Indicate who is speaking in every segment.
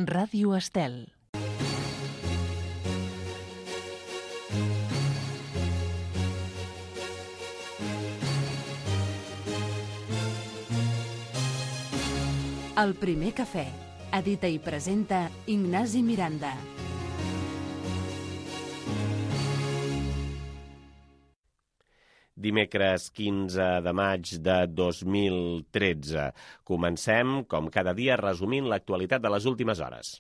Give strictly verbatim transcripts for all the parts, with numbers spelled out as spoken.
Speaker 1: Ràdio Estel. El primer cafè. Edita i presenta Ignasi Miranda.
Speaker 2: Dimecres quinze de maig de dos mil tretze. Comencem, com cada dia, resumint l'actualitat de les últimes hores.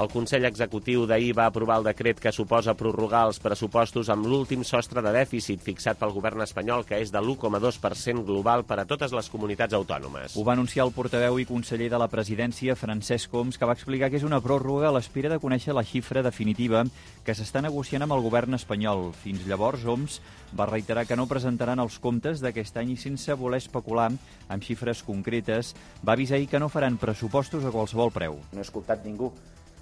Speaker 2: El Consell Executiu d'ahir va aprovar el decret que suposa prorrogar els pressupostos amb l'últim sostre de dèficit fixat pel govern espanyol, que és de l'u coma dos per cent global per a totes les comunitats autònomes.
Speaker 3: Ho va anunciar el portaveu i conseller de la presidència, Francesc Homs, que va explicar que és una pròrroga a l'espera de conèixer la xifra definitiva que s'està negociant amb el govern espanyol. Fins llavors, Homs va reiterar que no presentaran els comptes d'aquest any i, sense voler especular amb xifres concretes, va avisar ahir que no faran pressupostos a qualsevol preu.
Speaker 4: No he escoltat ningú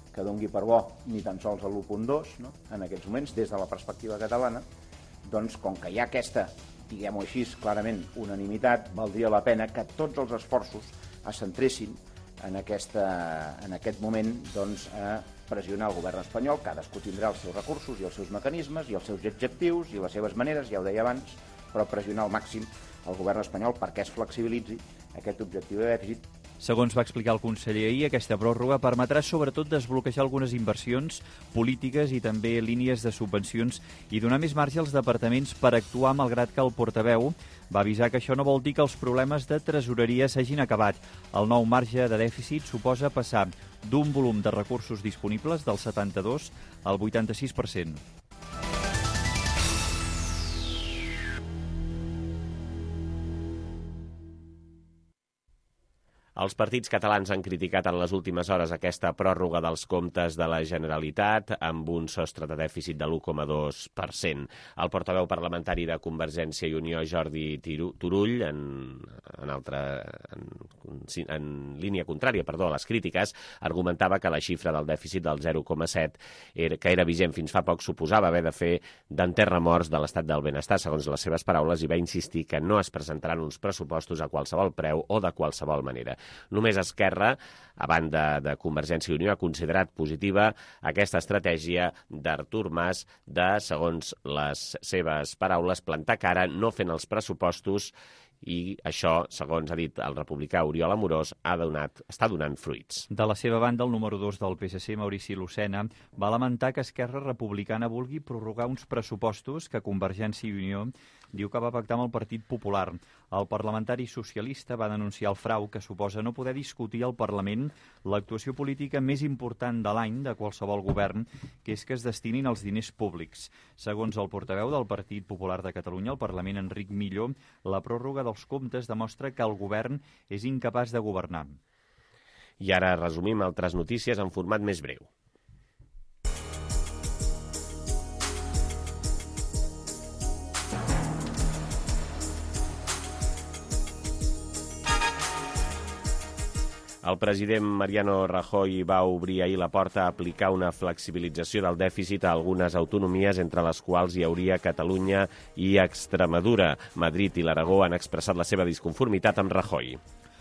Speaker 4: que dongui per bo ni tan sols a l'u coma dos, no? En aquests moments, des de la perspectiva catalana, doncs com que hi ha aquesta, diguem-ho així, clarament unanimitat, valdria la pena que tots els esforços es centressin en, aquesta, en aquest moment doncs, a pressionar el govern espanyol. Cadascú tindrà els seus recursos i els seus mecanismes i els seus objectius i les seves maneres, ja ho deia abans, però pressionar al màxim el govern espanyol perquè es flexibilitzi aquest objectiu de dèficit.
Speaker 3: Segons va explicar el conseller ahir, aquesta pròrroga permetrà sobretot desbloquejar algunes inversions polítiques i també línies de subvencions i donar més marge als departaments per actuar, malgrat que el portaveu va avisar que això no vol dir que els problemes de tresoreria s'hagin acabat. El nou marge de dèficit suposa passar d'un volum de recursos disponibles del setanta-dos al vuitanta-sis per cent.
Speaker 2: Els partits catalans han criticat en les últimes hores aquesta pròrroga dels comptes de la Generalitat amb un sostre de dèficit de l'u coma dos per cent. El portaveu parlamentari de Convergència i Unió, Jordi Turull, en, en, altra, en, en línia contrària perdó, a les crítiques, argumentava que la xifra del dèficit del zero coma set, que era vigent fins fa poc, suposava haver de fer d'enterramorts de l'estat del benestar, segons les seves paraules, i va insistir que no es presentaran uns pressupostos a qualsevol preu o de qualsevol manera. Només Esquerra, a banda de Convergència i Unió, ha considerat positiva aquesta estratègia d'Artur Mas de, segons les seves paraules, plantar cara no fent els pressupostos, i això, segons ha dit el republicà Oriol Amorós, ha donat, està donant fruits.
Speaker 3: De la seva banda, el número dos del P S C, Maurici Lucena, va lamentar que Esquerra Republicana vulgui prorrogar uns pressupostos que Convergència i Unió diu que va pactar amb el Partit Popular. El parlamentari socialista va denunciar el frau que suposa no poder discutir al Parlament l'actuació política més important de l'any de qualsevol govern, que és que es destinin els diners públics. Segons el portaveu del Partit Popular de Catalunya al Parlament, Enric Millo, la pròrroga dels comptes demostra que el govern és incapaç de governar.
Speaker 2: I ara resumim altres notícies en format més breu. El president Mariano Rajoy va obrir ahir la porta a aplicar una flexibilització del dèficit a algunes autonomies, entre les quals hi hauria Catalunya i Extremadura. Madrid i l'Aragó han expressat la seva disconformitat amb Rajoy.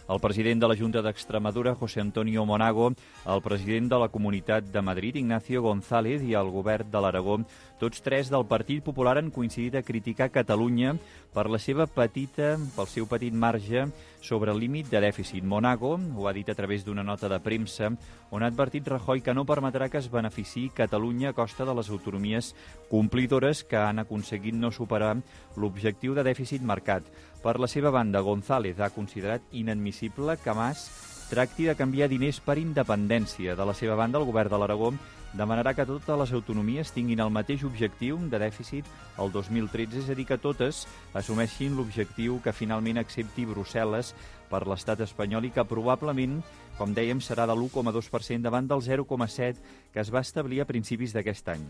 Speaker 3: El president de la Junta d'Extremadura, José Antonio Monago, el president de la Comunitat de Madrid, Ignacio González, i el govern de l'Aragó, tots tres del Partit Popular, han coincidit a criticar Catalunya per la seva petita, pel seu petit marge sobre el límit de dèficit. Monago ho ha dit a través d'una nota de premsa on ha advertit Rajoy que no permetrà que es beneficiï Catalunya a costa de les autonomies complidores que han aconseguit no superar l'objectiu de dèficit marcat. Per la seva banda, González ha considerat inadmissible que Mas tracti de canviar diners per independència. De la seva banda, el govern de l'Aragó demanarà que totes les autonomies tinguin el mateix objectiu de dèficit el dos mil tretze, és a dir, que totes assumeixin l'objectiu que finalment accepti Brussel·les per l'estat espanyol i que probablement, com dèiem, serà de l'u coma dos per cent davant del zero coma set que es va establir a principis d'aquest any.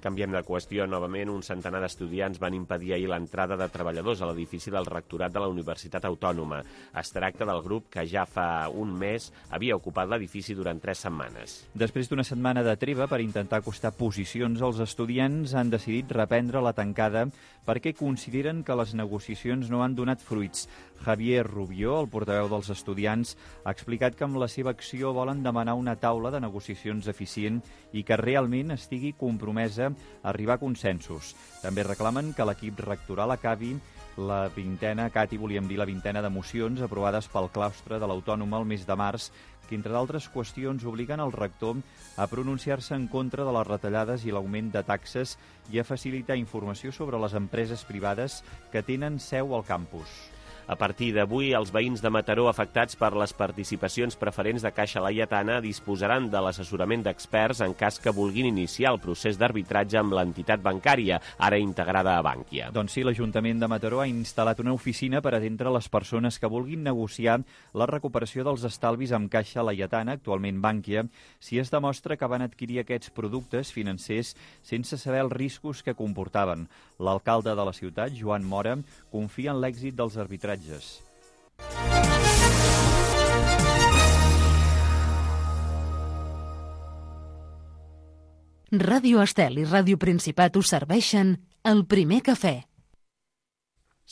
Speaker 2: Canviem de qüestió. Novament, un centenar d'estudiants van impedir ahir l'entrada de treballadors a l'edifici del rectorat de la Universitat Autònoma. Es tracta del grup que ja fa un mes havia ocupat l'edifici durant tres setmanes.
Speaker 3: Després d'una setmana de treva per intentar acostar posicions, els estudiants han decidit reprendre la tancada perquè consideren que les negociacions no han donat fruits. Javier Rubió, el portaveu dels estudiants, ha explicat que amb la seva acció volen demanar una taula de negociacions eficient i que realment estigui compromesa a arribar a consensos. També reclamen que l'equip rectoral acabi la vintena, Cati, volíem dir la vintena de mocions aprovades pel claustre de l'Autònoma el mes de març, que, entre d'altres qüestions, obliguen el rector a pronunciar-se en contra de les retallades i l'augment de taxes i a facilitar informació sobre les empreses privades que tenen seu al campus.
Speaker 2: A partir d'avui, els veïns de Mataró afectats per les participacions preferents de Caixa Laietana disposaran de l'assessorament d'experts en cas que vulguin iniciar el procés d'arbitratge amb l'entitat bancària, ara integrada a Bànquia.
Speaker 3: Doncs sí, l'Ajuntament de Mataró ha instal·lat una oficina per atendre les persones que vulguin negociar la recuperació dels estalvis amb Caixa Laietana, actualment Bànquia, si es demostra que van adquirir aquests productes financers sense saber els riscos que comportaven. L'alcalde de la ciutat, Joan Mora, confia en l'èxit dels arbitratges.
Speaker 1: Ràdio Estel i Ràdio Principat us serveixen El Primer Cafè.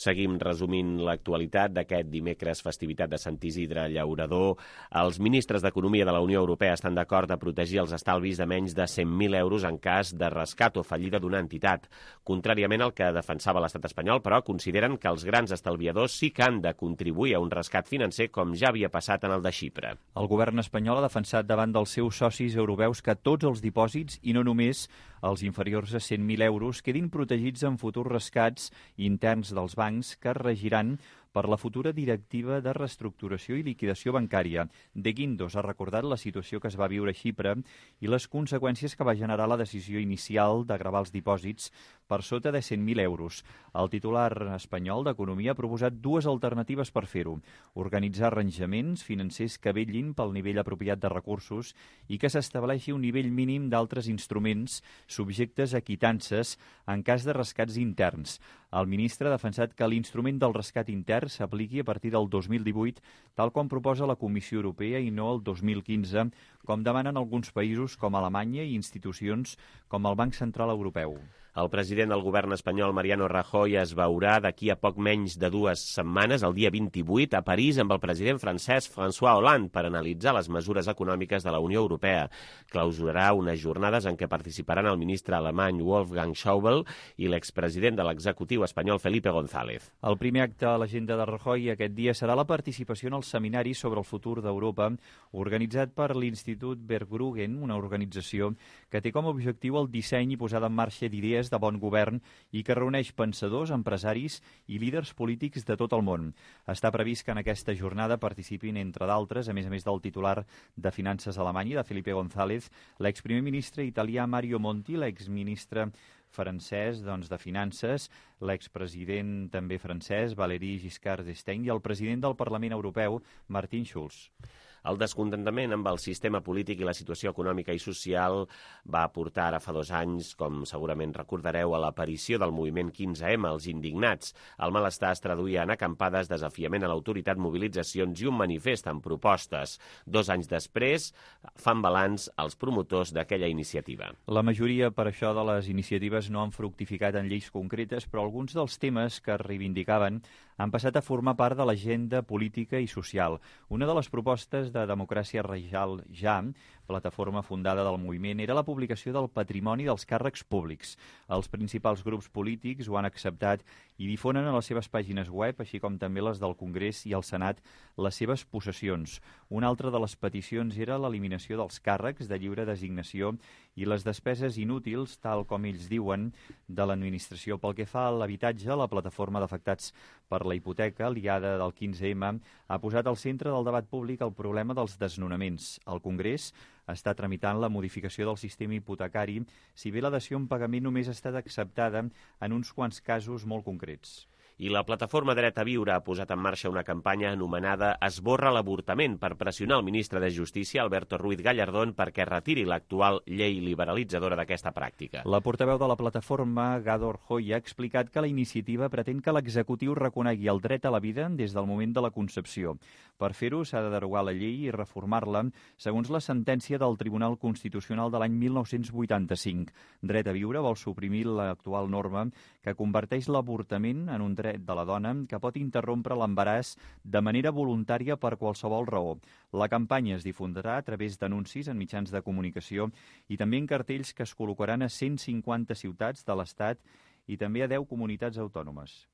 Speaker 2: Seguim resumint l'actualitat d'aquest dimecres, festivitat de Sant Isidre Llaurador. Els ministres d'Economia de la Unió Europea estan d'acord a protegir els estalvis de menys de cent mil euros en cas de rescat o fallida d'una entitat. Contràriament al que defensava l'estat espanyol, però, consideren que els grans estalviadors sí que han de contribuir a un rescat financer com ja havia passat en el de Xipre.
Speaker 3: El govern espanyol ha defensat davant dels seus socis europeus que tots els dipòsits, i no només els inferiors a cent mil euros, quedin protegits en futurs rescats interns dels bancs que regiran per la futura directiva de reestructuració i liquidació bancària. De Guindos ha recordat la situació que es va viure a Xipre i les conseqüències que va generar la decisió inicial de gravar els dipòsits per sota de cent mil euros. El titular espanyol d'Economia ha proposat dues alternatives per fer-ho. Organitzar arranjaments financers que vetllin pel nivell apropiat de recursos i que s'estableixi un nivell mínim d'altres instruments subjectes a quitances en cas de rescats interns. El ministre ha defensat que l'instrument del rescat intern s'apliqui a partir del dos mil divuit, tal com proposa la Comissió Europea, i no el dos mil quinze, com demanen alguns països com Alemanya i institucions com el Banc Central Europeu.
Speaker 2: El president del govern espanyol, Mariano Rajoy, es veurà d'aquí a poc menys de dues setmanes, el dia vint-i-vuit, a París amb el president francès François Hollande per analitzar les mesures econòmiques de la Unió Europea. Clausurarà unes jornades en què participaran el ministre alemany Wolfgang Schäuble i l'expresident de l'executiu espanyol Felipe González.
Speaker 3: El primer acte a l'agenda de Rajoy aquest dia serà la participació en el seminari sobre el futur d'Europa, organitzat per l'Institut Berggruen, una organització que té com a objectiu el disseny i posada en marxa d'idees de bon govern i que reuneix pensadors, empresaris i líders polítics de tot el món. Està previst que en aquesta jornada participin, entre d'altres, a més a més del titular de Finances alemany, de Felipe González, l'exprimer ministre italià Mario Monti, l'exministre francès doncs, de Finances, l'expresident també francès Valéry Giscard d'Estaing i el president del Parlament Europeu, Martin Schulz.
Speaker 2: El descontentament amb el sistema polític i la situació econòmica i social va portar ara fa dos anys, com segurament recordareu, a l'aparició del moviment quinze ema, els indignats. El malestar es traduïa en acampades, desafiament a l'autoritat, mobilitzacions i un manifest amb propostes. Dos anys després fan balanç els promotors d'aquella iniciativa.
Speaker 3: La majoria, per això, de les iniciatives no han fructificat en lleis concretes, però alguns dels temes que reivindicaven han passat a formar part de l'agenda política i social. Una de les propostes de Democràcia Real Ja, plataforma fundada del moviment, era la publicació del patrimoni dels càrrecs públics. Els principals grups polítics ho han acceptat i difonen a les seves pàgines web, així com també les del Congrés i el Senat, les seves possessions. Una altra de les peticions era l'eliminació dels càrrecs de lliure designació i les despeses inútils, tal com ells diuen, de l'administració. Pel que fa a l'habitatge, la plataforma d'afectats per la hipoteca, aliada del quinze ema, ha posat al centre del debat públic el problema dels desnonaments. El Congrés està tramitant la modificació del sistema hipotecari, si bé la dació en pagament només ha estat acceptada en uns quants casos molt concrets.
Speaker 2: I la plataforma Dret a Viure ha posat en marxa una campanya anomenada Esborra l'avortament per pressionar el ministre de Justícia, Alberto Ruiz Gallardón, perquè retiri l'actual llei liberalitzadora d'aquesta pràctica.
Speaker 3: La portaveu de la plataforma, Gador Hoy, ha explicat que la iniciativa pretén que l'executiu reconegui el dret a la vida des del moment de la concepció. Per fer-ho, s'ha de derogar la llei i reformar-la segons la sentència del Tribunal Constitucional de l'any mil nou-cents vuitanta-cinc. Dret a Viure vol suprimir l'actual norma que converteix l'avortament en un dret de la dona que pot interrompre l'embaràs de manera voluntària per qualsevol raó. La campanya es difondrà a través d'anuncis en mitjans de comunicació i també en cartells que es col·locaran a cent cinquanta ciutats de l'Estat i també a deu comunitats autònomes.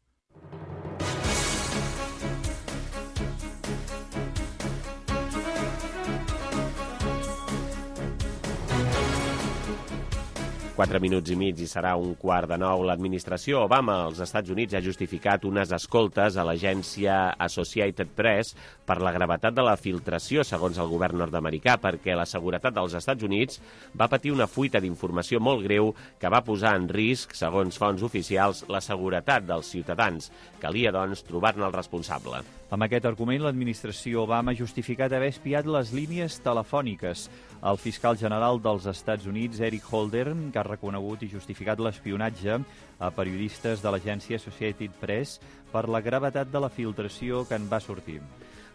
Speaker 2: Quatre minuts i mig i serà un quart de nou. L'administració Obama als Estats Units ha justificat unes escoltes a l'agència Associated Press per la gravetat de la filtració, segons el govern nord-americà, perquè la seguretat dels Estats Units va patir una fuita d'informació molt greu que va posar en risc, segons fonts oficials, la seguretat dels ciutadans. Calia, doncs, trobar-ne el responsable.
Speaker 3: Amb aquest argument, l'administració Obama ha justificat haver espiat les línies telefòniques. El fiscal general dels Estats Units, Eric Holder, que ha reconegut i justificat l'espionatge a periodistes de l'agència Associated Press per la gravetat de la filtració que en va sortir.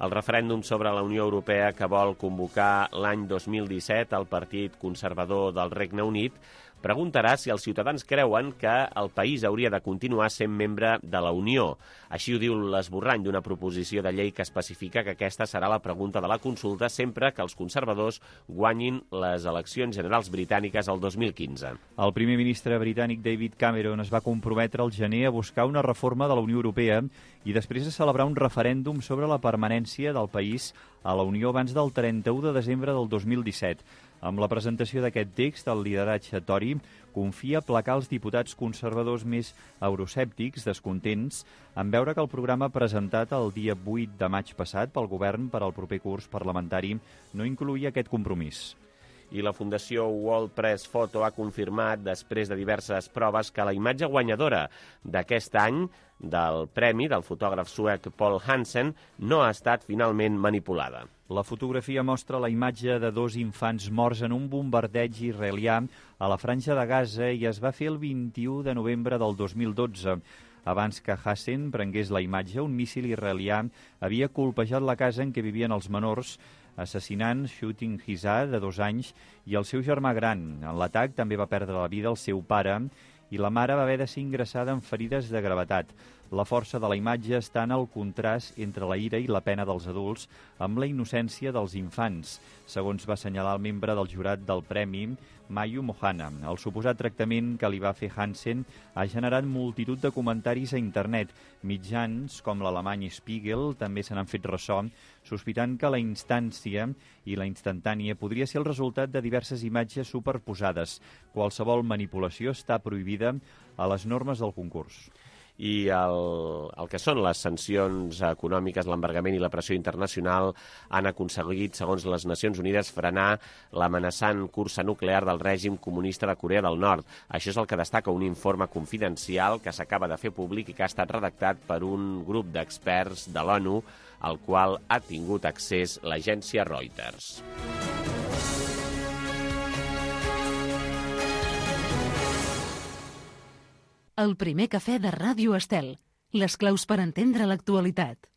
Speaker 2: El referèndum sobre la Unió Europea que vol convocar l'any dos mil disset el Partit Conservador del Regne Unit preguntarà si els ciutadans creuen que el país hauria de continuar sent membre de la Unió. Així ho diu l'esborrany d'una proposició de llei que especifica que aquesta serà la pregunta de la consulta sempre que els conservadors guanyin les eleccions generals britàniques el dos mil quinze.
Speaker 3: El primer ministre britànic David Cameron es va comprometre al gener a buscar una reforma de la Unió Europea i després de celebrar un referèndum sobre la permanència del país a la Unió abans del trenta-u de desembre del dos mil disset. Amb la presentació d'aquest text, el lideratge Tory confia aplacar els diputats conservadors més euroscèptics, descontents, en veure que el programa presentat el dia vuit de maig passat pel govern per al proper curs parlamentari no incloïa aquest compromís.
Speaker 2: I la Fundació World Press Photo ha confirmat, després de diverses proves, que la imatge guanyadora d'aquest any del premi del fotògraf suec Paul Hansen no ha estat finalment manipulada.
Speaker 3: La fotografia mostra la imatge de dos infants morts en un bombardeig israelià a la Franja de Gaza i es va fer el vint-i-u de novembre del dos mil dotze. Abans que Hassan prengués la imatge, un míssil israelià havia colpejat la casa en què vivien els menors, assassinant Shooting Hizar, de dos anys, i el seu germà gran. En l'atac també va perdre la vida el seu pare i la mare va haver de ser ingressada amb ferides de gravetat. La força de la imatge està en el contrast entre la ira i la pena dels adults amb la innocència dels infants, segons va assenyalar el membre del jurat del premi, Mayu Mohana. El suposat tractament que li va fer Hansen ha generat multitud de comentaris a internet. Mitjans com l'alemany Spiegel també se n'han fet ressò, sospitant que la instància i la instantània podria ser el resultat de diverses imatges superposades. Qualsevol manipulació està prohibida a les normes del concurs.
Speaker 2: I el, el que són les sancions econòmiques, l'embargament i la pressió internacional han aconseguit, segons les Nacions Unides, frenar l'amenaçant cursa nuclear del règim comunista de Corea del Nord. Això és el que destaca un informe confidencial que s'acaba de fer públic i que ha estat redactat per un grup d'experts de l'ONU, al qual ha tingut accés l'agència Reuters.
Speaker 1: El primer cafè de Ràdio Estel. Les claus per entendre l'actualitat.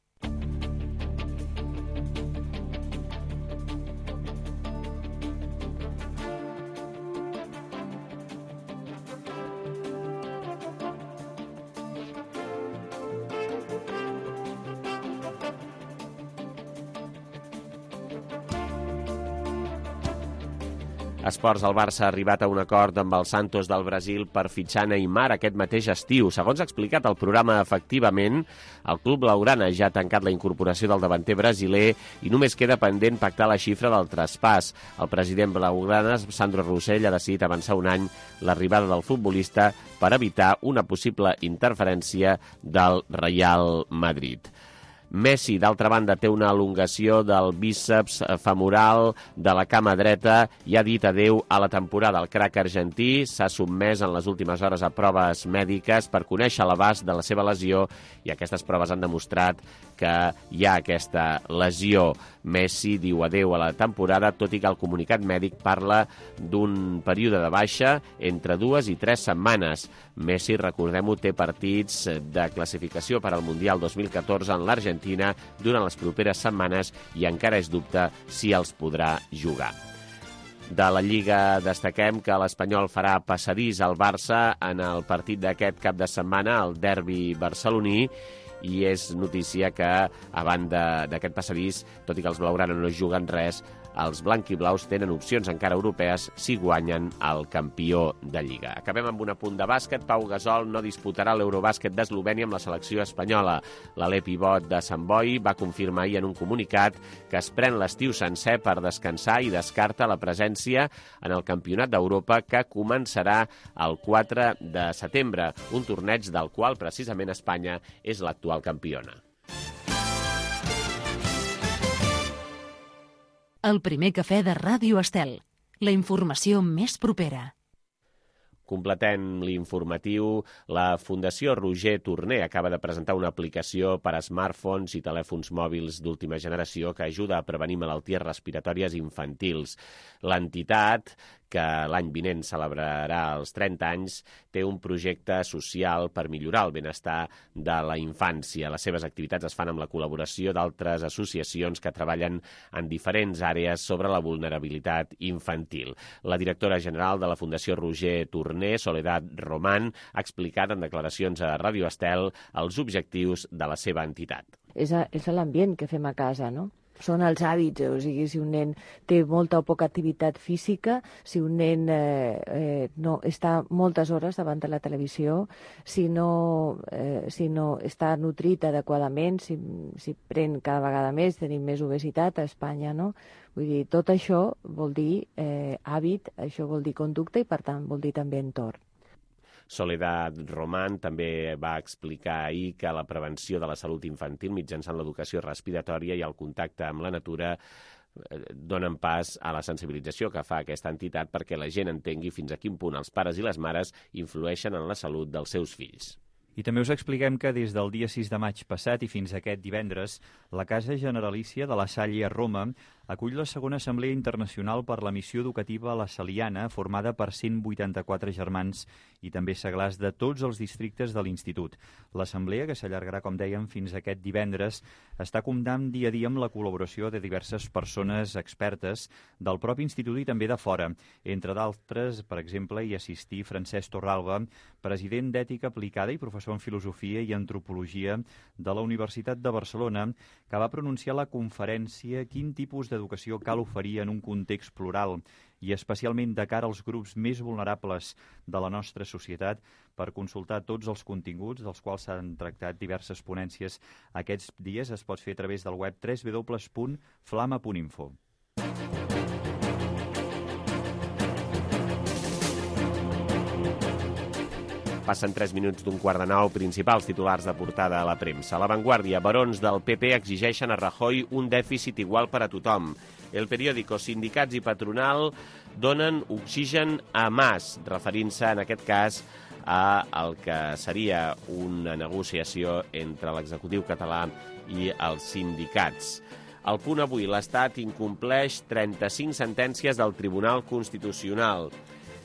Speaker 2: Esports, el Barça ha arribat a un acord amb el Santos del Brasil per fitxar Neymar aquest mateix estiu. Segons ha explicat el programa, efectivament, el club blaugrana ja ha tancat la incorporació del davanter brasiler i només queda pendent pactar la xifra del traspàs. El president blaugrana, Sandro Rossell, ha decidit avançar un any l'arribada del futbolista per evitar una possible interferència del Real Madrid. Messi, d'altra banda, té una elongació del bíceps femoral de la cama dreta i ha dit adeu a la temporada. El crac argentí s'ha sotmès en les últimes hores a proves mèdiques per conèixer l'abast de la seva lesió i aquestes proves han demostrat que hi ha aquesta lesió. Messi diu adeu a la temporada, tot i que el comunicat mèdic parla d'un període de baixa entre dues i tres setmanes. Messi, recordem-ho, té partits de classificació per al Mundial dos mil catorze en l'Argentina durant les properes setmanes i encara és dubte si els podrà jugar. De la Lliga destaquem que l'Espanyol farà passadís al Barça en el partit d'aquest cap de setmana, el derbi barceloní, i és notícia que, a banda d'aquest passadís, tot i que els blaugrana no juguen res, els blanquiblaus tenen opcions encara europees si guanyen el campió de Lliga. Acabem amb un apunt de bàsquet. Pau Gasol no disputarà l'Eurobàsquet d'Eslovènia amb la selecció espanyola. L'Alé pivot de Sant Boi va confirmar ahir en un comunicat que es pren l'estiu sencer per descansar i descarta la presència en el Campionat d'Europa que començarà el quatre de setembre, un torneig del qual precisament Espanya és l'actual campiona.
Speaker 1: El primer cafè de Ràdio Estel. La informació més propera.
Speaker 2: Completem l'informatiu. La Fundació Roger Torner acaba de presentar una aplicació per a smartphones i telèfons mòbils d'última generació que ajuda a prevenir malalties respiratòries infantils. L'entitat, que l'any vinent celebrarà els trenta anys, té un projecte social per millorar el benestar de la infància. Les seves activitats es fan amb la col·laboració d'altres associacions que treballen en diferents àrees sobre la vulnerabilitat infantil. La directora general de la Fundació Roger Torner, Soledad Román, ha explicat en declaracions a Ràdio Estel els objectius de la seva entitat.
Speaker 5: És, a, és l'ambient que fem a casa, no? Són els hàbits, o sigui, si un nen té molta o poca activitat física, si un nen eh, eh, no està moltes hores davant de la televisió, si no, eh, si no està nutrit adequadament, si, si pren cada vegada més, tenim més obesitat a Espanya, no? Vull dir, tot això vol dir eh, hàbit, això vol dir conducta i, per tant, vol dir també entorn.
Speaker 2: Soledad Román també va explicar ahir que la prevenció de la salut infantil mitjançant l'educació respiratòria i el contacte amb la natura donen pas a la sensibilització que fa aquesta entitat perquè la gent entengui fins a quin punt els pares i les mares influeixen en la salut dels seus fills.
Speaker 3: I també us expliquem que des del dia sis de maig passat i fins aquest divendres, la Casa Generalícia de la Salle a Roma acull la segona Assemblea Internacional per la Missió Educativa a la Saliana, formada per cent vuitanta-quatre germans i també seglars de tots els districtes de l'Institut. L'assemblea, que s'allargarà, com dèiem, fins aquest divendres, està comptant dia a dia amb la col·laboració de diverses persones expertes del propi institut i també de fora. Entre d'altres, per exemple, hi assistí Francesc Torralba, president d'Ètica Aplicada i professor en Filosofia i Antropologia de la Universitat de Barcelona, que va pronunciar la conferència Quin tipus d'educació cal oferir en un context plural i especialment de cara als grups més vulnerables de la nostra societat. Per consultar tots els continguts dels quals s'han tractat diverses ponències aquests dies es pot fer a través del web w w w punt flama punt info.
Speaker 2: Passen tres minuts d'un quart de nou, principals titulars de portada a la premsa. La Vanguardia, barons del P P exigeixen a Rajoy un dèficit igual per a tothom. El periòdico, sindicats i patronal donen oxigen a Mas, referint-se en aquest cas a el que seria una negociació entre l'executiu català i els sindicats. Al Punt Avui, l'Estat incompleix trenta-cinc sentències del Tribunal Constitucional.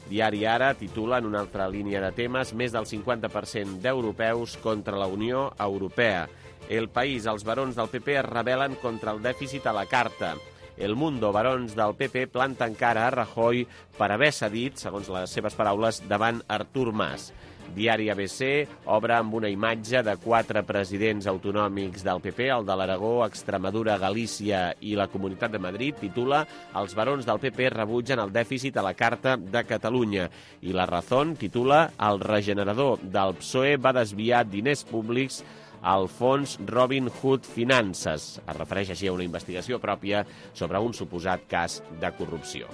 Speaker 2: Diari Ara titula en una altra línia de temes més del cinquanta per cent d'europeus contra la Unió Europea. El País, els barons del P P es rebel·len contra el dèficit a la carta. El Mundo, barons del P P planten cara a Rajoy per haver cedit, segons les seves paraules, davant Artur Mas. Diari A B C obre amb una imatge de quatre presidents autonòmics del P P, el de l'Aragó, Extremadura, Galícia i la Comunitat de Madrid, titula Els barons del P P rebutgen el dèficit a la Carta de Catalunya. I La Razón titula El regenerador del P S O E va desviar diners públics al fons Robin Hood Finances. Es refereix així a una investigació pròpia sobre un suposat cas de corrupció.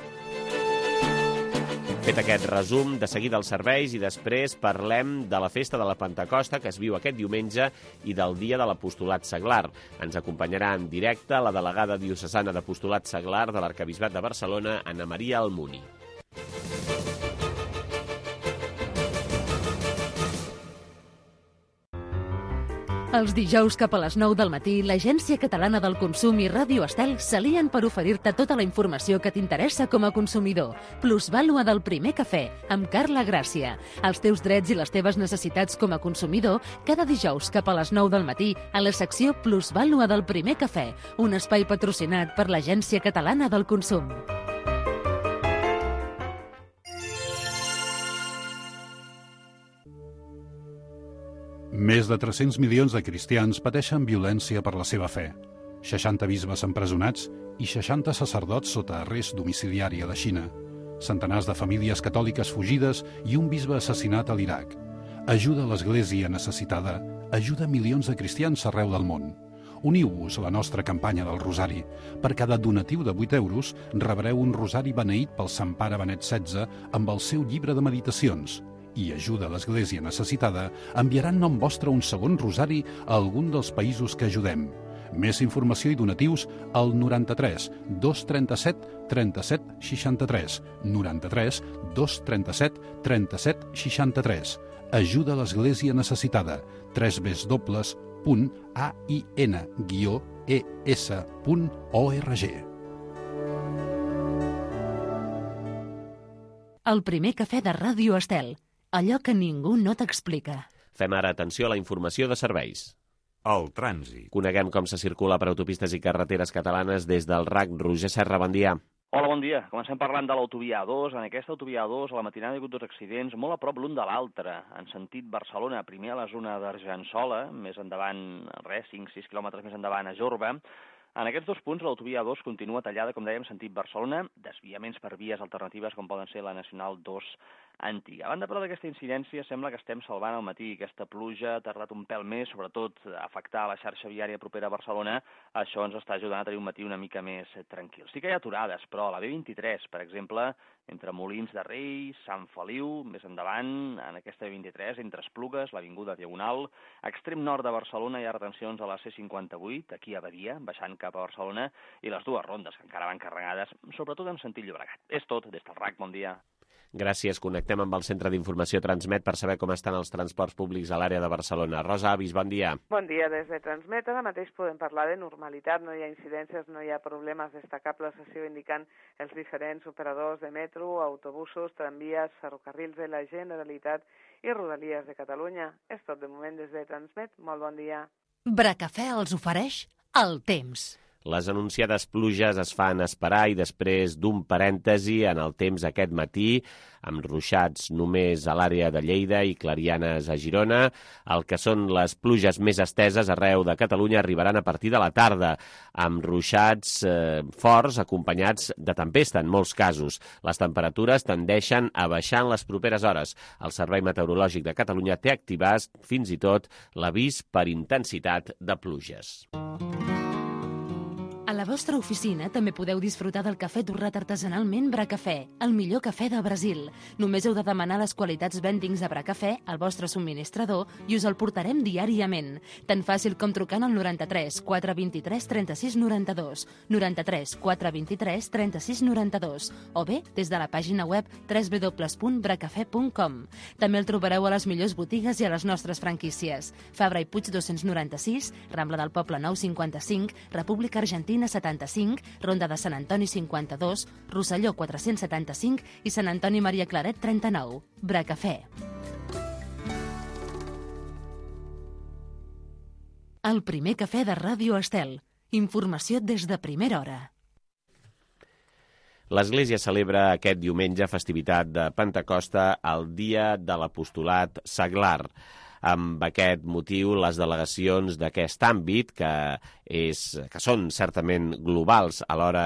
Speaker 2: Fet aquest resum, de seguida els serveis i després parlem de la festa de la Pentecosta que es viu aquest diumenge i del dia de l'apostolat seglar. Ens acompanyarà en directe la delegada diocesana d'apostolat seglar de l'Arquebisbat de Barcelona, Anna Maria Almuni.
Speaker 1: Els dijous cap a les nou del matí, l'Agència Catalana del Consum i Ràdio Estel s'alien per oferir-te tota la informació que t'interessa com a consumidor. Plusvàlua del primer cafè, amb Carla Gràcia. Els teus drets i les teves necessitats com a consumidor, cada dijous cap a les nou del matí, a la secció Plusvàlua del primer cafè, un espai patrocinat per l'Agència Catalana del Consum.
Speaker 6: Més de tres-cents milions de cristians pateixen violència per la seva fe. seixanta bisbes empresonats i seixanta sacerdots sota arrest domiciliari a la Xina. Centenars de famílies catòliques fugides i un bisbe assassinat a l'Iraq. Ajuda a l'Església necessitada, ajuda milions de cristians arreu del món. Uniu-vos a la nostra campanya del Rosari. Per cada donatiu de vuit euros rebreu un rosari beneït pel Sant Pare Benet setze amb el seu llibre de meditacions. I ajuda a l'Església necessitada, enviaran nom vostre un segon rosari a algun dels països que ajudem. Més informació i donatius al noranta-tres dos trenta-set trenta-set seixanta-tres, noranta-tres dos trenta-set trenta-set seixanta-tres. Ajuda a l'Església necessitada, tres w punt a i ena guió e essa punt org.
Speaker 1: El primer cafè de Ràdio Estel. Allò que ningú no t'explica.
Speaker 2: Fem ara atenció a la informació de serveis.
Speaker 7: El trànsit.
Speaker 2: Coneguem com se circula per autopistes i carreteres catalanes des del R A C. Roger Serra, bon dia.
Speaker 8: Hola, bon dia. Comencem parlant de l'autovia A dos. En aquesta autovia A dos, a la matinada hi ha hagut dos accidents molt a prop l'un de l'altre. En sentit Barcelona, primer a la zona d'Argençola, més endavant, res, cinc sis quilòmetres més endavant a Jorba. En aquests dos punts, l'autovia A dos continua tallada, com dèiem, sentit Barcelona, desviaments per vies alternatives com poden ser la Nacional dos antiga. A banda, però, d'aquesta incidència, sembla que estem salvant al matí. Aquesta pluja ha tardat un pèl més, sobretot a afectar la xarxa viària propera a Barcelona. Això ens està ajudant a tenir un matí una mica més tranquil. Sí que hi ha aturades, però a la B vint-i-tres, per exemple, entre Molins de Rei, Sant Feliu, més endavant, en aquesta B vint-i-tres, entre Esplugues, l'Avinguda Diagonal, extrem nord de Barcelona hi ha retencions a la C cinquanta-vuit, aquí a Badia, baixant cap a Barcelona, i les dues rondes, que encara van carregades, sobretot en sentit Llobregat. És tot, des del R A C, bon dia.
Speaker 2: Gràcies. Connectem amb el Centre d'Informació Transmet per saber com estan els transports públics a l'àrea de Barcelona. Rosa Avis, bon dia.
Speaker 9: Bon dia. Des de Transmet ara mateix podem parlar de normalitat. No hi ha incidències, no hi ha problemes destacables, així ho indiquen els diferents operadors de metro, autobusos, tramvies, ferrocarrils de la Generalitat i Rodalies de Catalunya. És tot de moment des de Transmet. Molt bon dia.
Speaker 1: Bracafè els ofereix el temps.
Speaker 2: Les anunciades pluges es fan esperar i després d'un parèntesi en el temps aquest matí, amb ruixats només a l'àrea de Lleida i clarianes a Girona. El que són les pluges més esteses arreu de Catalunya arribaran a partir de la tarda, amb ruixats eh, forts acompanyats de tempesta en molts casos. Les temperatures tendeixen a baixar en les properes hores. El Servei Meteorològic de Catalunya té activat fins i tot l'avís per intensitat de pluges.
Speaker 1: A la vostra oficina també podeu disfrutar del cafè torrat artesanalment Bracafè, el millor cafè del Brasil. Només heu de demanar les qualitats vendings de Bracafè al vostre subministrador i us el portarem diàriament. Tan fàcil com trucant al noranta-tres quatre vint-i-tres trenta-sis noranta-dos, noranta-tres quatre vint-i-tres trenta-sis noranta-dos o bé des de la pàgina web w w w punt bracafè punt com. També el trobareu a les millors botigues i a les nostres franquícies. Fabra i Puig dos-cents noranta-sis, Rambla del Poble nou cinquanta-cinc, República Argentina setanta-cinc, Ronda de Sant Antoni cinquanta-dos, Rosselló quatre-cents setanta-cinc i Sant Antoni Maria Claret trenta-nou. Bracafè. El primer cafè de Ràdio Estel. Informació des de primera hora.
Speaker 2: L'Església celebra aquest diumenge festivitat de Pentecosta, el dia de l'apostolat seglar. Amb aquest motiu, les delegacions d'aquest àmbit, que, és, que són certament globals a l'hora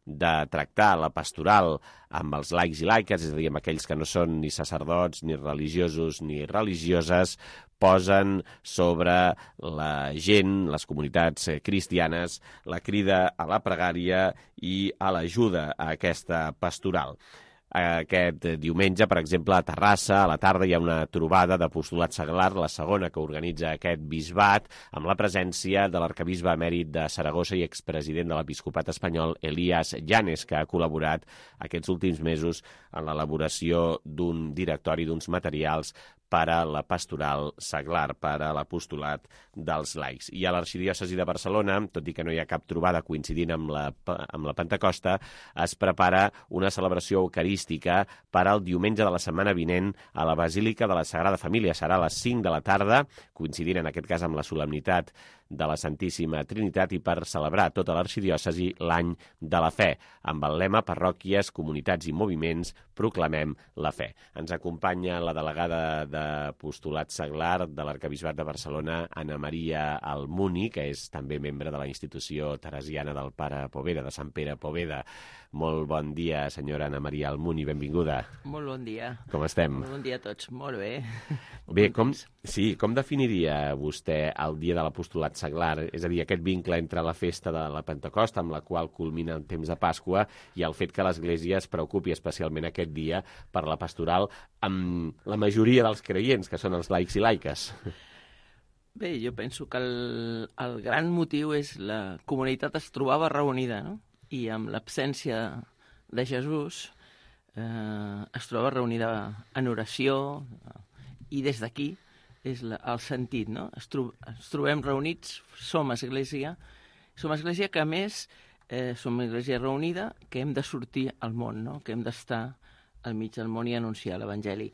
Speaker 2: de tractar la pastoral amb els laics i laiques, és a dir, amb aquells que no són ni sacerdots, ni religiosos, ni religioses, posen sobre la gent, les comunitats cristianes, la crida a la pregària i a l'ajuda a aquesta pastoral. Aquest diumenge, per exemple, a Terrassa, a la tarda, hi ha una trobada d'apostolat seglar, la segona que organitza aquest bisbat, amb la presència de l'arcabisbe emèrit de Saragossa i expresident de l'episcopat espanyol, Elías Llanes, que ha col·laborat aquests últims mesos en l'elaboració d'un directori, d'uns materials per a la pastoral seglar, per a l'apostolat dels laics. I a l'Arxidiòcesi de Barcelona, tot i que no hi ha cap trobada coincidint amb la, amb la Pentecosta, es prepara una celebració eucarística per al diumenge de la setmana vinent a la Basílica de la Sagrada Família. Serà a les cinc de la tarda, coincidint en aquest cas amb la solemnitat de la Santíssima Trinitat i per celebrar tota l'arxidiòcesi l'any de la fe. Amb el lema Parròquies, comunitats i moviments, proclamem la fe. Ens acompanya la delegada d'apostolat seglar de l'Arcabisbat de Barcelona, Anna Maria Almuni, que és també membre de la institució teresiana del Pare Poveda, de Sant Pere Poveda. Molt bon dia, senyora Anna Maria Almuni, benvinguda.
Speaker 7: Molt bon dia.
Speaker 2: Com estem?
Speaker 7: Molt bon dia a tots, molt bé.
Speaker 2: Bé, com, sí, com definiria vostè el dia de l'apostolat seglar? És a dir, aquest vincle entre la festa de la Pentecosta, amb la qual culmina el temps de Pasqua, i el fet que l'Església es preocupi especialment aquest dia per la pastoral amb la majoria dels creients, que són els laics i laiques.
Speaker 7: Bé, jo penso que el, el gran motiu és la comunitat es trobava reunida, no? I amb l'absència de Jesús eh, es troba reunida en oració, i des d'aquí és la, el sentit, no? Es, tro ens trobem reunits, som església, som església que a més eh, som església reunida, que hem de sortir al món, no? Que hem d'estar al mig del món i anunciar l'Evangeli.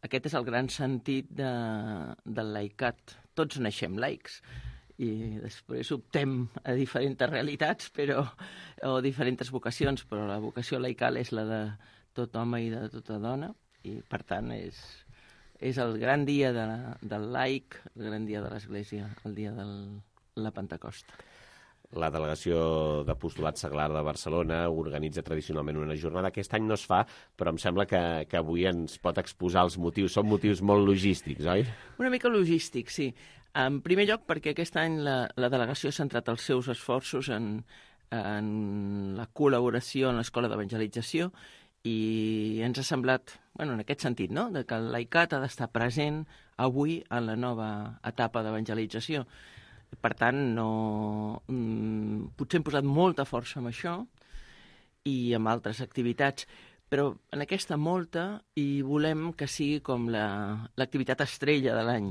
Speaker 7: Aquest és el gran sentit de, del laicat. Tots naixem laics i després optem a diferents realitats però, o diferents vocacions, però la vocació laical és la de tot home i de tota dona, i per tant és, és el gran dia de, del laic, el gran dia de l'Església, el dia de la Pentecosta.
Speaker 2: La delegació d'apostolat seglar de Barcelona organitza tradicionalment una jornada. Aquest any no es fa, però em sembla que, que avui ens pot exposar els motius. Són motius molt logístics, oi?
Speaker 7: Una mica logístics, sí. En primer lloc, perquè aquest any la, la delegació ha centrat els seus esforços en, en la col·laboració en l'Escola d'Evangelització i ens ha semblat, bueno, en aquest sentit, no?, de que el laicat ha d'estar present avui en la nova etapa d'evangelització. Per tant, no, mm, potser hem posat molta força en això i amb altres activitats, però en aquesta molta i volem que sigui com l'activitat la, estrella de l'any.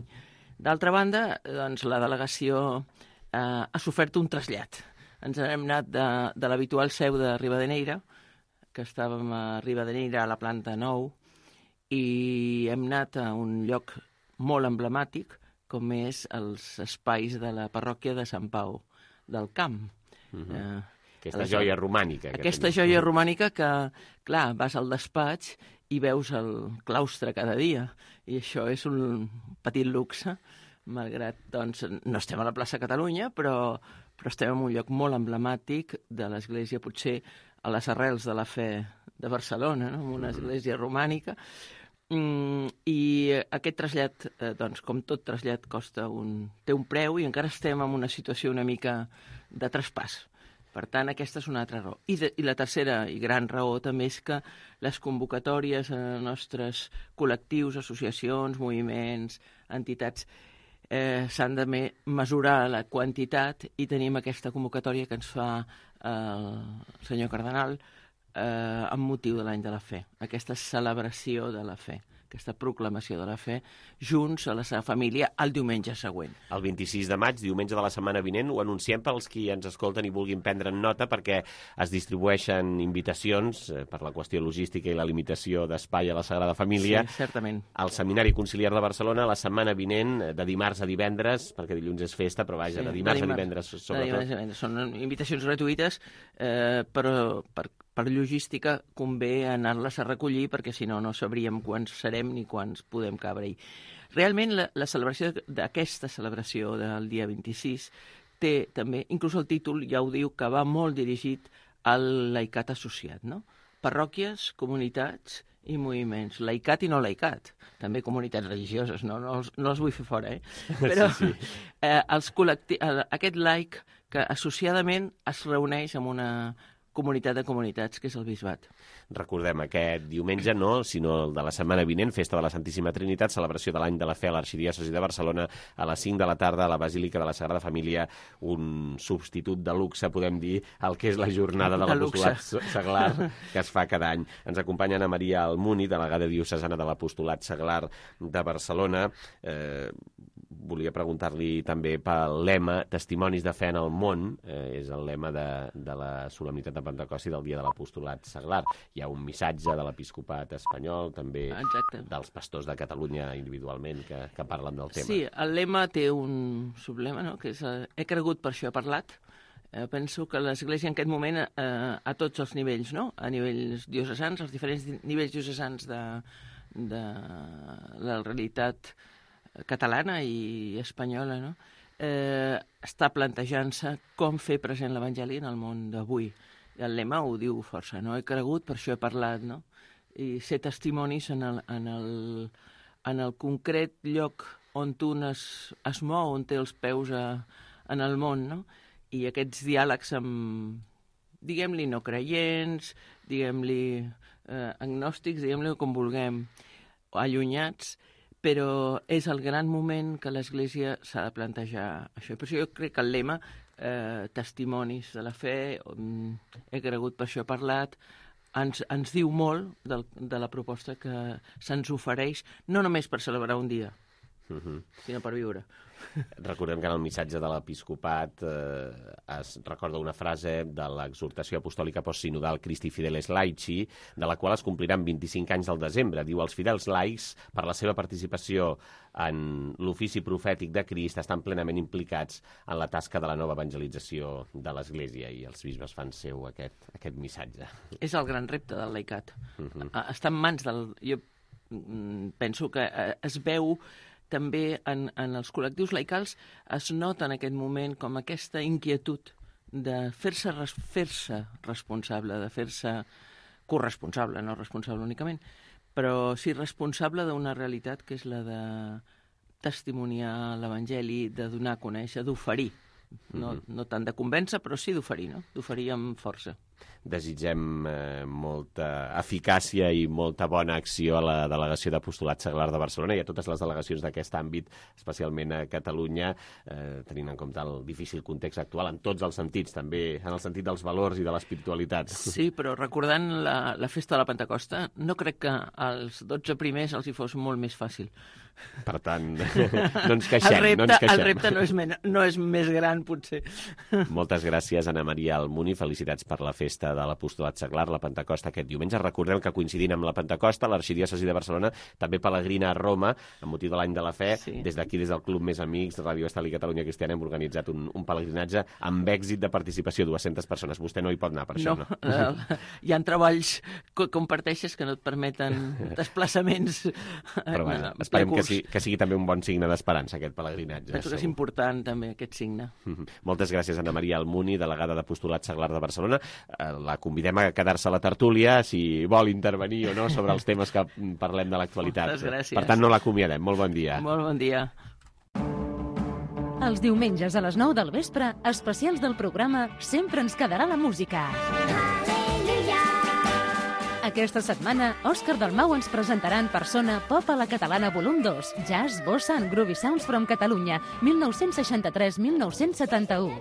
Speaker 7: D'altra banda, doncs, la delegació eh, ha sofert un trasllat. Ens hem anat de, de l'habitual seu de Ribadeneyra, que estàvem a Ribadeneyra a la planta nou, i hem anat a un lloc molt emblemàtic, com és els espais de la parròquia de Sant Pau del Camp.
Speaker 2: Mm-hmm. eh, aquesta joia romànica.
Speaker 7: Aquesta que joia romànica que, clar, vas al despatx i veus el claustre cada dia, i això és un petit luxe, malgrat, doncs, no estem a la plaça Catalunya, però, però estem en un lloc molt emblemàtic de l'Església, potser a les arrels de la fe de Barcelona, no?, una església romànica. Mm, I aquest trasllat, eh, doncs, com tot trasllat, costa un, té un preu i encara estem en una situació una mica de traspàs. Per tant, aquesta és una altra raó. I, de, i la tercera i gran raó també és que les convocatòries a nostres col·lectius, associacions, moviments, entitats, eh, s'han de me mesurar la quantitat, i tenim aquesta convocatòria que ens fa eh, el senyor Cardenal eh, amb motiu de l'any de la fe, aquesta celebració de la fe, aquesta proclamació de la fe, junts a la seva família el diumenge següent.
Speaker 2: El vint-i-sis de maig, diumenge de la setmana vinent, ho anunciem pels qui ens escolten i vulguin prendre nota, perquè es distribueixen invitacions eh, per la qüestió logística i la limitació d'espai a la Sagrada Família.
Speaker 7: Sí, certament.
Speaker 2: Al Seminari Conciliar de Barcelona, la setmana vinent, de dimarts a divendres, perquè dilluns és festa, però vaja, sí, de dimarts de dimarts, a divendres, sobretot. De dimarts a divendres.
Speaker 7: Són invitacions gratuïtes, eh, però per per logística convé anar-les a recollir, perquè si no no sabríem quants serem ni quants podem cabre-hi. Realment la, la celebració d'aquesta celebració del dia vint-i-sis té també, inclús el títol ja ho diu, que va molt dirigit al laicat associat, no? Parròquies, comunitats i moviments. Laicat i no laicat. També comunitats religioses, no, no, els, no els vull fer fora, eh? Però sí, sí. Eh, els col·lectius, aquest laic que associadament es reuneix amb una comunitat de comunitats, que és el Bisbat.
Speaker 2: Recordem, aquest diumenge no, sinó el de la setmana vinent, Festa de la Santíssima Trinitat, celebració de l'Any de la Fe a l'Arxidiòcesi de Barcelona, a les cinc de la tarda a la Basílica de la Sagrada Família, un substitut de luxe, podem dir, el que és la jornada de l'apostolat seglar que es fa cada any. Ens acompanya Ana Maria Almuni, delegada diocesana de l'apostolat seglar de Barcelona. Eh, volia preguntar-li també pel lema Testimonis de fe en el món, eh, és el lema de, de la solemnitat de Pentecost i del dia de l'apostolat seglar. Hi ha un missatge de l'episcopat espanyol, també Exacte. dels pastors de Catalunya individualment que, que parlen del tema.
Speaker 7: Sí, el lema té un sublema, no? Que és eh, he cregut, per això he parlat. Eh, penso que l'Església en aquest moment, eh, a tots els nivells, no? A nivells diocesans, els diferents nivells diocesans de, de la realitat catalana i espanyola, no? Eh, està plantejant-se com fer present l'Evangeli en el món d'avui. El lema ho diu força, no? He cregut, per això he parlat, no? I ser testimonis en el, en el, en el concret lloc on tu es, es mou, on té els peus a, en el món, no? I aquests diàlegs amb, diguem-li, no creients, diguem-li eh, agnòstics, diguem-li com vulguem, allunyats, però és el gran moment que l'Església s'ha de plantejar això. Per això jo crec que el lema, eh, testimonis de la fe, he cregut, per això he parlat, ens, ens diu molt del, de la proposta que se'ns ofereix, no només per celebrar un dia, uh-huh. sinó per viure.
Speaker 2: Recordem que en el missatge de l'episcopat eh, es recorda una frase de l'exhortació apostòlica postsinodal Christi Fideles Laici, de la qual es compliran vint-i-cinc anys al desembre. Diu, els fidels laics, per la seva participació en l'ofici profètic de Crist, estan plenament implicats en la tasca de la nova evangelització de l'Església, i els bisbes fan seu aquest, aquest missatge.
Speaker 7: És el gran repte del laicat. Uh-huh. Està en mans del... Jo penso que es veu també en, en els col·lectius laicals, es nota en aquest moment com aquesta inquietud de fer-se fer-se responsable, de fer-se corresponsable, no responsable únicament, però sí responsable d'una realitat que és la de testimoniar l'Evangeli, de donar a conèixer, d'oferir. No, no tant de convèncer, però sí d'oferir, no? D'oferir amb força.
Speaker 2: Desitgem eh, molta eficàcia i molta bona acció a la Delegació d'Apostolat Seglar de Barcelona i a totes les delegacions d'aquest àmbit, especialment a Catalunya, eh, tenint en compte el difícil context actual en tots els sentits, també en el sentit dels valors i de l'espiritualitat.
Speaker 7: Sí, però recordant la, la festa de la Pentecosta, no crec que als dotze primers els hi fos molt més fàcil.
Speaker 2: Per tant, no ens queixem.
Speaker 7: El repte,
Speaker 2: no, ens queixem.
Speaker 7: El repte no, és men, no és més gran, potser.
Speaker 2: Moltes gràcies, Ana Maria Almuni. Felicitats per la festa de l'Apostolat Seglar, la Pentecosta aquest diumenge. Recordem que coincidint amb la Pentecosta, l'Arxidiòcesi de Barcelona també pelegrina a Roma, amb motiu de l'Any de la Fe. Sí. Des d'aquí, des del Club Més Amics, Ràdio Estel i Catalunya Cristiana, hem organitzat un, un pelegrinatge amb èxit de participació, dues-centes persones. Vostè no hi pot anar per això, no?
Speaker 7: No, hi ha treballs que comparteixes que no et permeten desplaçaments.
Speaker 2: Però bueno, esperem que sí, que sigui també un bon signe d'esperança, aquest pelegrinatge.
Speaker 7: Penso que és important, també, aquest signe.
Speaker 2: Moltes gràcies, Ana Maria Almuni, delegada d'Apostolat Seglar de Barcelona. La convidem a quedar-se a la tertúlia, si vol intervenir o no, sobre els temes que parlem de l'actualitat.
Speaker 7: Moltes gràcies.
Speaker 2: Per tant, no l'acomiadem. Molt bon dia.
Speaker 7: Molt bon dia.
Speaker 1: Els diumenges a les nou del vespre, especials del programa Sempre ens quedarà la música. Aquesta setmana, Òscar Dalmau ens presentarà en persona Pop a la Catalana volum dos, Jazz, Bossa and Groovy Sounds from Catalunya, mil nou-cents seixanta-tres a mil nou-cents setanta-u.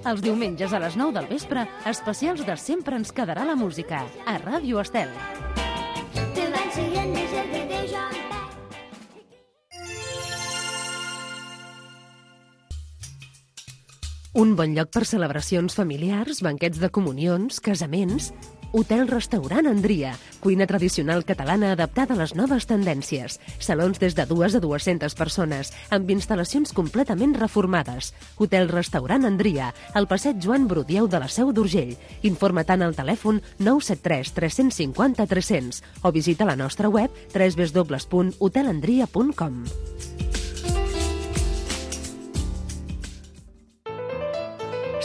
Speaker 1: Els diumenges a les nou del vespre, especials de Sempre ens quedarà la música, a Ràdio Estel. Un bon lloc per celebracions familiars, banquets de comunions, casaments... Hotel-restaurant Andria, cuina tradicional catalana adaptada a les noves tendències. Salons des de dues a dues-centes persones, amb instal·lacions completament reformades. Hotel-restaurant Andria, al passeig Joan Brudieu de la Seu d'Urgell. Informa-te'n al telèfon nou set tres tres cinc zero tres zero zero o visita la nostra web w w w punt hotel andria punt com.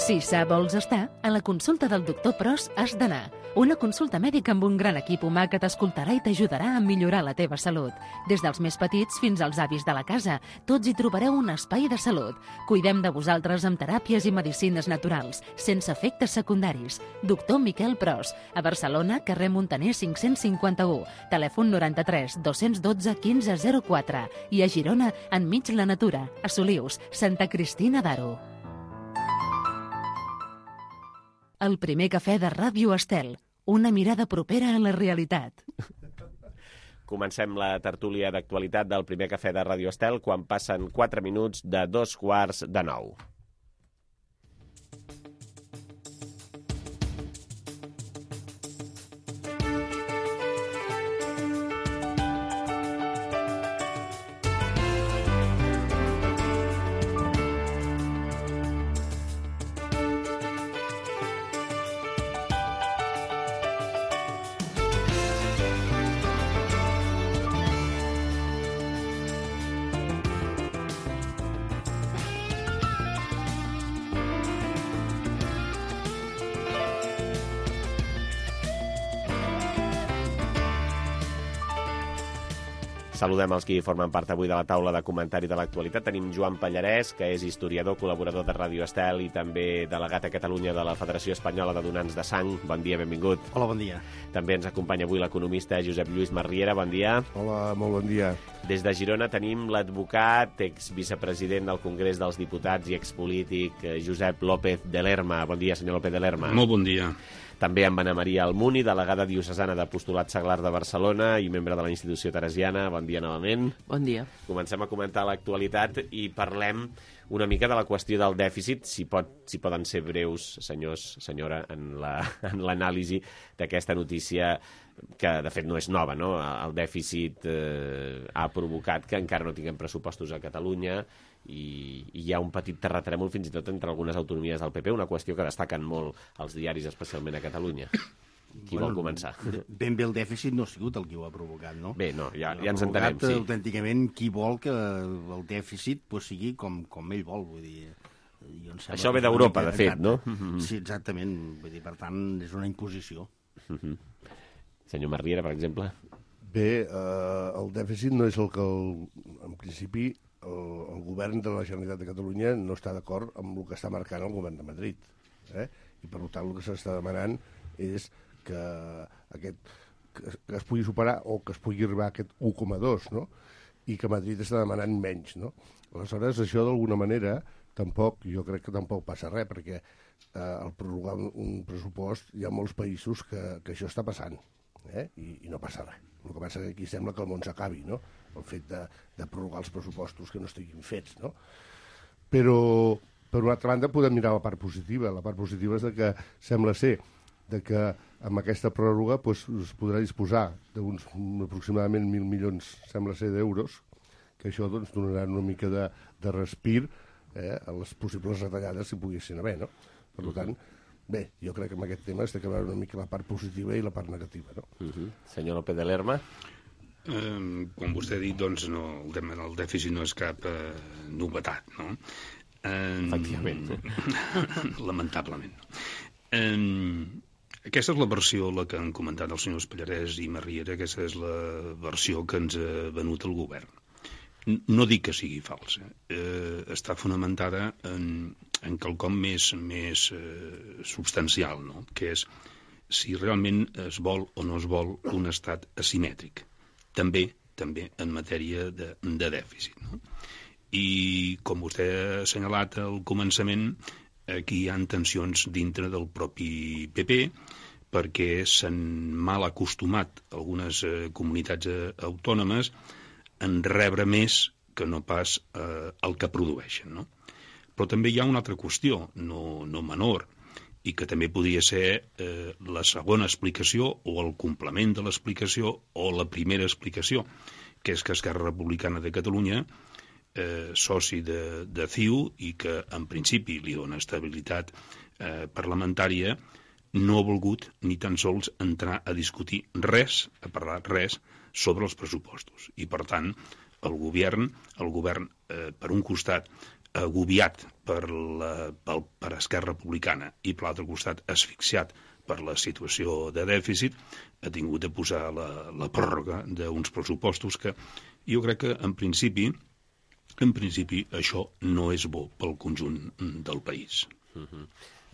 Speaker 1: Si sa vols estar, a la consulta del doctor Pros has d'anar. Una consulta mèdica amb un gran equip humà que t'escoltarà i t'ajudarà a millorar la teva salut. Des dels més petits fins als avis de la casa, tots hi trobareu un espai de salut. Cuidem de vosaltres amb teràpies i medicines naturals, sense efectes secundaris. Doctor Miquel Pros, a Barcelona, carrer Montaner cinc-cents cinquanta-u, telèfon noranta-tres dos-cents dotze quinze zero quatre i a Girona, enmig la natura, a Solius, Santa Cristina d'Aro. El primer cafè de Ràdio Estel, una mirada propera a la realitat.
Speaker 2: Comencem la tertúlia d'actualitat del primer cafè de Ràdio Estel quan passen quatre minuts de dos quarts de nou. Saludem els qui formen part avui de la taula de comentari de l'actualitat. Tenim Joan Pallarès, que és historiador, col·laborador de Ràdio Estel i també delegat a Catalunya de la Federació Espanyola de Donants de Sang. Bon dia, benvingut.
Speaker 10: Hola, bon dia.
Speaker 2: També ens acompanya avui l'economista Josep Lluís Marriera. Bon dia.
Speaker 11: Hola, molt bon dia.
Speaker 2: Des de Girona tenim l'advocat, exvicepresident del Congrés dels Diputats i expolític Josep López de Lerma. Bon dia, senyor López de Lerma.
Speaker 12: Molt bon dia.
Speaker 2: També amb Anna Maria Almuni, delegada diocesana d'Apostolat Seglar de Barcelona i membre de la institució teresiana. Bon dia novament.
Speaker 7: Bon dia.
Speaker 2: Comencem a comentar l'actualitat i parlem una mica de la qüestió del dèficit, si, pot, si poden ser breus, senyors, senyora, en l'anàlisi la, d'aquesta notícia que, de fet, no és nova, no? El dèficit eh, ha provocat que encara no tinguem pressupostos a Catalunya i, i hi ha un petit terratrèmol fins i tot entre algunes autonomies del P P, una qüestió que destaquen molt els diaris, especialment a Catalunya. Qui bueno, vol començar?
Speaker 10: Ben bé el dèficit no ha sigut el que ho ha provocat, no?
Speaker 2: Bé, no, ja, ja ens entenem, sí.
Speaker 10: Autènticament qui vol que el dèficit pues, sigui com, com ell vol, vull dir...
Speaker 2: Això ve d'Europa, de fet, no?
Speaker 10: Sí, exactament. Vull dir, per tant, és una imposició.
Speaker 2: Uh-huh. Senyor Marriera, per exemple?
Speaker 11: Bé, eh, el dèficit no és el que, el, en principi, el, el govern de la Generalitat de Catalunya no està d'acord amb el que està marcant el govern de Madrid. Eh? I, per tant, el que s'està demanant és que, aquest, que, que es pugui superar o que es pugui arribar a aquest u coma dos, no? I que Madrid està demanant menys, no? Aleshores, això d'alguna manera, tampoc, jo crec que tampoc passa res, perquè eh, al prorrogar un pressupost hi ha molts països que, que això està passant, eh? I, i no passa res. El que passa que aquí sembla que el món s'acabi, no? El fet de, de prorrogar els pressupostos que no estiguin fets, no? Però, per una altra banda, podem mirar la part positiva. La part positiva és de que sembla ser de que amb aquesta pròrroga pues, es podrà disposar d'uns aproximadament mil milions, sembla ser, d'euros, que això doncs, donarà una mica de, de respir eh, a les possibles retallades si poguessin haver, no? Per tant, bé, jo crec que amb aquest tema es té que veure una mica la part positiva i la part negativa, no?
Speaker 2: Uh-huh. Senyor López de Lerma?
Speaker 12: Eh, com vostè ha dit, doncs, no, el tema del dèficit no és cap eh, novetat, no? Eh,
Speaker 2: Efectivament.
Speaker 12: Lamentablement. Eh, aquesta és la versió, la que han comentat els senyors Pallarès i Marriera, aquesta és la versió que ens ha venut el govern. No dic que sigui falsa, eh, està fonamentada en, en quelcom més, més eh, substancial, no? Que és si realment es vol o no es vol un estat asimètric, també també en matèria de, de dèficit, no? I com vostè ha assenyalat al començament, aquí hi ha tensions dintre del propi P P, perquè s'han mal acostumat algunes eh, comunitats eh, autònomes en rebre més que no pas eh, el que produeixen, no? Però també hi ha una altra qüestió, no, no menor, i que també podria ser eh, la segona explicació o el complement de l'explicació o la primera explicació, que és que Esquerra Republicana de Catalunya, eh, soci de, de C I U i que en principi li dona estabilitat eh, parlamentària, no ha volgut ni tan sols entrar a discutir res, a parlar res, sobre els pressupostos. I, per tant, el govern, el govern eh, per un costat, agobiat per, la, per, per Esquerra Republicana i per l'altre costat asfixiat per la situació de dèficit, ha tingut de posar la, la pròrroga d'uns pressupostos que jo crec que, en principi, en principi, això no és bo pel conjunt del país.
Speaker 2: Uh-huh.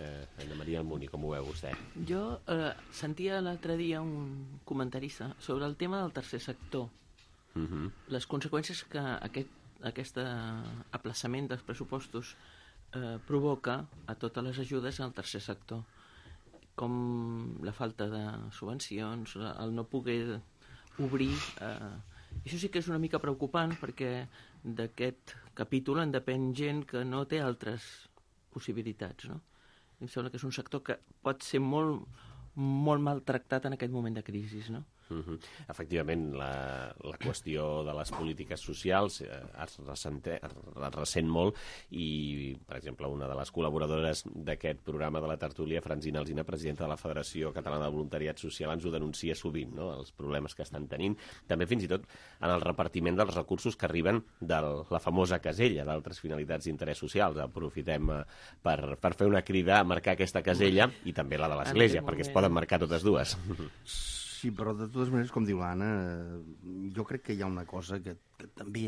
Speaker 2: eh, Anna Maria Almuni, com ho veu vostè?
Speaker 7: Jo eh, sentia l'altre dia un comentarista sobre el tema del tercer sector. Uh-huh. Les conseqüències que aquest, aquest aplaçament dels pressupostos eh, provoca a totes les ajudes al tercer sector, com la falta de subvencions, el no poder obrir. Eh, això sí que és una mica preocupant, perquè d'aquest capítol en depèn gent que no té altres possibilitats, no? Em sembla que és un sector que pot ser molt, molt maltractat en aquest moment de crisi, no?
Speaker 2: Uh-huh. Efectivament, la, la qüestió de les polítiques socials eh, es, ressente, es ressent molt i, per exemple, una de les col·laboradores d'aquest programa de la tertúlia, Francina Alsina, presidenta de la Federació Catalana de Voluntariat Social, ens ho denuncia sovint, no?, els problemes que estan tenint, també fins i tot en el repartiment dels recursos que arriben de la famosa casella d'altres finalitats d'interès socials. Aprofitem eh, per, per fer una crida a marcar aquesta casella i també la de l'Església, perquè es poden marcar totes dues.
Speaker 10: Sí, però de totes maneres, com diu l'Anna, jo crec que hi ha una cosa que, que també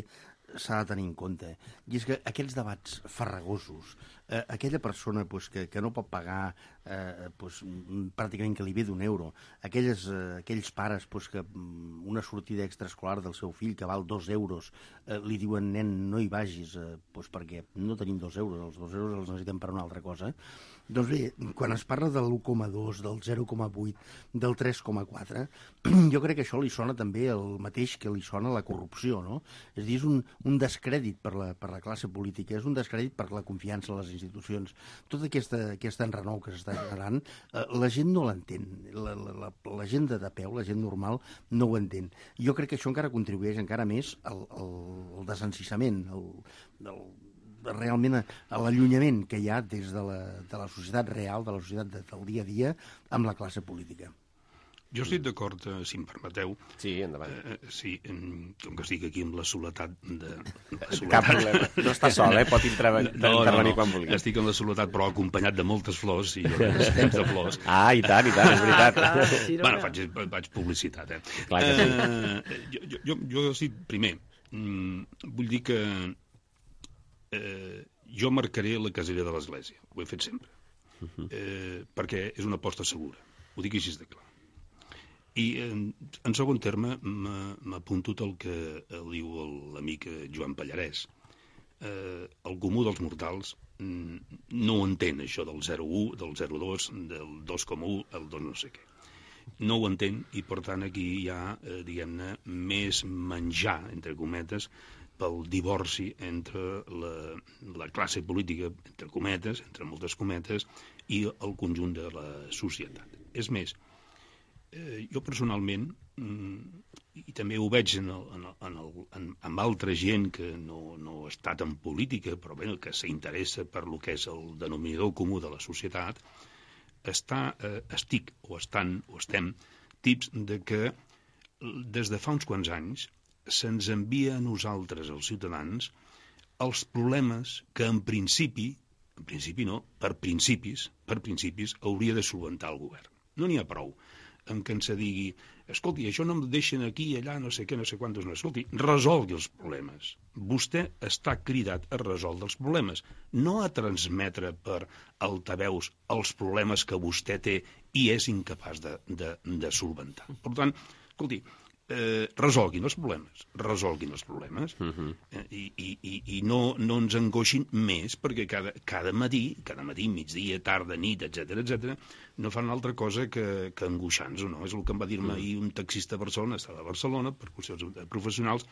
Speaker 10: s'ha de tenir en compte, i és que aquests debats farragosos, eh, aquella persona pues, que, que no pot pagar eh, pues, pràcticament que li ve d'un euro, aquelles, eh, aquells pares pues, que una sortida extraescolar del seu fill que val dos euros, eh, li diuen, nen, no hi vagis, eh, pues, perquè no tenim dos euros, els dos euros els necessitem per una altra cosa. Doncs bé, quan es parla de l'u coma dos, del zero coma vuit, del tres coma quatre, jo crec que això li sona també el mateix que li sona la corrupció, no? És a dir, és un, un descrèdit per la, per la classe política, és un descrèdit per la confiança en les institucions. Tota aquesta, aquesta enrenou que s'està generant, eh, la gent no l'entén. La, la, la, la gent de, de peu, la gent normal, no ho entén. Jo crec que això encara contribueix encara més al, al, al desencissament, al, al realment a l'allunyament que hi ha des de la, de la societat real, de la societat de, del dia a dia, amb la classe política.
Speaker 12: Jo estic d'acord, eh, si em permeteu.
Speaker 2: Sí, endavant.
Speaker 12: Eh, sí, com que estic aquí amb la soledat de... La
Speaker 2: soledat. Cap problema. No està sol, eh? Pot intervenir no, no, no. quan vulgui.
Speaker 12: Estic amb la soledat, però acompanyat de moltes flors, i jo temps de flors.
Speaker 2: Ah, i tant, i tant, és veritat.
Speaker 12: Ah, clar, sí, bueno, faig, faig publicitat, eh?
Speaker 2: Clar que sí.
Speaker 12: Eh, jo, jo, jo, sí, primer, mm, vull dir que Eh, jo marcaré la casella de l'Església, ho he fet sempre, uh-huh. eh, perquè és una aposta segura, ho dic així de clar. I en, en segon terme m'apunto el que diu l'amic Joan Pallarès. Eh, el comú dels mortals no entén això del zero coma u, del zero coma dos, del dos coma u, el dos no sé què. No ho entén i, per tant, aquí hi ha, eh, diguem-ne, més menjar, entre cometes, pel divorci entre la, la classe política, entre cometes, entre moltes cometes, i el conjunt de la societat. És més, eh, jo personalment, mm, i també ho veig en, el, en, el, en, el, en, en altra gent que no, no ha estat en política, però bé, que s'interessa per lo que és el denominador comú de la societat, està, eh, estic, o estan, o estem, tips de que des de fa uns quants anys se'ns envia a nosaltres, els ciutadans, els problemes que en principi, en principi no, per principis, per principis, hauria de solventar el govern. No n'hi ha prou en què ens digui, escolti, això no em deixen aquí, allà, no sé què, no sé quantos, no, escolti, resolgui els problemes. Vostè està cridat a resoldre els problemes, no a transmetre per altaveus els problemes que vostè té i és incapaç de, de, de solventar. Per tant, escolti, Eh, resolguin els problemes, resolguin els problemes, uh-huh. eh, i, i, i no, no ens angoixin més, perquè cada, cada matí, cada matí, migdia, tarda, nit, etcètera, etcètera, no fan altra cosa que, que angoixar-nos, no? És el que em va dir-me ahir un taxista a Barcelona, estava a Barcelona, per qüestions professionals,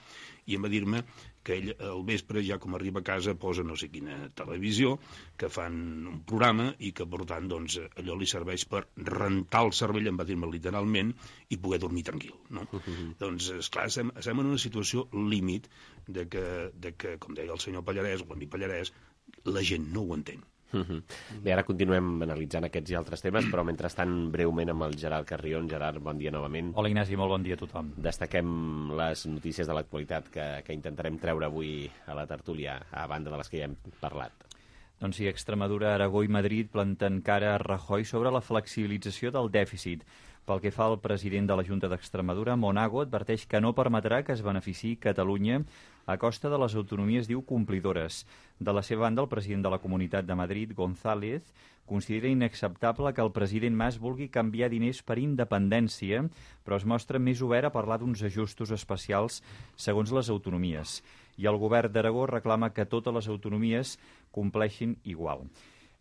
Speaker 12: i em va dir-me que ell al vespre, ja com arriba a casa, posa no sé quina televisió, que fan un programa i que, per tant, doncs, allò li serveix per rentar el cervell, em va dir-me literalment, i poder dormir tranquil, no? Uh-huh. Doncs, esclar, estem, estem en una situació límit de que, de que, com deia el senyor Pallarès, o l'amic Pallarès, la gent no ho entén.
Speaker 2: Uh-huh. Bé, ara continuem analitzant aquests i altres temes, però mentrestant breument amb el Gerard Carrion. Gerard, bon dia novament.
Speaker 3: Hola Ignasi, molt bon dia a tothom.
Speaker 2: Destaquem les notícies de l'actualitat que, que intentarem treure avui a la tertúlia, a banda de les que ja hem parlat.
Speaker 3: Doncs sí, Extremadura, Aragó i Madrid planten cara a Rajoy sobre la flexibilització del dèficit. Pel que fa al president de la Junta d'Extremadura, Monago adverteix que no permetrà que es beneficiï Catalunya a costa de les autonomies, diu, complidores. De la seva banda, el president de la Comunitat de Madrid, González, considera inacceptable que el president Mas vulgui canviar diners per independència, però es mostra més obert a parlar d'uns ajustos especials segons les autonomies. I el govern d'Aragó reclama que totes les autonomies compleixin igual.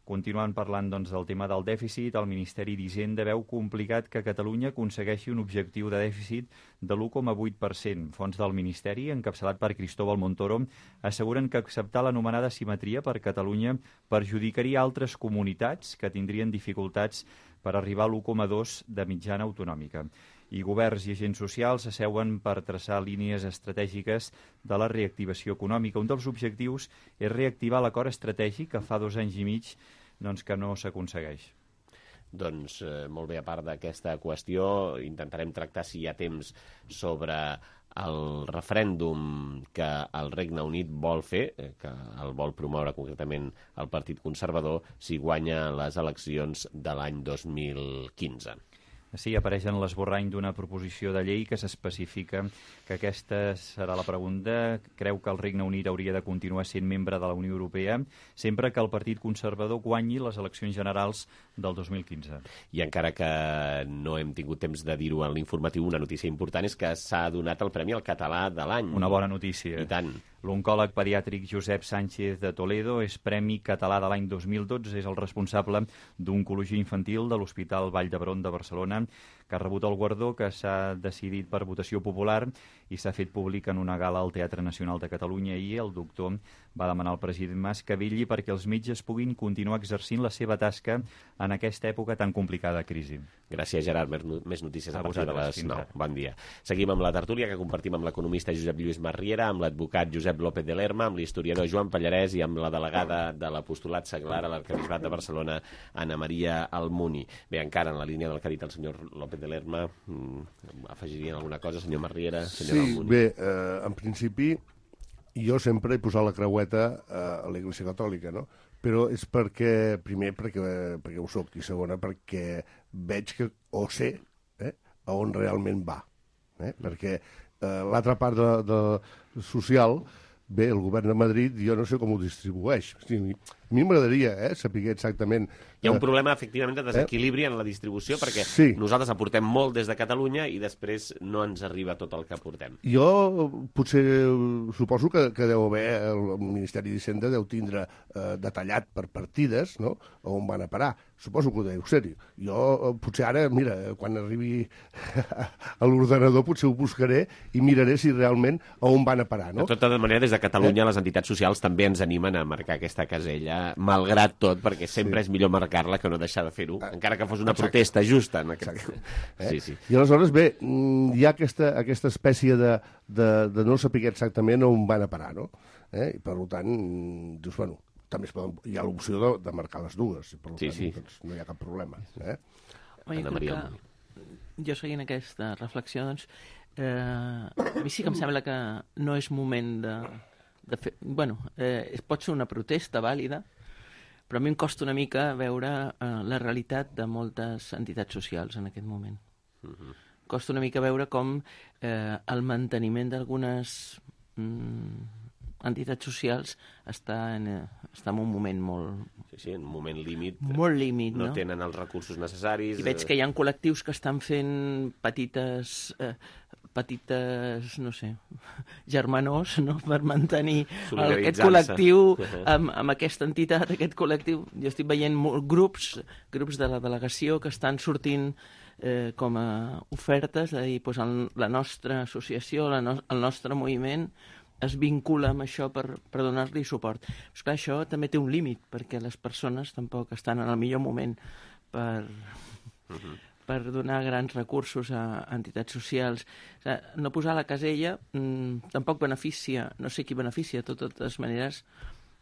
Speaker 3: Continuant parlant doncs, del tema del dèficit, el Ministeri d'Hisenda veu complicat que Catalunya aconsegueixi un objectiu de dèficit de l'u coma vuit per cent. Fons del Ministeri, encapçalat per Cristóbal Montoro, asseguren que acceptar l'anomenada simetria per Catalunya perjudicaria altres comunitats que tindrien dificultats per arribar a l'u coma dos de mitjana autonòmica. I governs i agents socials s'asseuen per traçar línies estratègiques de la reactivació econòmica. Un dels objectius és reactivar l'acord estratègic que fa dos anys i mig doncs, que no s'aconsegueix.
Speaker 2: Doncs eh, molt bé, a part d'aquesta qüestió, intentarem tractar, si hi ha temps, sobre el referèndum que el Regne Unit vol fer, eh, que el vol promoure concretament el Partit Conservador, si guanya les eleccions de l'any dos mil quinze.
Speaker 3: Sí, apareix en l'esborrany d'una proposició de llei que s'especifica que aquesta serà la pregunta. Creu que el Regne Unit hauria de continuar sent membre de la Unió Europea sempre que el Partit Conservador guanyi les eleccions generals del dos mil quinze.
Speaker 2: I encara que no hem tingut temps de dir-ho en l'informatiu, una notícia important és que s'ha donat el Premi al Català de l'any.
Speaker 3: Una bona notícia.
Speaker 2: I tant.
Speaker 3: L'oncòleg pediàtric Josep Sánchez de Toledo és Premi Català de l'any dos mil dotze, és el responsable d'Oncologia Infantil de l'Hospital Vall d'Hebron de Barcelona, que ha rebut el guardó, que s'ha decidit per votació popular i s'ha fet públic en una gala al Teatre Nacional de Catalunya. I el doctor va demanar al president Mas que vetlli perquè els metges puguin continuar exercint la seva tasca en aquesta època tan complicada de crisi.
Speaker 2: Gràcies, Gerard. Més notícies a, a partir de les nou. Bon dia. Seguim amb la tertúlia que compartim amb l'economista Josep Lluís Marriera, amb l'advocat Josep López de Lerma, amb l'historiador Joan Pallarès i amb la delegada de l'apostolat seglar a l'Arquebisbat de Barcelona, Anna Maria Almuni. Bé, encara en la línia del que ha dit el senyor López de Lerma, afegirien alguna cosa, senyor Marriera, senyor
Speaker 11: sí,
Speaker 2: Almuni?
Speaker 11: Bé, eh, en principi jo sempre he posat la creueta eh, a l'Església Catòlica, no? Però és perquè, primer, perquè, perquè ho soc, i segona, perquè veig que, o sé, eh, a on realment va. Eh? Perquè eh, l'altra part de, de social, bé, el govern de Madrid, jo no sé com ho distribueix. O sigui, a mi m'agradaria eh, saber exactament...
Speaker 2: Hi ha un problema, efectivament, de desequilibri eh? en la distribució, perquè
Speaker 11: sí.
Speaker 2: nosaltres aportem molt des de Catalunya i després no ens arriba tot el que aportem.
Speaker 11: Jo potser suposo que, que deu haver, el Ministeri d'Hisenda deu tindre eh, detallat per partides, no?, on van a parar. Suposo que ho deu ser. Jo potser ara, mira, quan arribi a l'ordenador potser ho buscaré i miraré si realment a on van a parar, no?
Speaker 2: De tota manera, des de Catalunya,
Speaker 11: eh?
Speaker 2: les entitats socials també ens animen a marcar aquesta casella, malgrat tot, perquè sempre sí. és millor marcar-la que no deixar de fer-ho, ah, encara que fos una exacte. protesta justa. En aquest...
Speaker 11: eh?
Speaker 2: sí, sí.
Speaker 11: I aleshores, bé, hi ha aquesta, aquesta espècie de, de, de no saber exactament on van a parar, no? Eh? I per tant, dius, bueno, també es poden, hi ha l'opció de, de marcar les dues, i per
Speaker 2: sí,
Speaker 11: tant
Speaker 2: sí.
Speaker 11: doncs, no hi ha cap problema. Eh?
Speaker 7: Oi, Maria... Jo seguint aquesta reflexió, doncs, eh, a mi sí que em sembla que no és moment de, de fer... Bueno, eh, pot ser una protesta vàlida, però a mi em costa una mica veure eh, la realitat de moltes entitats socials en aquest moment. Uh-huh. Costa una mica veure com eh, el manteniment d'algunes mm, entitats socials està en, està en un moment molt...
Speaker 2: Sí, sí, en un moment límit.
Speaker 7: Molt límit, no?
Speaker 2: No tenen els recursos necessaris.
Speaker 7: I veig que hi ha col·lectius que estan fent petites... Eh, petites, no sé, germanors, no?, per mantenir aquest col·lectiu amb, amb aquesta entitat, aquest col·lectiu. Jo estic veient grups, grups de la delegació que estan sortint eh, com a ofertes, és a dir, doncs el, la nostra associació, la no, el nostre moviment es vincula amb això per, per donar-li suport. Però, esclar, això també té un límit, perquè les persones tampoc estan en el millor moment per... Uh-huh. per donar grans recursos a entitats socials. O sigui, no posar la casella mmm, tampoc beneficia, no sé qui beneficia, de totes maneres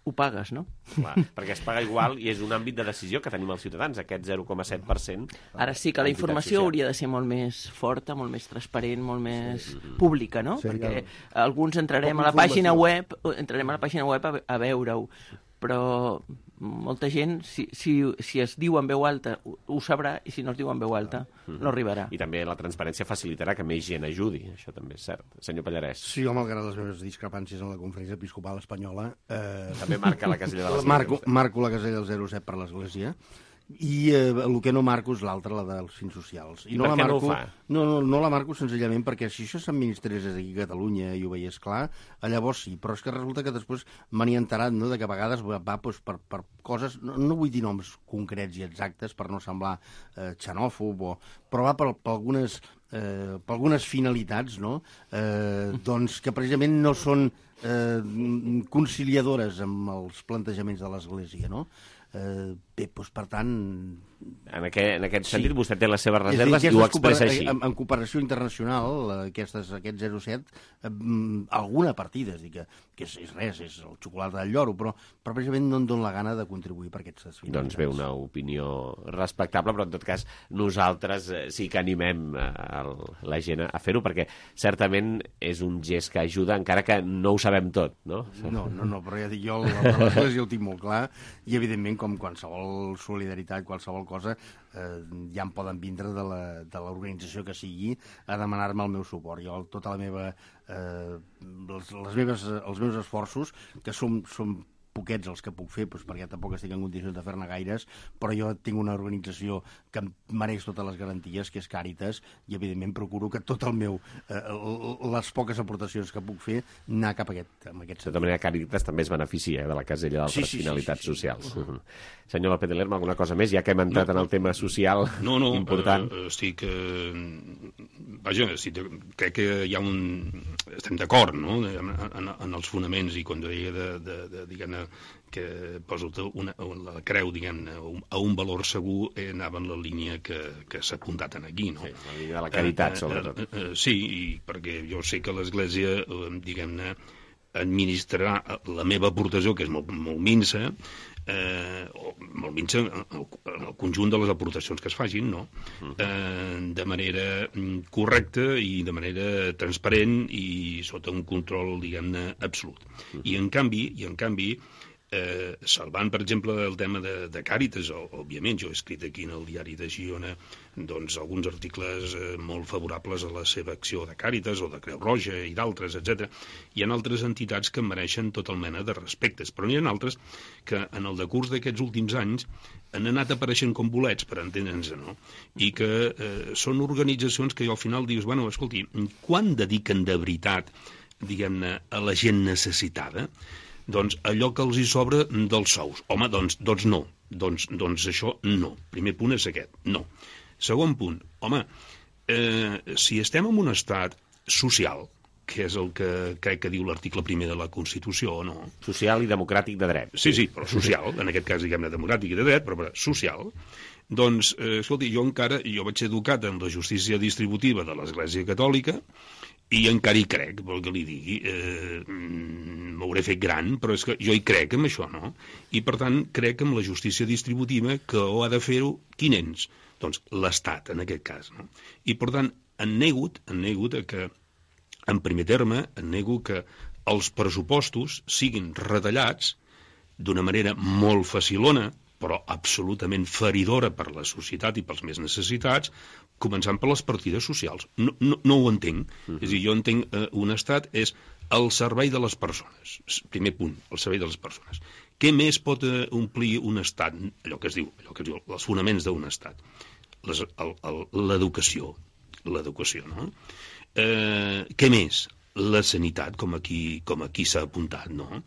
Speaker 7: ho pagues, no?
Speaker 2: Clar, perquè es paga igual i és un àmbit de decisió que tenim els ciutadans, aquest zero coma set per cent.
Speaker 7: Ara sí que la informació social hauria de ser molt més forta, molt més transparent, molt més sí. pública, no? Sí, perquè ja. alguns entrarem a la pàgina web, entrarem a la pàgina web a, a veure-ho, però molta gent, si, si, si es diu en veu alta, ho, ho sabrà, i si no es diu en veu alta, mm-hmm. no arribarà.
Speaker 2: I també la transparència facilitarà que més gent ajudi, això també és cert. Senyor Pallarès.
Speaker 10: Sí, jo, malgrat les meves discrepàncies en la Conferència Episcopal Espanyola... Eh...
Speaker 2: També marca la casella de l'església.
Speaker 10: Marco, marco la casella del zero coma set per l'Església, i eh, el que no marco és l'altre, la dels fins socials.
Speaker 2: I, I no per
Speaker 10: la
Speaker 2: què
Speaker 10: marco,
Speaker 2: no ho fa?
Speaker 10: No, no, no la marco senzillament perquè si això s'administrés aquí a Catalunya i ho veiés clar, llavors sí, però és que resulta que després me n'he enterat, no?, de que a vegades va, va doncs, per, per coses, no, no vull dir noms concrets i exactes per no semblar eh, xenòfob, o, però va per, per algunes... Eh, per algunes finalitats, no?, eh, doncs que precisament no són eh, conciliadores amb els plantejaments de l'Església, no? Eh, bé, doncs, per tant...
Speaker 2: En aquest, en aquest sentit,
Speaker 10: sí.
Speaker 2: Vostè té les seves reserves i ho expressa així.
Speaker 10: En, en cooperació internacional, aquestes, aquest zero coma set, eh, alguna partida, és dir, que, que és, és res, és el xocolata del lloro, però, però precisament no em dona la gana de contribuir per aquestes finalitats.
Speaker 2: Doncs bé, una opinió respectable, però en tot cas nosaltres sí que animem el, la gent a fer-ho, perquè certament és un gest que ajuda, encara que no ho sabem tot, no?
Speaker 10: No, no, no, però ja dic jo, l'Església ho tinc molt clar, i evidentment, com qualsevol solidaritat, qualsevol cosa, eh, ja em poden vindre de l'organització que sigui a demanar-me el meu suport. Jo, tota la meva... Eh, les, les meves, els meus esforços, que són, són poquets els que puc fer, doncs perquè tampoc estic en condicions de fer-ne gaires, però jo tinc una organització que em mereix totes les garanties, que és Càritas, i evidentment procuro que tot el meu, eh, les poques aportacions que puc fer, anar cap a aquest, en aquest sentit.
Speaker 2: De tota manera, Càritas també es beneficia de la casella d'altres sí, sí, finalitats sí, sí, sí, socials. Sí. Uh -huh. Senyor López de Lerma, alguna cosa més, ja que hem entrat no, en el tema social
Speaker 12: no, no,
Speaker 2: important?
Speaker 12: No, no, estic... Eh, vaja, estic, crec que hi ha un... Estem d'acord, no?, en, en, en els fonaments, i quan deia de, de, de diguem-ne, que poso una, la creu, diguem-ne, a un valor segur, eh, anava en la línia que, que s'ha apuntat aquí, no?
Speaker 2: Sí, la línia de la caritat, eh, sobretot.
Speaker 12: Eh, eh, sí, i perquè jo sé que l'Església, eh, diguem-ne, administrarà la meva aportació, que és molt, molt minsa, eh, o molt minsa en el conjunt de les aportacions que es facin, no? Eh, de manera correcta i de manera transparent i sota un control, diguem-ne, absolut. I en canvi, i en canvi, Eh, salvant, per exemple, el tema de, de Càritas, o, òbviament, jo he escrit aquí en el diari de Girona doncs, alguns articles eh, molt favorables a la seva acció de Càritas o de Creu Roja i d'altres, etcètera. Hi ha altres entitats que mereixen tota mena de respectes, però n'hi ha altres que en el decurs d'aquests últims anys han anat apareixent com bolets, per entendre'ns, no? I que eh, són organitzacions que al final dius, bueno, escolti, quan dediquen de veritat, diguem-ne, a la gent necessitada? Doncs allò que els hi sobra dels sous. Home, doncs, doncs no. Doncs, doncs això no. Primer punt és aquest. No. Segon punt. Home, eh, si estem en un estat social, que és el que crec que diu l'article primer de la Constitució, no?
Speaker 2: Social i democràtic de dret.
Speaker 12: Sí, sí, però social. En aquest cas, diguem-ne, democràtic i de dret, però, però social. Doncs, eh, escolti, jo encara, jo vaig ser educat en la justícia distributiva de l'Església Catòlica, i encara hi crec, vol que li digui, eh, m'hauré fet gran, però és que jo hi crec en això, no? I per tant crec en la justícia distributiva, que ho ha de fer-ho quin ens? Doncs l'Estat, en aquest cas, no? I per tant, en negut, en negut que, en primer terme, en nego que els pressupostos siguin retallats d'una manera molt facilona, però absolutament feridora per la societat i pels més necessitats, començant per les partides socials. No, no, no ho entenc. Uh-huh. És a dir, jo entenc eh, un estat és el servei de les persones. Primer punt, el servei de les persones. Què més pot eh, omplir un estat? Allò que es diu, allò que es diu, els fonaments d'un estat. L'educació. L'educació, no? Eh, què més? La sanitat, com aquí, com aquí s'ha apuntat, no?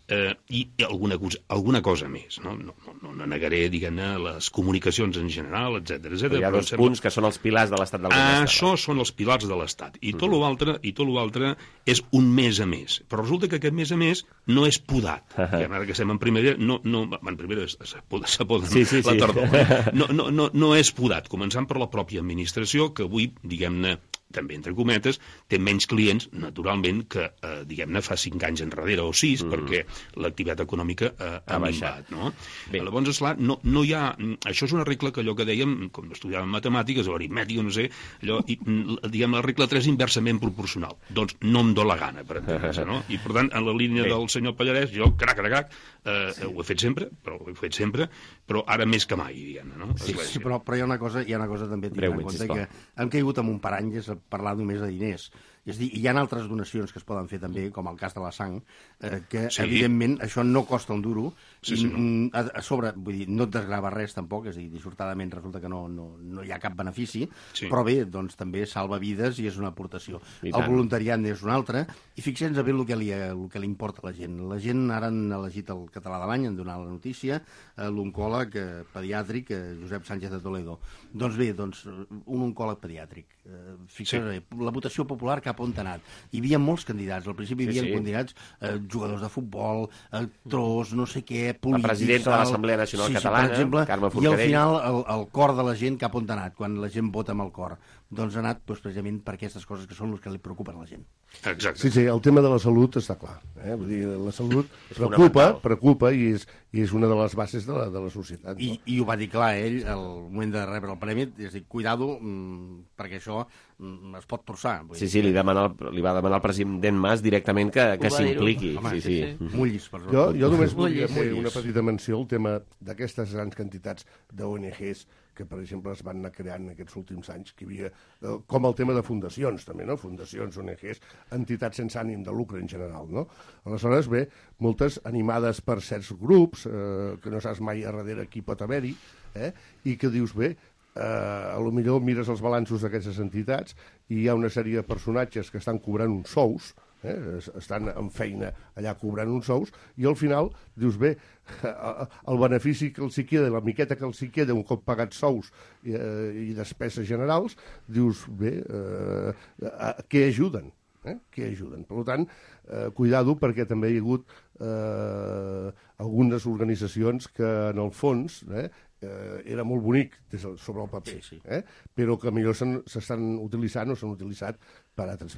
Speaker 12: Eh, i alguna cosa, alguna cosa més, no? No, no, no negaré, diguem-ne, les comunicacions en general, etcètera, etcètera.
Speaker 2: Hi ha dos punts que són els pilars de l'estat del benestar.
Speaker 12: Això són els pilars de l'estat. I tot l'altre i tot l'altre és un més a més. Però resulta que aquest més a més no és podat. I ara que estem en primera, no, no, en primera s'ha podat
Speaker 2: sí, sí,
Speaker 12: la
Speaker 2: sí.
Speaker 12: tardor. No, no, no, no és podat, començant per la pròpia administració, que avui, diguem-ne, també entre cometes, té menys clients, naturalment, que, eh, diguem-ne, fa cinc anys enrere o sis, mm. perquè l'activitat econòmica eh, ha minvat, no? Bé. Llavors, esclar, no, no hi ha... Això és una regla que allò que dèiem, com estudiàvem matemàtiques o aritmètica, no sé, allò, i, diguem, la regla tres inversament proporcional. Doncs no em do la gana, per entendre's, no? I, per tant, en la línia Bé. del senyor Pallarès, jo, crac, crac, crac, eh, sí. ho he fet sempre, però ho he fet sempre, però ara més que mai, diguem-ne, no?
Speaker 10: Sí, sí, però, però hi ha una cosa, hi ha una cosa també a tenir en compte, que hem caigut en un parany, és parlar només de diners. És a dir, hi ha altres donacions que es poden fer també, com el cas de la sang, eh, que sí. evidentment això no costa un duro, sí, sí, i no. a, a sobre, vull dir, no et desgrava res tampoc, és a dir, dissortadament resulta que no, no, no hi ha cap benefici, sí. però bé, doncs també salva vides i és una aportació. I el tant. Voluntariat és una altra, i fixem-nos a bé el que, li, el que li importa a la gent. La gent ara han elegit el català de l'any, han donat la notícia, eh, l'oncòleg eh, pediàtric, eh, Josep Sánchez de Toledo. Doncs bé, doncs, un oncòleg pediàtric. Eh, fixem-nos sí. bé, la votació popular cap on ha anat. Hi havia molts candidats. Al principi hi havia sí, sí. candidats, eh, jugadors de futbol, actors, no sé què, polítics... La presidenta de l'Assemblea Nacional sí, Catalana, sí, per exemple, Carme Forcadell. I al final el, el cor de la gent cap on ha anat, quan la gent vota amb el cor. Doncs ha anat doncs, precisament per aquestes coses que són les que li preocupen a la gent.
Speaker 12: Exacte.
Speaker 11: Sí, sí, el tema de la salut està clar. Eh? Vull dir, la salut preocupa, preocupa i és, i és una de les bases de la, de la societat.
Speaker 10: I,
Speaker 11: no?
Speaker 10: I ho va dir clar ell al moment de rebre el premi, és a dir, cuidado, mmm, perquè això mmm, es pot torçar. Vull
Speaker 2: sí, sí, li, demana el, li va demanar al president Mas directament que, que s'impliqui.
Speaker 10: Sí, sí. sí. Mullis, per
Speaker 11: jo, jo només volia fer una petita menció al tema d'aquestes grans quantitats d'O N Ges que, per exemple, es van anar creant en aquests últims anys, que hi havia, eh, com el tema de fundacions, també, no? Fundacions, O N Ges, entitats sense ànim de lucre en general, no? Aleshores, bé, moltes animades per certs grups, eh, que no saps mai a darrere qui pot haver-hi, eh? I que dius, bé, eh, a lo millor mires els balanços d'aquestes entitats i hi ha una sèrie de personatges que estan cobrant uns sous, eh? estan en feina allà cobrant uns sous, i al final dius, bé, el benefici que els hi queda, la miqueta que els hi queda un cop pagats sous i, eh, i despeses generals, dius, bé, eh, a, a què ajuden? Eh? Què ajuden? Per tant, eh, cuidado, perquè també hi ha hagut eh, algunes organitzacions que, en el fons, eh, eh, era molt bonic des del, sobre el paper, sí, sí. Eh? Però que millor s'estan utilitzant o s'han utilitzat per altres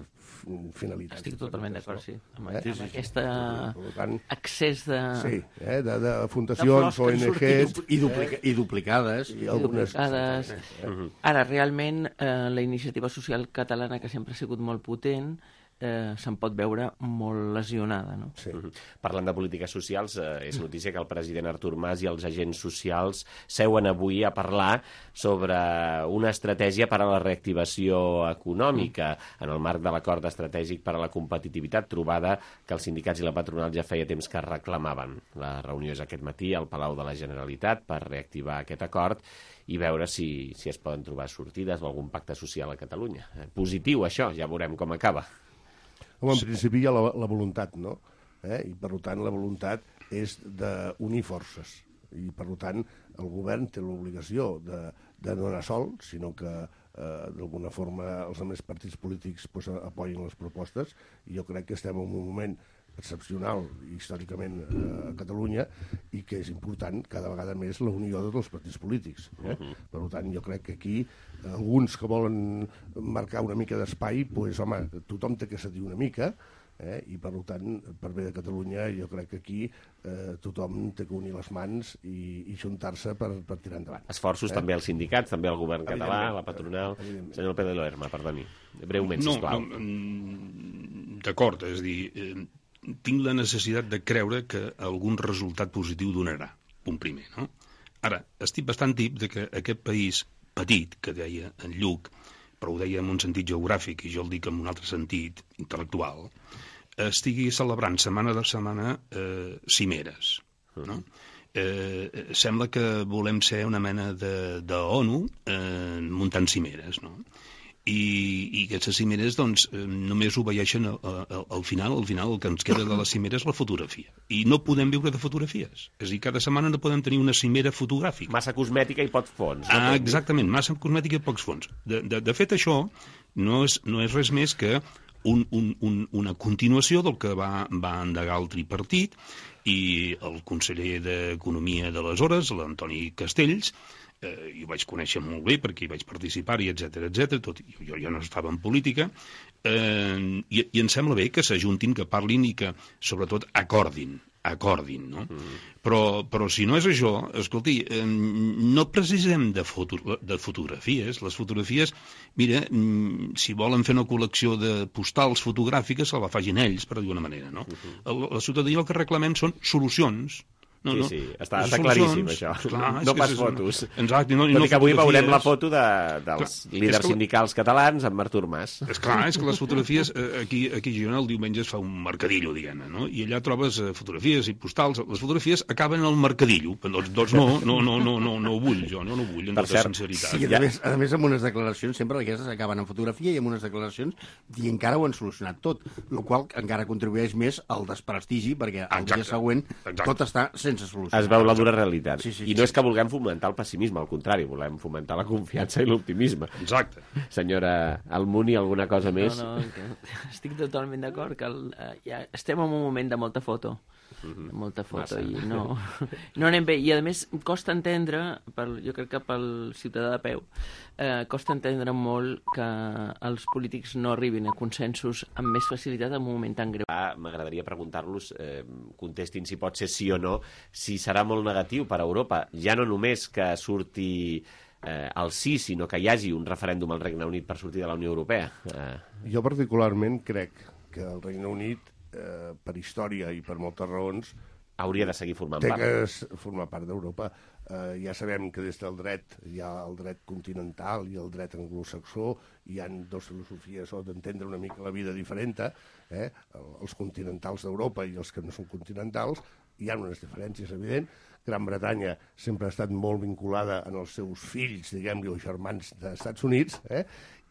Speaker 11: finalitats.
Speaker 7: Estic totalment d'acord, sí. Amb, eh? amb aquest
Speaker 11: tant,
Speaker 7: accés de...
Speaker 11: Sí, eh? de, de fundacions, O N Ges...
Speaker 10: I, duplica, i duplicades.
Speaker 11: I, algunes...
Speaker 7: I duplicades. Eh? Ara, realment, eh, la iniciativa social catalana, que sempre ha sigut molt potent, eh, se'n pot veure molt lesionada, no?
Speaker 2: Sí. Uh-huh. Parlant de polítiques socials, eh, és notícia que el president Artur Mas i els agents socials seuen avui a parlar sobre una estratègia per a la reactivació econòmica uh-huh. en el marc de l'acord estratègic per a la competitivitat, trobada que els sindicats i la patronal ja feia temps que reclamaven. La reunió és aquest matí al Palau de la Generalitat per reactivar aquest acord i veure si, si es poden trobar sortides o algun pacte social a Catalunya. Eh, positiu, això, ja veurem com acaba.
Speaker 11: Home, en principi hi ha la, la voluntat, no? Eh? I, per tant, la voluntat és d'unir forces. I, per tant, el govern té l'obligació de, de no anar sol, sinó que, eh, d'alguna forma, els altres partits polítics pues, apoyin les propostes. I jo crec que estem en un moment excepcional, històricament, eh, a Catalunya, i que és important cada vegada més la unió de tots els partits polítics. Eh? Uh-huh. Per tant, jo crec que aquí, alguns que volen marcar una mica d'espai, doncs, home, tothom té que cedir una mica, eh? I, per tant, per bé de Catalunya, jo crec que aquí eh, tothom té que unir les mans i, i juntar-se per, per tirar endavant.
Speaker 2: Esforços eh? també als sindicats, també al govern català, a la patronal. Senyor Pedro Lerma, perdoni, breument,
Speaker 12: no,
Speaker 2: sisplau.
Speaker 12: No, d'acord, és a dir... Eh, tinc la necessitat de creure que algun resultat positiu donarà, punt primer, no? Ara, estic bastant tip de que aquest país petit, que deia en Lluc, però ho deia en un sentit geogràfic, i jo el dic en un altre sentit intel·lectual, estigui celebrant setmana de setmana eh, cimeres, no? Eh, sembla que volem ser una mena de, de ONU eh, muntant cimeres, no? I, i aquestes cimeres doncs, només obeeixen al, al, al final, al final el que ens queda de la cimera és la fotografia. I no podem viure de fotografies. És a dir, cada setmana no podem tenir una cimera fotogràfica.
Speaker 2: Massa cosmètica i pocs fons.
Speaker 12: No? Ah, exactament, massa cosmètica i pocs fons. De, de, de fet, això no és, no és res més que un, un, un, una continuació del que va, va endegar el tripartit, i el conseller d'Economia d'aleshores, l'Antoni Castells, eh, i ho vaig conèixer molt bé perquè hi vaig participar-hi, etcètera, etcètera, tot, jo ja no estava en política, eh, i, i em sembla bé que s'ajuntin, que parlin i que, sobretot, acordin, acordin, no? Mm. Però, però si no és això, escolti, eh, no precisem de, foto, de fotografies. Les fotografies, mira, si volen fer una col·lecció de postals fotogràfiques, se la facin ells, per dir-ho d'una manera, no? Mm-hmm. La ciutadania el que reclamem són solucions.
Speaker 2: No, sí, no. sí, està, està claríssim, això. Clar, no pas és, fotos.
Speaker 12: Exacte. No,
Speaker 2: Tot
Speaker 12: no
Speaker 2: i que avui
Speaker 12: fotografies.
Speaker 2: veurem la foto de, dels clar, líders que... sindicals catalans amb Artur Mas.
Speaker 12: És clar, és que les fotografies, aquí, aquí a Girona el diumenge es fa un mercadillo, diguem-ne, no? I allà trobes fotografies i postals. Les fotografies acaben al mercadillo. Doncs, doncs no, no, no, no, no, no ho vull, jo, no, no ho vull, en tota sinceritat.
Speaker 10: Sí, a més, a més, amb unes declaracions, sempre aquestes acaben en fotografia i amb unes declaracions dient que ara ho han solucionat tot, el qual encara contribueix més al desprestigi, perquè el dia següent tot està sense solucionar.
Speaker 2: Es veu la dura realitat.
Speaker 10: Sí, sí,
Speaker 2: I no és que vulguem fomentar el pessimisme, al contrari, volem fomentar la confiança i l'optimisme.
Speaker 12: Exacte.
Speaker 2: Senyora Almuni, alguna cosa més?
Speaker 7: No, no, que estic totalment d'acord que el, ja estem en un moment de molta foto.
Speaker 2: Mm-hmm.
Speaker 7: molta foto
Speaker 2: Massa.
Speaker 7: i no, no anem bé, i a més costa entendre, pel, jo crec que pel ciutadà de peu, eh, costa entendre molt que els polítics no arribin a consensos amb més facilitat en un moment tan greu.
Speaker 2: Ah, m'agradaria preguntar-los, eh, contestin si pot ser sí o no, si serà molt negatiu per a Europa, ja no només que surti eh, el sí, sinó que hi hagi un referèndum al Regne Unit per sortir de la Unió Europea. Eh.
Speaker 11: Jo particularment crec que el Regne Unit, eh, per història i per moltes raons,
Speaker 2: hauria de seguir formant
Speaker 11: té
Speaker 2: part.
Speaker 11: Té que formar part d'Europa. Eh, ja sabem que des del dret hi ha el dret continental i el dret anglosaxó, hi ha dues filosofies o d'entendre una mica la vida diferent, eh? Els continentals d'Europa i els que no són continentals, hi ha unes diferències, evident. Gran Bretanya sempre ha estat molt vinculada en els seus fills, diguem-li, o germans dels Estats Units, eh?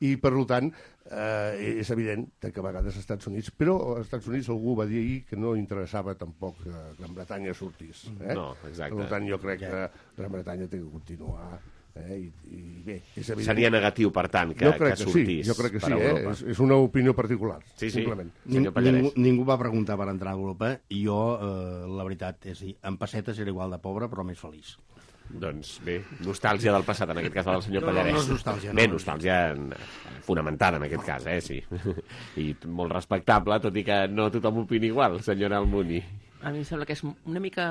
Speaker 11: I, per tant, eh, és evident que a vegades als Estats Units... Però als Estats Units algú va dir ahir que no interessava tampoc que Gran Bretanya sortís. Eh?
Speaker 2: No, exacte.
Speaker 11: Per tant, jo crec que Gran Bretanya té que continuar. Eh? I, i bé, és evident...
Speaker 2: Seria negatiu, per tant, que,
Speaker 11: jo crec
Speaker 2: que
Speaker 11: que
Speaker 2: sortís
Speaker 11: sí, jo crec que
Speaker 2: per
Speaker 11: sí,
Speaker 2: Europa.
Speaker 11: eh? és, és una opinió particular,
Speaker 2: sí, sí.
Speaker 11: simplement.
Speaker 2: Senyor
Speaker 10: ningú, ningú va preguntar per entrar a Europa i jo, eh, la veritat, és dir, en pessetes era igual de pobre, però més feliç.
Speaker 2: Doncs bé, nostàlgia del passat, en aquest cas del senyor
Speaker 10: no,
Speaker 2: Pallarès.
Speaker 10: No, no és nostàlgia.
Speaker 2: Bé,
Speaker 10: no.
Speaker 2: nostàlgia fonamentada en aquest cas, eh, sí. I molt respectable, tot i que no tothom opina igual, senyora Almuni.
Speaker 7: A mi em sembla que és una mica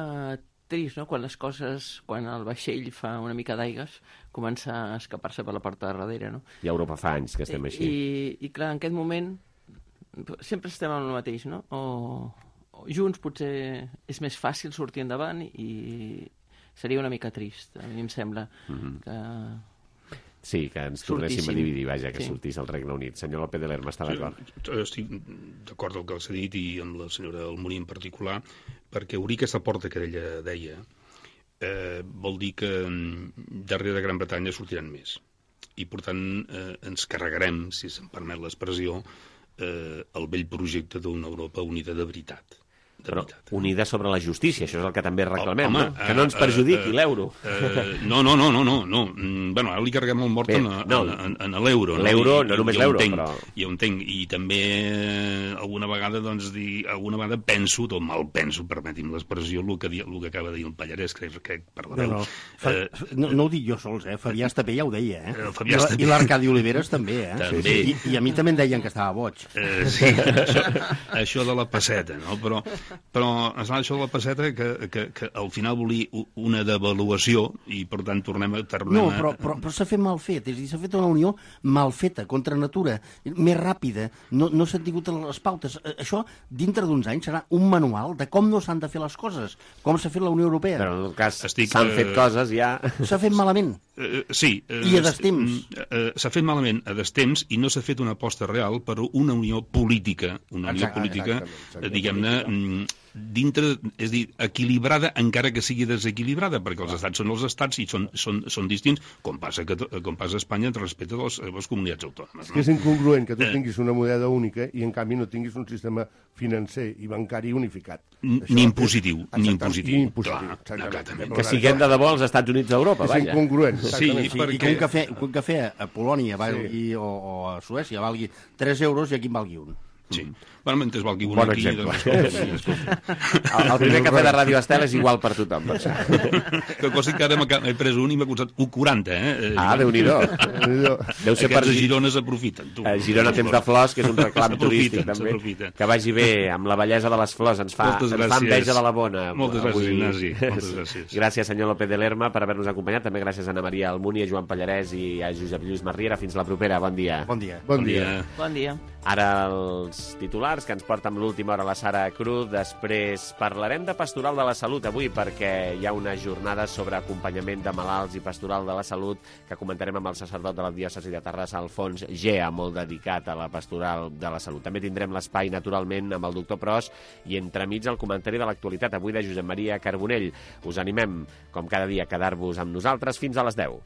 Speaker 7: trist, no?, quan les coses, quan el vaixell fa una mica d'aigues, comença a escapar-se per la porta de darrere, no?
Speaker 2: I a Europa fa anys que estem així.
Speaker 7: I, i clar, en aquest moment sempre estem en el mateix, no? O, o junts potser és més fàcil sortir endavant i seria una mica trist, a mi em sembla, mm-hmm. que...
Speaker 2: Sí, que ens tornéssim a dividir, vaja, que sí. sortís el Regne Unit. Senyor López de Lerma, està d'acord?
Speaker 12: Sí, estic d'acord amb el que s'ha dit i amb la senyora Almuni en particular, perquè obrir aquesta porta que ella deia eh, vol dir que darrere de Gran Bretanya sortiran més. I, per tant, eh, ens carregarem, si se'm permet l'expressió, eh, el vell projecte d'una Europa unida de veritat.
Speaker 2: Però unida sobre la justícia, això és el que també reclamem, oh, home, no? Que no ens perjudiqui uh, uh, l'euro.
Speaker 12: Uh, no, no, no, no, no, no. Bueno, ara li carreguem el mort Bé, en, no, en, en l'euro.
Speaker 2: L'euro, no,
Speaker 12: no
Speaker 2: només l'euro, però...
Speaker 12: Ja ho entenc, i també alguna vegada, doncs, dir, alguna vegada penso, tot mal penso, permeti'm l'expressió, el que, el que acaba de dir el Pallarès, crec que per la veu.
Speaker 10: No, no. Fa, uh, no, no ho dic jo sols, eh? Fabià Estapé ja ho deia, eh?
Speaker 12: I, la,
Speaker 10: I l'Arcadi Oliveres també, eh?
Speaker 12: També.
Speaker 10: I, I a mi també em deien que estava boig.
Speaker 12: Uh, sí, això, això de la passeta, no? Però... però esclar, això de la passeta que, que, que al final volia una devaluació i per tant tornem a... Tornem
Speaker 10: no, però, però, però s'ha fet mal fet, és a dir, s'ha fet una unió mal feta, contra natura, més ràpida, no, no s'han tingut les pautes. Això, dintre d'uns anys, serà un manual de com no s'han de fer les coses, com s'ha fet la Unió Europea.
Speaker 2: Però en tot cas s'han fet uh... coses ja...
Speaker 10: S'ha fet malament.
Speaker 12: Uh, sí. Uh,
Speaker 10: I a destemps.
Speaker 12: Uh, s'ha fet malament a destemps i no s'ha fet una aposta real per una unió política, una unió
Speaker 11: Exacte,
Speaker 12: política,
Speaker 11: exactament,
Speaker 12: diguem-ne, dintre, és dir, equilibrada encara que sigui desequilibrada, perquè els estats són els estats i són, són, són distints, com passa, que, com passa a Espanya respecte a les, a les comunitats autònomes.
Speaker 11: No? És incongruent que tu tinguis una moneda única i en canvi no tinguis un sistema financer i bancari unificat.
Speaker 12: Ni impositiu, ni impositiu.
Speaker 11: Ni impositiu,
Speaker 12: clar,
Speaker 2: que siguem de debò als Estats Units d'Europa, vaja.
Speaker 11: És incongruent.
Speaker 10: Sí, sí, perquè... I que un cafè, un cafè a Polònia valgui, sí. o, o a Suècia valgui tres euros i aquí en valgui un.
Speaker 12: Sí. Bueno, mentre es valgui un
Speaker 2: bon
Speaker 12: aquí...
Speaker 2: Exemple.
Speaker 12: Doncs,
Speaker 2: el, el primer cafè de Ràdio Estel és igual per tothom.
Speaker 12: Que cosa que ara he pres un i m'ha costat un quaranta, eh?
Speaker 2: Ah, Déu-n'hi-do. Deu ser
Speaker 12: Aquests
Speaker 2: per...
Speaker 12: a Girona s'aprofiten.
Speaker 2: A Girona temps de flors, que és un reclam turístic, també. Que vagi bé, amb la bellesa de les flors. Ens fa, ens fa enveja de la bona.
Speaker 12: Moltes
Speaker 2: avui.
Speaker 12: gràcies, Ignasi. Moltes gràcies.
Speaker 2: Gràcies, senyor López de Lerma, per haver-nos acompanyat. També gràcies a Ana Maria Almunia, a Joan Pallarès i a Josep Lluís Marriera. Fins la propera. Bon dia.
Speaker 10: Bon dia.
Speaker 11: Bon dia.
Speaker 7: Bon dia.
Speaker 2: Ara els titulars que ens porta amb l'última hora la Sara Cruz. Després parlarem de Pastoral de la Salut avui, perquè hi ha una jornada sobre acompanyament de malalts i Pastoral de la Salut que comentarem amb el sacerdot de la diòcesi de Terrassa, Alfons Gea, molt dedicat a la Pastoral de la Salut. També tindrem l'espai, naturalment, amb el doctor Pros i entremig el comentari de l'actualitat avui de Josep Maria Carbonell. Us animem, com cada dia, a quedar-vos amb nosaltres fins a les deu.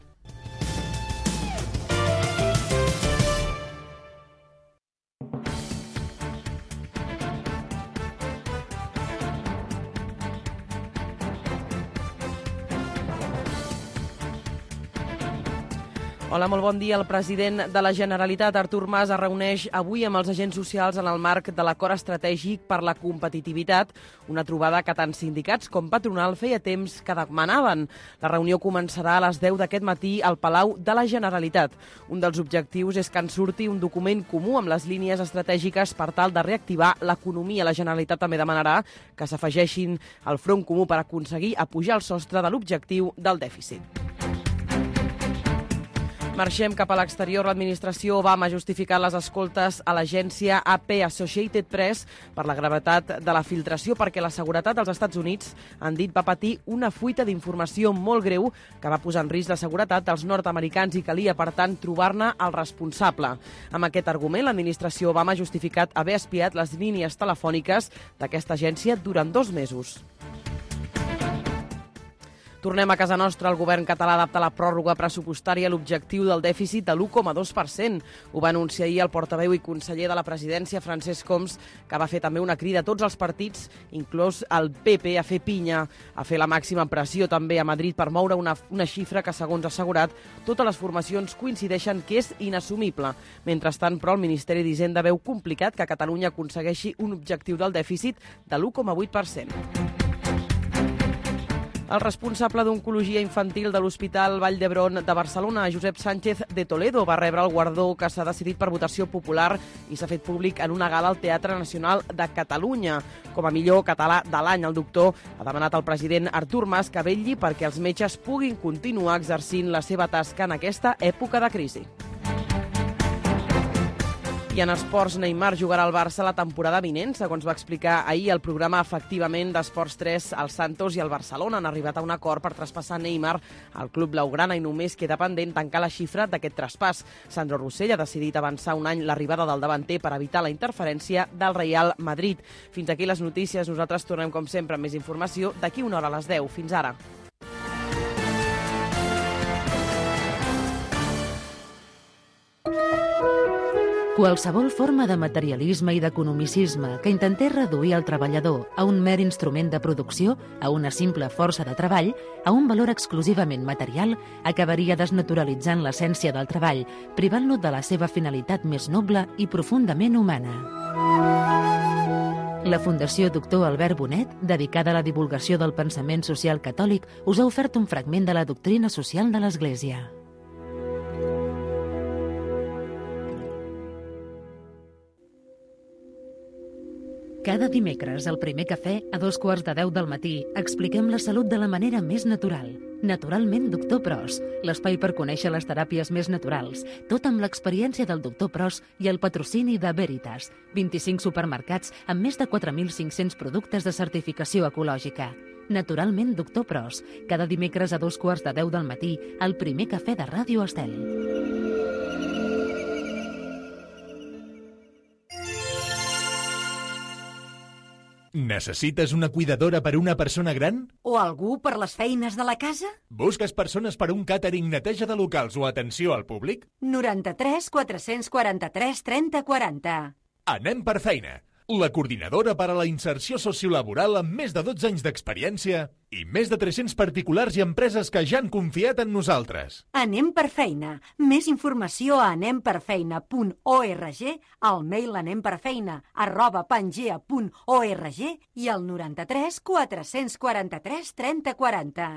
Speaker 13: Hola, molt bon dia. El president de la Generalitat, Artur Mas, es reuneix avui amb els agents socials en el marc de l'acord estratègic per la competitivitat, una trobada que tant sindicats com patronal feia temps que demanaven. La reunió començarà a les deu d'aquest matí al Palau de la Generalitat. Un dels objectius és que en surti un document comú amb les línies estratègiques per tal de reactivar l'economia. La Generalitat també demanarà que s'afegeixin al front comú per aconseguir apujar el sostre de l'objectiu del dèficit. Marxem cap a l'exterior. L'administració Obama ha justificat les escoltes a l'agència A P Associated Press per la gravetat de la filtració, perquè la seguretat dels Estats Units, han dit, va patir una fuita d'informació molt greu que va posar en risc la seguretat dels nord-americans i calia, per tant, trobar-ne el responsable. Amb aquest argument, l'administració Obama ha justificat haver espiat les línies telefòniques d'aquesta agència durant dos mesos. Tornem a casa nostra. El govern català adapta la pròrroga pressupostària a l'objectiu del dèficit de l'u coma dos per cent. Ho va anunciar ahir el portaveu i conseller de la presidència, Francesc Homs, que va fer també una crida a tots els partits, inclòs el P P, a fer pinya, a fer la màxima pressió també a Madrid per moure una, una xifra que, segons ha assegurat, totes les formacions coincideixen que és inassumible. Mentrestant, però, el Ministeri d'Hisenda veu complicat que Catalunya aconsegueixi un objectiu del dèficit de l'u coma vuit per cent. El responsable d'Oncologia Infantil de l'Hospital Vall d'Hebron de Barcelona, Josep Sánchez de Toledo, va rebre el guardó que s'ha decidit per votació popular i s'ha fet públic en una gala al Teatre Nacional de Catalunya. Com a millor català de l'any, el doctor ha demanat al president Artur Mas que vetlli perquè els metges puguin continuar exercint la seva tasca en aquesta època de crisi. I en esports, Neymar jugarà al Barça la temporada vinent, segons va explicar ahir el programa efectivament d'Esports tres. El Santos i el Barcelona han arribat a un acord per traspassar Neymar al club blaugrana i només queda pendent tancar la xifra d'aquest traspàs. Sandro Rossell ha decidit avançar un any l'arribada del davanter per evitar la interferència del Real Madrid. Fins aquí les notícies. Nosaltres tornem, com sempre, amb més informació d'aquí una hora a les deu. Fins ara.
Speaker 1: Qualsevol forma de materialisme i d'economicisme que intentés reduir el treballador a un mer instrument de producció, a una simple força de treball, a un valor exclusivament material, acabaria desnaturalitzant l'essència del treball, privant-lo de la seva finalitat més noble i profundament humana. La Fundació Doctor Albert Bonet, dedicada a la divulgació del pensament social catòlic, us ha ofert un fragment de la doctrina social de l'Església. Cada dimecres, al primer cafè, a dos quarts de deu del matí, expliquem la salut de la manera més natural. Naturalment, doctor Pros, l'espai per conèixer les teràpies més naturals, tot amb l'experiència del doctor Pros i el patrocini de Veritas, vint-i-cinc supermercats amb més de quatre mil cinc-cents productes de certificació ecològica. Naturalment, doctor Pros, cada dimecres a dos quarts de deu del matí, al primer cafè de Ràdio Estel.
Speaker 14: Necessites una cuidadora per a una persona gran?
Speaker 15: O algú per les feines de la casa?
Speaker 14: Busques persones per a un càtering, neteja de locals o atenció al públic?
Speaker 15: noranta-tres quatre-cents quaranta-tres trenta quaranta.
Speaker 14: Anem per feina. la coordinadora per a la inserció sociolaboral amb més de dotze anys d'experiència i més de tres-cents particulars i empreses que ja han confiat en nosaltres.
Speaker 15: Anem per feina. Més informació a anem per feina punt org, al mail anemperfeina arroba pangea punt org i al noranta-tres quatre-cents quaranta-tres trenta quaranta.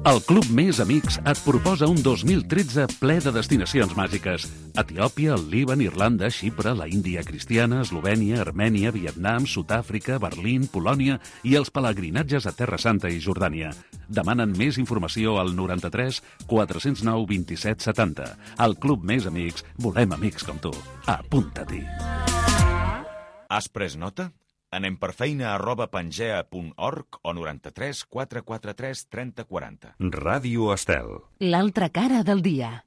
Speaker 16: El Club Més Amics et proposa un dos mil tretze ple de destinacions màgiques. Etiòpia, el Líban, Irlanda, Xipre, la Índia cristiana, Eslovènia, Armènia, Vietnam, Sud-àfrica, Berlín, Polònia i els pelegrinatges a Terra Santa i Jordània. Demanen més informació al noranta-tres quatre-cents nou vint-i-set setanta. Al Club Més Amics volem amics com tu. Apunta-t'hi.
Speaker 17: Has pres nota? Anem per feina arroba pangea punt org o noranta-tres quatre quaranta-tres trenta quaranta.
Speaker 18: Ràdio Estel.
Speaker 1: L'altra cara del dia.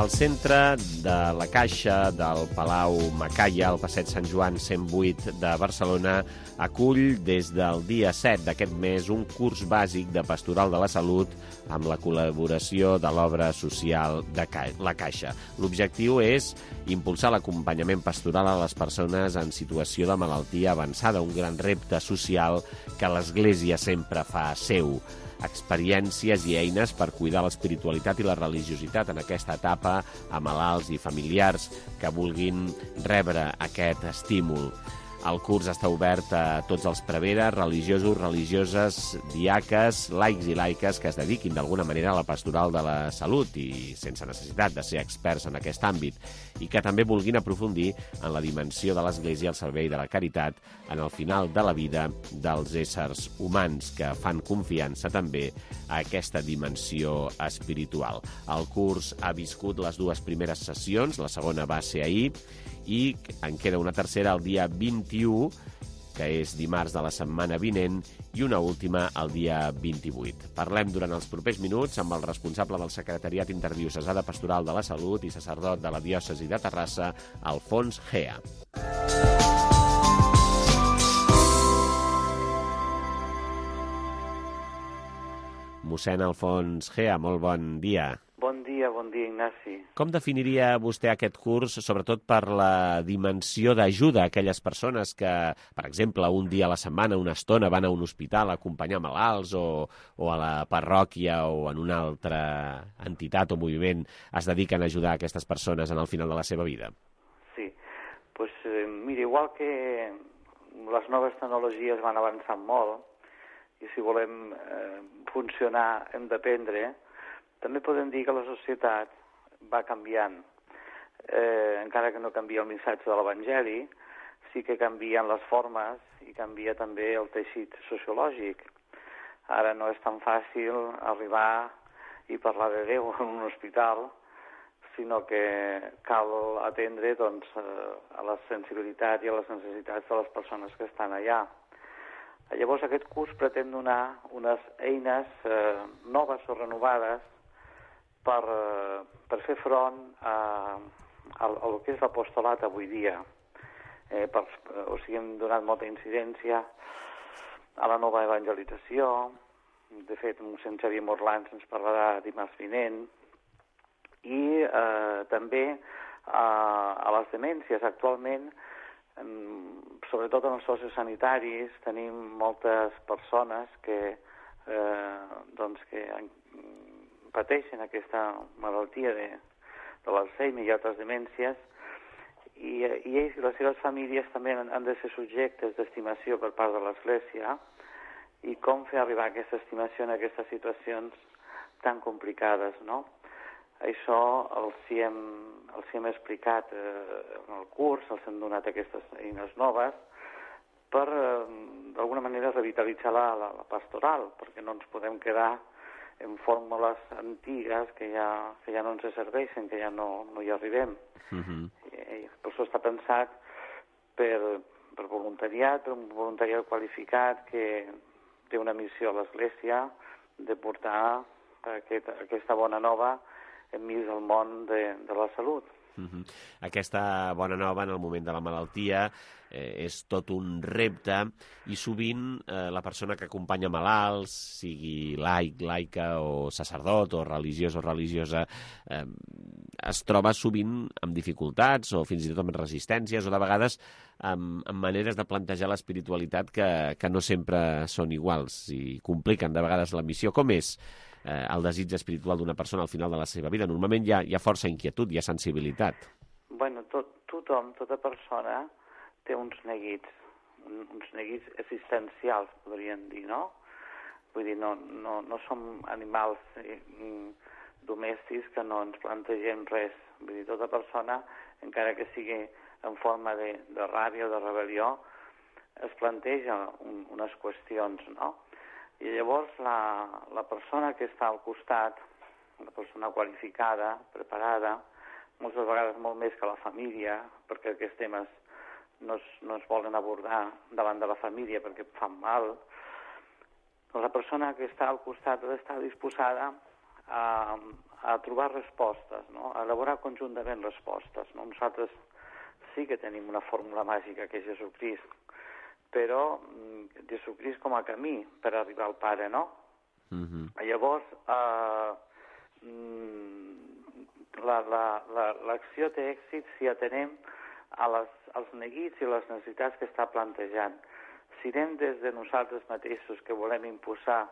Speaker 2: Al centre de la Caixa del Palau Macaya, al passeig Sant Joan cent vuit de Barcelona, acull des del dia set d'aquest mes un curs bàsic de Pastoral de la Salut amb la col·laboració de l'obra social de la Caixa. L'objectiu és impulsar l'acompanyament pastoral a les persones en situació de malaltia avançada, un gran repte social que l'Església sempre fa seu. Experiències i eines per cuidar l'espiritualitat i la religiositat en aquesta etapa a malalts i familiars que vulguin rebre aquest estímul. El curs està obert a tots els preveres, religiosos, religioses, diaques, laics i laiques que es dediquin d'alguna manera a la pastoral de la salut i sense necessitat de ser experts en aquest àmbit i que també vulguin aprofundir en la dimensió de l'Església al servei de la caritat en el final de la vida dels éssers humans que fan confiança també a aquesta dimensió espiritual. El curs ha viscut les dues primeres sessions, la segona va ser ahir, i en queda una tercera el dia vint-i-u, que és dimarts de la setmana vinent, i una última el dia vint-i-vuit. Parlem durant els propers minuts amb el responsable del Secretariat Interdiocesà de Pastoral de la Salut i sacerdot de la diòcesi de Terrassa, Alfons Gea. Mossèn Alfons Gea, molt bon dia.
Speaker 19: Bon dia, bon dia, Ignasi.
Speaker 2: Com definiria vostè aquest curs, sobretot per la dimensió d'ajuda a aquelles persones que, per exemple, un dia a la setmana, una estona, van a un hospital a acompanyar malalts o, o a la parròquia o en una altra entitat o moviment es dediquen a ajudar aquestes persones en el final de la seva vida?
Speaker 19: Sí, pues, eh, mira, igual que les noves tecnologies van avançant molt i si volem eh, funcionar hem d'aprendre, també podem dir que la societat va canviant. Eh, encara que no canvia el missatge de l'Evangeli, sí que canvien les formes i canvia també el teixit sociològic. Ara no és tan fàcil arribar i parlar de Déu en un hospital, sinó que cal atendre doncs, a la sensibilitat i a les necessitats de les persones que estan allà. Llavors aquest curs pretén donar unes eines eh, noves o renovades per, per fer front a, a, a el que és l'apostolat avui dia. Eh, per, o sigui, hem donat molta incidència a la nova evangelització. De fet, mossèn Xavier Morlans ens parlarà dimarts vinent. I eh, també eh, a les demències. Actualment, sobretot en els sociosanitaris, tenim moltes persones que, eh, doncs que pateixen aquesta malaltia de, de l'Alzheimer i altres demències, i, i ells i les seves famílies també han, han de ser subjectes d'estimació per part de l'Església, i com fer arribar aquesta estimació en aquestes situacions tan complicades, no? Això els hi hem, els hi hem explicat eh, en el curs, els hem donat aquestes eines noves per, eh, d'alguna manera, revitalitzar la, la, la pastoral, perquè no ens podem quedar en fórmules antigues que ja, que ja no ens serveixen, que ja no, no hi arribem. Uh-huh. I, per això està pensat per, per voluntariat, per un voluntariat qualificat que té una missió a l'Església de portar aquest, aquesta bona nova enmig del món de, de la salut.
Speaker 2: Uh-huh. Aquesta bona nova en el moment de la malaltia eh, és tot un repte i sovint eh, la persona que acompanya malalts, sigui laic, laica o sacerdot o religiós o religiosa, eh, es troba sovint amb dificultats o fins i tot amb resistències o de vegades amb, amb maneres de plantejar l'espiritualitat que, que no sempre són iguals i compliquen de vegades la missió. Com és eh, el desig espiritual d'una persona al final de la seva vida? Normalment hi ha, hi ha força inquietud, hi ha sensibilitat.
Speaker 19: Bueno, tot, tothom, tota persona té uns neguits, uns neguits existencials, podríem dir, no? Vull dir, no, no, no som animals eh, domèstics que no ens plantegem res. Vull dir, tota persona, encara que sigui en forma de, de ràbia o de rebel·lió, es planteja un, unes qüestions, no? I llavors la, la persona que està al costat, la persona qualificada, preparada, moltes vegades molt més que la família, perquè aquests temes no es, no es volen abordar davant de la família perquè fan mal, la persona que està al costat ha d'estar disposada a, a trobar respostes, no? A elaborar conjuntament respostes. No? Nosaltres sí que tenim una fórmula màgica, que és Jesucrist, però Jesucrist com a camí per arribar al Pare, no? Uh-huh. Llavors, eh, l'acció té èxit si atenem a les, als neguits i les necessitats que està plantejant. Si anem des de nosaltres mateixos que volem imposar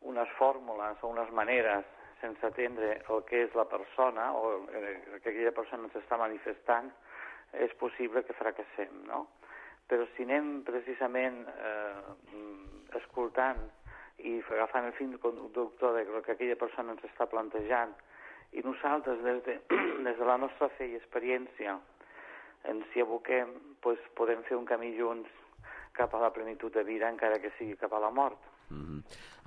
Speaker 19: unes fórmules o unes maneres sense atendre el que és la persona o el que aquella persona ens està manifestant, és possible que fracassem, no? Però si anem precisament eh, escoltant i agafant el fil conductor del que aquella persona ens està plantejant i nosaltres des de, des de la nostra fe i experiència ens hi aboquem, doncs podem fer un camí junts cap a la plenitud de vida, encara que sigui cap a la mort.
Speaker 2: Mm-hmm.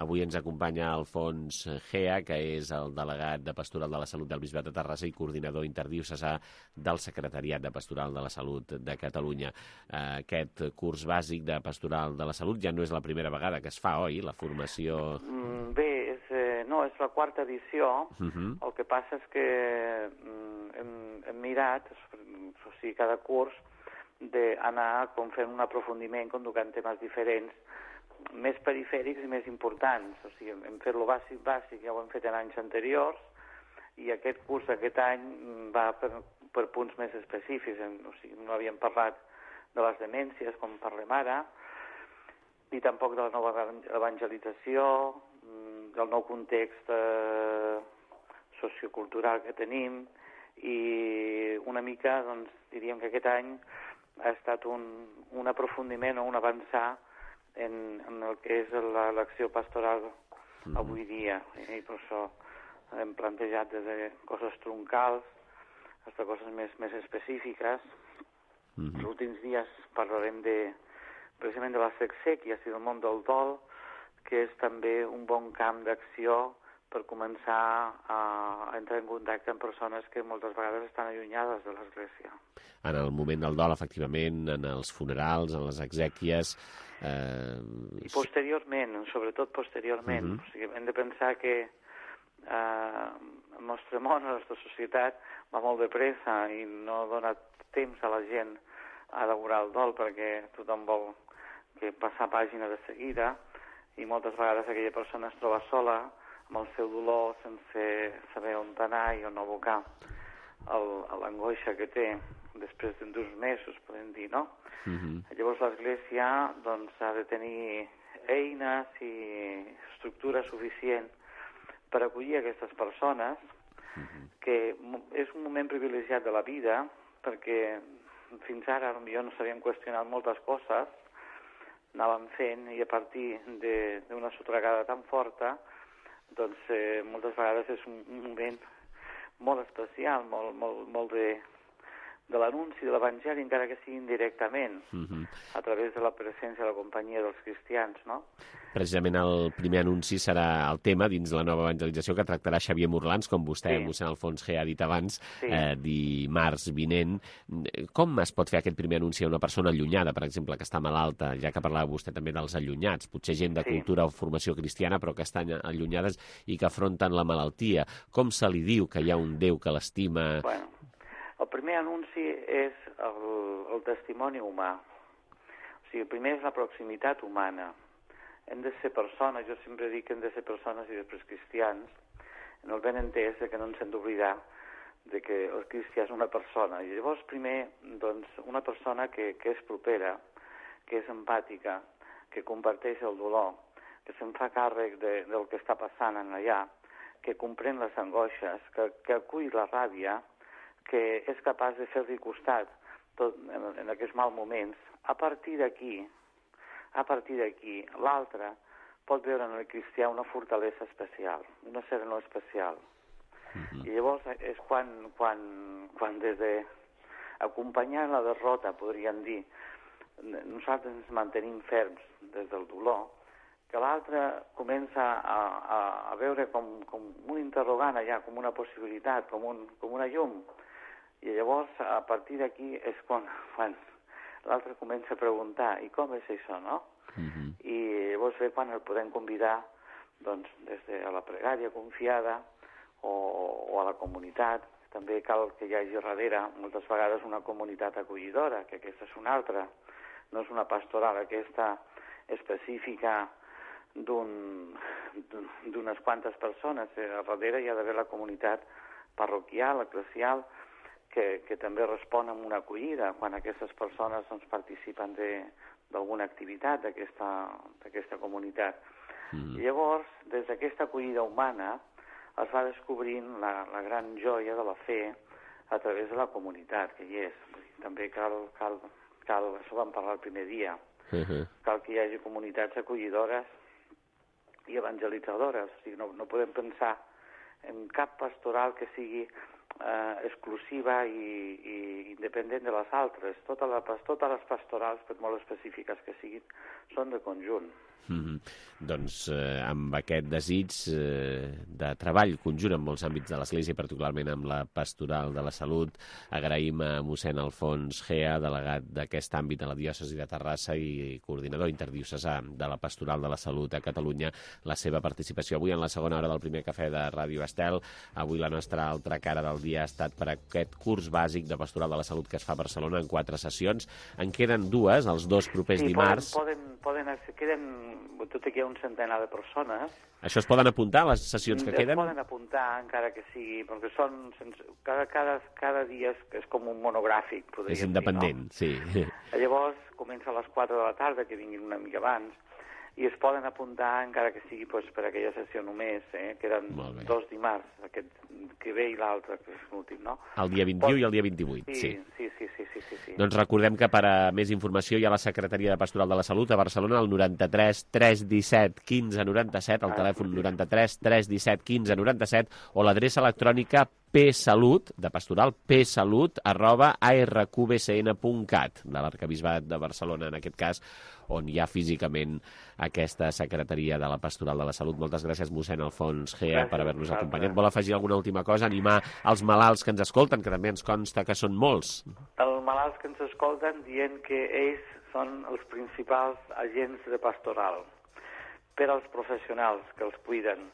Speaker 2: Avui ens acompanya Alfons Gea, que és el delegat de Pastoral de la Salut del Bisbat de Terrassa i coordinador interdiocesà del Secretariat de Pastoral de la Salut de Catalunya. Aquest curs bàsic de Pastoral de la Salut ja no és la primera vegada que es fa, oi? La formació...
Speaker 19: Bé, és, eh, no, és la quarta edició. Uh-huh. El que passa és que hem, hem mirat, o sigui, cada curs, d'anar com fent un aprofundiment, conducant temes diferents, més perifèrics i més importants. O sigui, hem fet lo bàsic bàsic, ja ho hem fet en anys anteriors, i aquest curs aquest any va per, per punts més específics. O sigui, no havíem parlat de les demències, com parlem ara, ni tampoc de la nova evangelització, del nou context eh, sociocultural que tenim, i una mica, doncs, diríem que aquest any ha estat un, un aprofundiment o un avançar en, en el que és l'acció pastoral avui dia. I per això hem plantejat des de coses troncals fins a coses més, més específiques. Mm-hmm. Els últims dies parlarem de, precisament de les exèquies i del món del dol, que és també un bon camp d'acció per començar a entrar en contacte amb persones que moltes vegades estan allunyades de l'Església.
Speaker 2: En el moment del dol, efectivament, en els funerals, en les exèquies...
Speaker 19: Eh... I posteriorment, sobretot posteriorment. Uh-huh. O sigui, hem de pensar que eh, el nostre món, la nostra societat, va molt de pressa i no dona temps a la gent a elaborar el dol perquè tothom vol que passar pàgina de seguida i moltes vegades aquella persona es troba sola amb el seu dolor sense saber on anar i on abocar l'angoixa que té després d'uns mesos, podem dir, no? Uh-huh. Llavors l'Església doncs, ha de tenir eines i estructura suficient per acollir aquestes persones, uh-huh. que és un moment privilegiat de la vida, perquè fins ara potser no s'havien qüestionat moltes coses, anàvem fent, i a partir d'una sotragada tan forta, doncs eh, moltes vegades és un, un moment molt especial, molt, molt, molt, de, de l'anunci de l'Evangeli, encara que sigui indirectament,
Speaker 2: Uh-huh.
Speaker 19: a través de la presència de la companyia dels cristians, no?
Speaker 2: Precisament el primer anunci serà el tema dins la nova evangelització que tractarà Xavier Morlans, com vostè,
Speaker 19: Sí.
Speaker 2: mossèn Alfons G, ha dit abans,
Speaker 19: Sí.
Speaker 2: eh, dimarts vinent. Com es pot fer aquest primer anunci a una persona allunyada, per exemple, que està malalta, ja que parlava vostè també dels allunyats, potser gent de
Speaker 19: Sí.
Speaker 2: cultura o formació cristiana, però que estan allunyades i que afronten la malaltia? Com se li diu que hi ha un Déu que l'estima?
Speaker 19: Bueno, el primer anunci és el, el testimoni humà. O sigui, el primer és la proximitat humana. Hem de ser persones, jo sempre dic que hem de ser persones i després cristians, en el ben entès que no ens hem d'oblidar de que el cristià és una persona. I llavors, primer, doncs, una persona que, que és propera, que és empàtica, que comparteix el dolor, que se'n fa càrrec de, del que està passant en allà, que comprèn les angoixes, que, que acull la ràbia, que és capaç de fer-li costat tot, en, en aquests mal moments. A partir d'aquí, a partir d'aquí, l'altre pot veure en el cristià una fortalesa especial, una serenor especial. Uh-huh. I llavors és quan, quan, quan des de acompanyar la derrota, podríem dir, nosaltres ens mantenim ferms des del dolor, que l'altre comença a, a, a veure com, com un interrogant allà, com una possibilitat, com, un, com una llum. I llavors, a partir d'aquí, és quan, quan l'altre comença a preguntar, i com és això, no? Uh-huh. I llavors ve quan el podem convidar, doncs, des de la pregària confiada o, o a la comunitat. També cal que hi hagi darrere, moltes vegades, una comunitat acollidora, que aquesta és una altra. No és una pastoral aquesta específica d'un, d'unes quantes persones. A darrere hi ha d'haver la comunitat parroquial, eclesial, que, que també respon amb una acollida quan aquestes persones doncs, participen d'alguna activitat d'aquesta comunitat. Mm. I llavors, des d'aquesta acollida humana, es va descobrint la, la gran joia de la fe a través de la comunitat que hi és. També cal, cal, cal això vam parlar el primer dia, uh-huh. cal que hi hagi comunitats acollidores i evangelitzadores. O sigui, no, no podem pensar en cap pastoral que sigui eh, exclusiva i, i independent de les altres. Totes les, totes les pastorals, per molt específiques que siguin, són de conjunt.
Speaker 2: Mm-hmm. Doncs eh, amb aquest desig eh, de treball conjunt en molts àmbits de l'Església, particularment amb la pastoral de la salut, agraïm a mossèn Alfons Gea, delegat d'aquest àmbit a la diòcesi de Terrassa i coordinador interdiocesà de la pastoral de la salut a Catalunya, la seva participació avui en la segona hora del primer cafè de Ràdio Estel. Avui la nostra altra cara del dia ha estat per aquest curs bàsic de pastoral de la salut que es fa a Barcelona en quatre sessions. En queden dues, els dos propers
Speaker 19: sí,
Speaker 2: dimarts.
Speaker 19: Poden, poden, poden, queden, tot i que hi ha un centenar de persones.
Speaker 2: Això es poden apuntar, les sessions que
Speaker 19: es
Speaker 2: queden?
Speaker 19: Es poden apuntar, encara que sigui, perquè són, sense, cada, cada, cada dia és, és com un monogràfic, podríem dir, no?
Speaker 2: És independent, sí.
Speaker 19: Llavors, comença a les quatre de la tarda, que vinguin una mica abans, i es poden apuntar, encara que sigui pues, per aquella sessió només, eh? Queden dos dimarts, aquest que ve i l'altre, que és l'últim, no?
Speaker 2: El dia vint-i-u Pot... i el dia vint-i-vuit,
Speaker 19: sí.
Speaker 2: Sí,
Speaker 19: sí, sí, sí, sí, sí, sí.
Speaker 2: Doncs recordem que per a més informació hi ha la Secretaria de Pastoral de la Salut a Barcelona, al noranta-tres tres disset quinze noranta-set, el ah, telèfon sí. noranta-tres tres disset quinze noranta-set, o l'adreça electrònica psalut, de pastoral, psalut, arroba a r q b c n punt cat, de l'Arquebisbat de Barcelona, en aquest cas, on hi ha físicament aquesta Secretaria de la Pastoral de la Salut. Moltes gràcies, mossèn Alfons Gea, per haver-nos acompanyat. Vol afegir alguna última cosa? Animar els malalts que ens escolten, que també ens consta que són molts.
Speaker 19: Els malalts que ens escolten dient que ells són els principals agents de pastoral, per als professionals que els cuiden,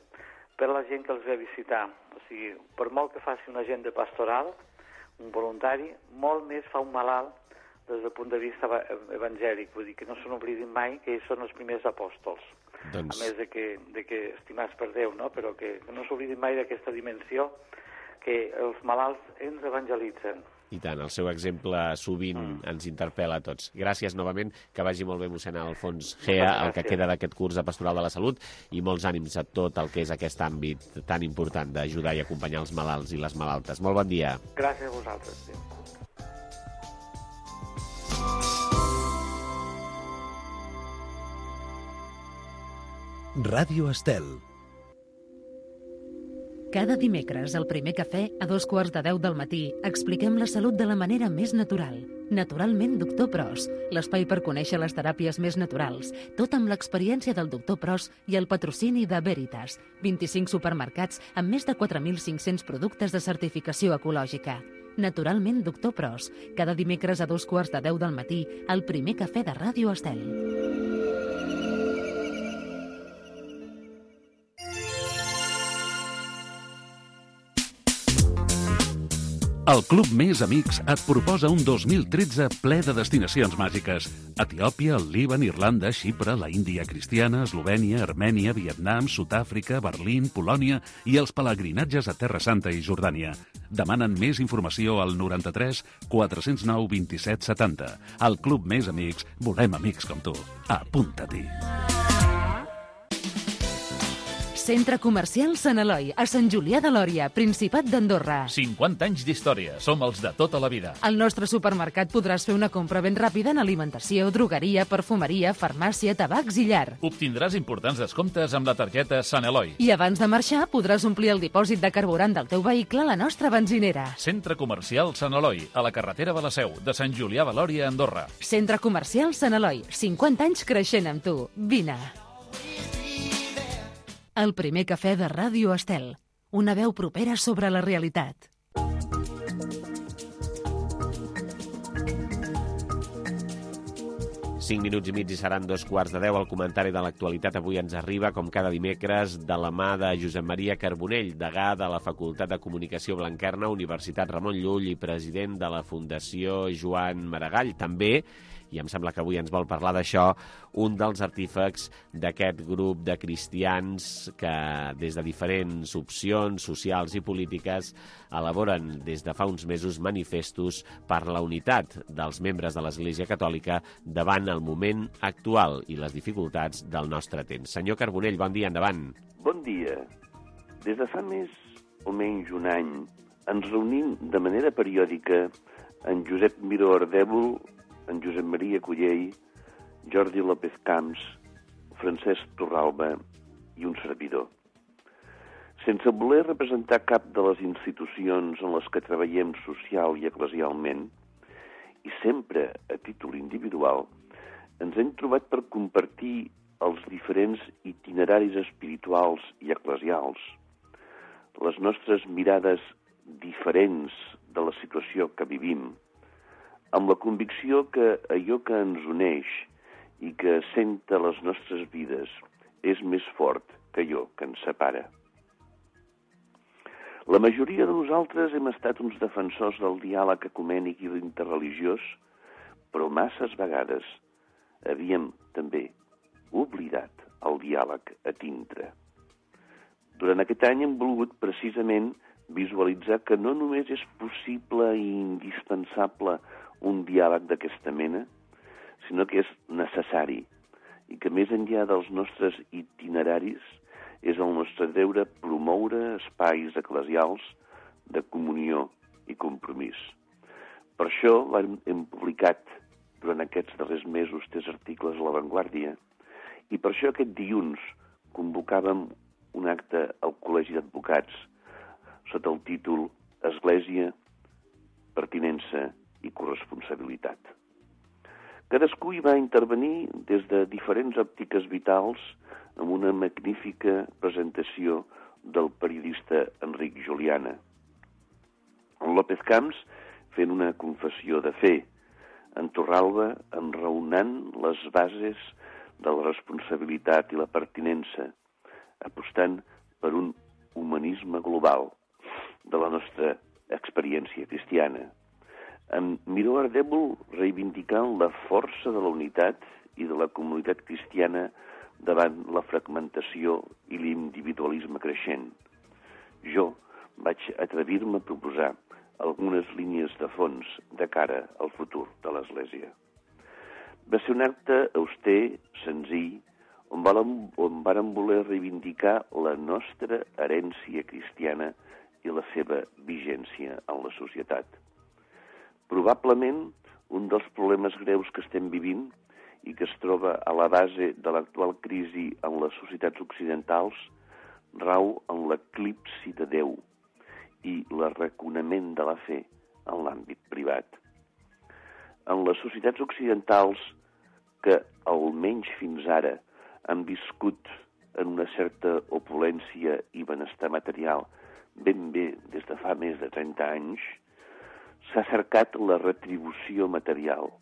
Speaker 19: per a la gent que els ve a visitar. O sigui, per molt que faci un agent de pastoral, un voluntari, molt més fa un malalt des del punt de vista evangèlic. Vull dir que no se n'oblidin mai que ells són els primers apòstols. Doncs... A més de que, de que estimats per Déu, no? Però que no s'oblidin mai d'aquesta dimensió que els malalts ens evangelitzen.
Speaker 2: I tant, el seu exemple sovint mm. ens interpel·la a tots. Gràcies novament, que vagi molt bé mossèn Alfons Gea, el que queda d'aquest curs de Pastoral de la Salut, i molts ànims a tot el que és aquest àmbit tan important d'ajudar i acompanyar els malalts i les malaltes. Molt bon dia.
Speaker 19: Gràcies a vosaltres. Sí.
Speaker 18: Ràdio Estel.
Speaker 1: Cada dimecres, al primer cafè, a dos quarts de deu del matí, expliquem la salut de la manera més natural. Naturalment, doctor Pros, l'espai per conèixer les teràpies més naturals, tot amb l'experiència del doctor Pros i el patrocini de Veritas, vint-i-cinc supermercats amb més de quatre mil cinc-cents productes de certificació ecològica. Naturalment, doctor Pros, cada dimecres a dos quarts de deu del matí, al primer cafè de Ràdio Estel.
Speaker 16: El Club Més Amics et proposa un dos mil tretze ple de destinacions màgiques. Etiòpia, el Líban, Irlanda, Xipre, la Índia cristiana, Eslovènia, Armènia, Vietnam, Sud-àfrica, Berlín, Polònia i els pelegrinatges a Terra Santa i Jordània. Demanen més informació al noranta-tres quatre-cents nou vint-i-set setanta. Al Club Més Amics volem amics com tu. Apunta-t'hi.
Speaker 1: Centre Comercial Sant Eloi, a Sant Julià de Lòria, Principat d'Andorra.
Speaker 14: cinquanta anys d'història. Som els de tota la vida.
Speaker 1: Al nostre supermercat podràs fer una compra ben ràpida en alimentació, drogueria, perfumeria, farmàcia, tabacs i llar.
Speaker 14: Obtindràs importants descomptes amb la targeta Sant Eloi.
Speaker 1: I abans de marxar podràs omplir el dipòsit de carburant del teu vehicle a la nostra benzinera.
Speaker 14: Centre Comercial Sant Eloi, a la carretera de la Seu, de Sant Julià de Lòria, Andorra.
Speaker 1: Centre Comercial Sant Eloi, cinquanta anys creixent amb tu. Vine. El primer cafè de Ràdio Estel. Una veu propera sobre la realitat.
Speaker 2: Cinc minuts i mig i seran dos quarts de deu. El comentari de l'actualitat avui ens arriba, com cada dimecres, de la mà de Josep Maria Carbonell, degà de la Facultat de Comunicació Blanquerna, Universitat Ramon Llull i president de la Fundació Joan Maragall. També, i em sembla que avui ens vol parlar d'això, un dels artífex d'aquest grup de cristians que des de diferents opcions socials i polítiques elaboren des de fa uns mesos manifestos per la unitat dels membres de l'Església Catòlica davant el moment actual i les dificultats del nostre temps. Senyor Carbonell, bon dia, endavant.
Speaker 18: Bon dia. Des de fa més o menys un any ens reunim de manera periòdica en Josep Miró Ardèvol, en Josep Maria Cullell, Jordi López Camps, Francesc Torralba i un servidor. Sense voler representar cap de les institucions en les que treballem social i eclesialment, i sempre a títol individual, ens hem trobat per compartir els diferents itineraris espirituals i eclesials, les nostres mirades diferents de la situació que vivim, amb la convicció que allò que ens uneix i que assenta les nostres vides és més fort que allò que ens separa. La majoria de nosaltres hem estat uns defensors del diàleg ecumènic i interreligiós, però masses vegades havíem també oblidat el diàleg a dintre. Durant aquest any hem volgut precisament visualitzar que no només és possible i indispensable un diàleg d'aquesta mena, sinó que és necessari i que més enllà dels nostres itineraris és el nostre deure promoure espais eclesials de comunió i compromís. Per això hem publicat durant aquests darrers mesos tres articles a La Vanguardia i per això aquest dilluns convocàvem un acte al Col·legi d'Advocats sota el títol Església, pertinença i corresponsabilitat. Cadascú hi va intervenir des de diferents òptiques vitals amb una magnífica presentació del periodista Enric Juliana. En López Camps fent una confessió de fe, en Torralba enraonant les bases de la responsabilitat i la pertinença, apostant per un humanisme global de la nostra experiència cristiana. En Miró Ardèvol reivindicant la força de la unitat i de la comunitat cristiana davant la fragmentació i l'individualisme creixent. Jo vaig atrevir-me a proposar algunes línies de fons de cara al futur de l'Església. Va ser un acte auster, senzill, on vàrem voler reivindicar la nostra herència cristiana i la seva vigència en la societat. Probablement, un dels problemes greus que estem vivint i que es troba a la base de l'actual crisi en les societats occidentals rau en l'eclipsi de Déu i l'arraconament de la fe en l'àmbit privat. En les societats occidentals que, almenys fins ara, han viscut en una certa opulència i benestar material ben bé des de fa més de trenta anys, s'ha cercat la retribució material,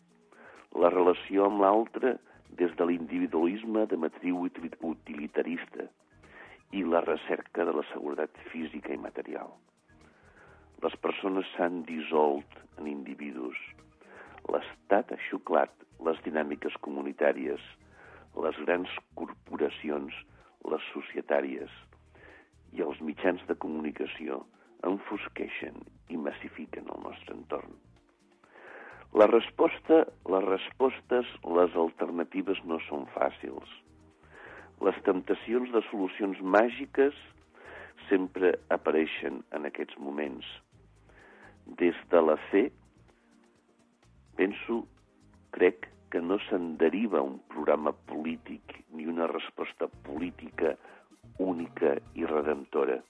Speaker 18: la relació amb l'altre des de l'individualisme de matriu utilitarista i la recerca de la seguretat física i material. Les persones s'han dissolt en individus. L'Estat ha xuclat les dinàmiques comunitàries, les grans corporacions, les societàries, i els mitjans de comunicació enfosqueixen i massifiquen el nostre entorn. La resposta, les respostes, les alternatives no són fàcils. Les temptacions de solucions màgiques sempre apareixen en aquests moments. Des de la fe, penso, crec que no se'n deriva un programa polític ni una resposta política única i redemptora.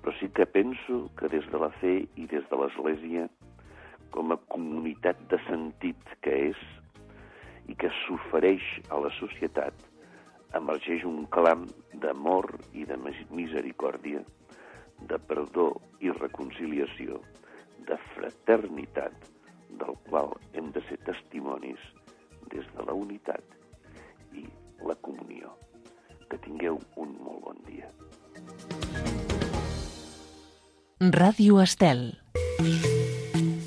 Speaker 18: Però sí que penso que des de la fe i des de l'Església, com a comunitat de sentit que és i que s'ofereix a la societat, emergeix un clam d'amor i de misericòrdia, de perdó i reconciliació, de fraternitat, del qual hem de ser testimonis des de la unitat i la comunió. Que tingueu un molt bon dia.
Speaker 1: Ràdio Estel.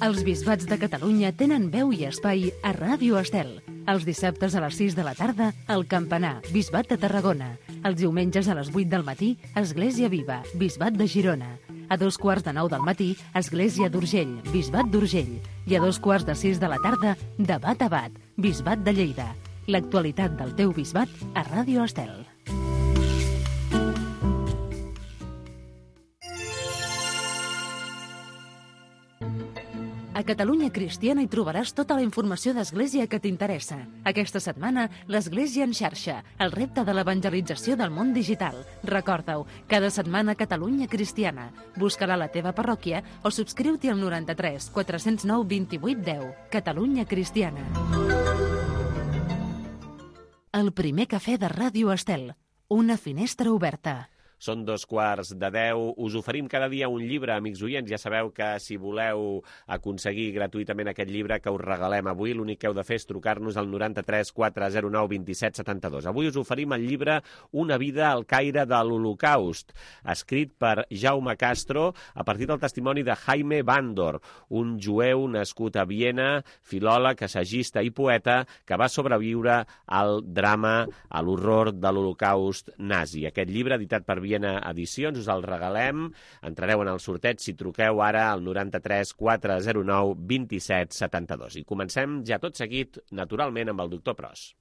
Speaker 1: Els bisbats de Catalunya tenen veu i espai a Ràdio Estel. Els dissabtes a les sis de la tarda, al Campanar, Bisbat de Tarragona. Els diumenges a les vuit del matí, Església Viva, Bisbat de Girona. A dos quarts de nou del matí, Església d'Urgell, Bisbat d'Urgell. I a dos quarts de sis de la tarda, Debat a Bat, Bisbat de Lleida. L'actualitat del teu bisbat a Ràdio Estel. A Catalunya Cristiana hi trobaràs tota la informació d'Església que t'interessa. Aquesta setmana, l'Església en xarxa, el repte de l'evangelització del món digital. Recorda-ho, cada setmana Catalunya Cristiana. Busca-la a la teva parròquia o subscriu-t'hi al noranta-tres quatre cents nou vint-i-vuit deu. Catalunya Cristiana. El primer cafè de Ràdio Estel. Una finestra oberta.
Speaker 2: Són dos quarts de deu. Us oferim cada dia un llibre, amics oients. Ja sabeu que si voleu aconseguir gratuïtament aquest llibre que us regalem avui, l'únic que heu de fer és trucar-nos al noranta-tres quatre zero nou vint-i-set setanta-dos. Avui us oferim el llibre Una vida al caire de l'Holocaust, escrit per Jaume Castro a partir del testimoni de Jaime Bandor, un jueu nascut a Viena, filòleg, assagista i poeta que va sobreviure al drama, a l'horror de l'Holocaust nazi. Aquest llibre, editat per Viena Edicions, us el regalem. Entrareu en el sorteig si truqueu ara al noranta-tres quatre zero nou vint-i-set setanta-dos. I comencem ja tot seguit, naturalment, amb el doctor Pros.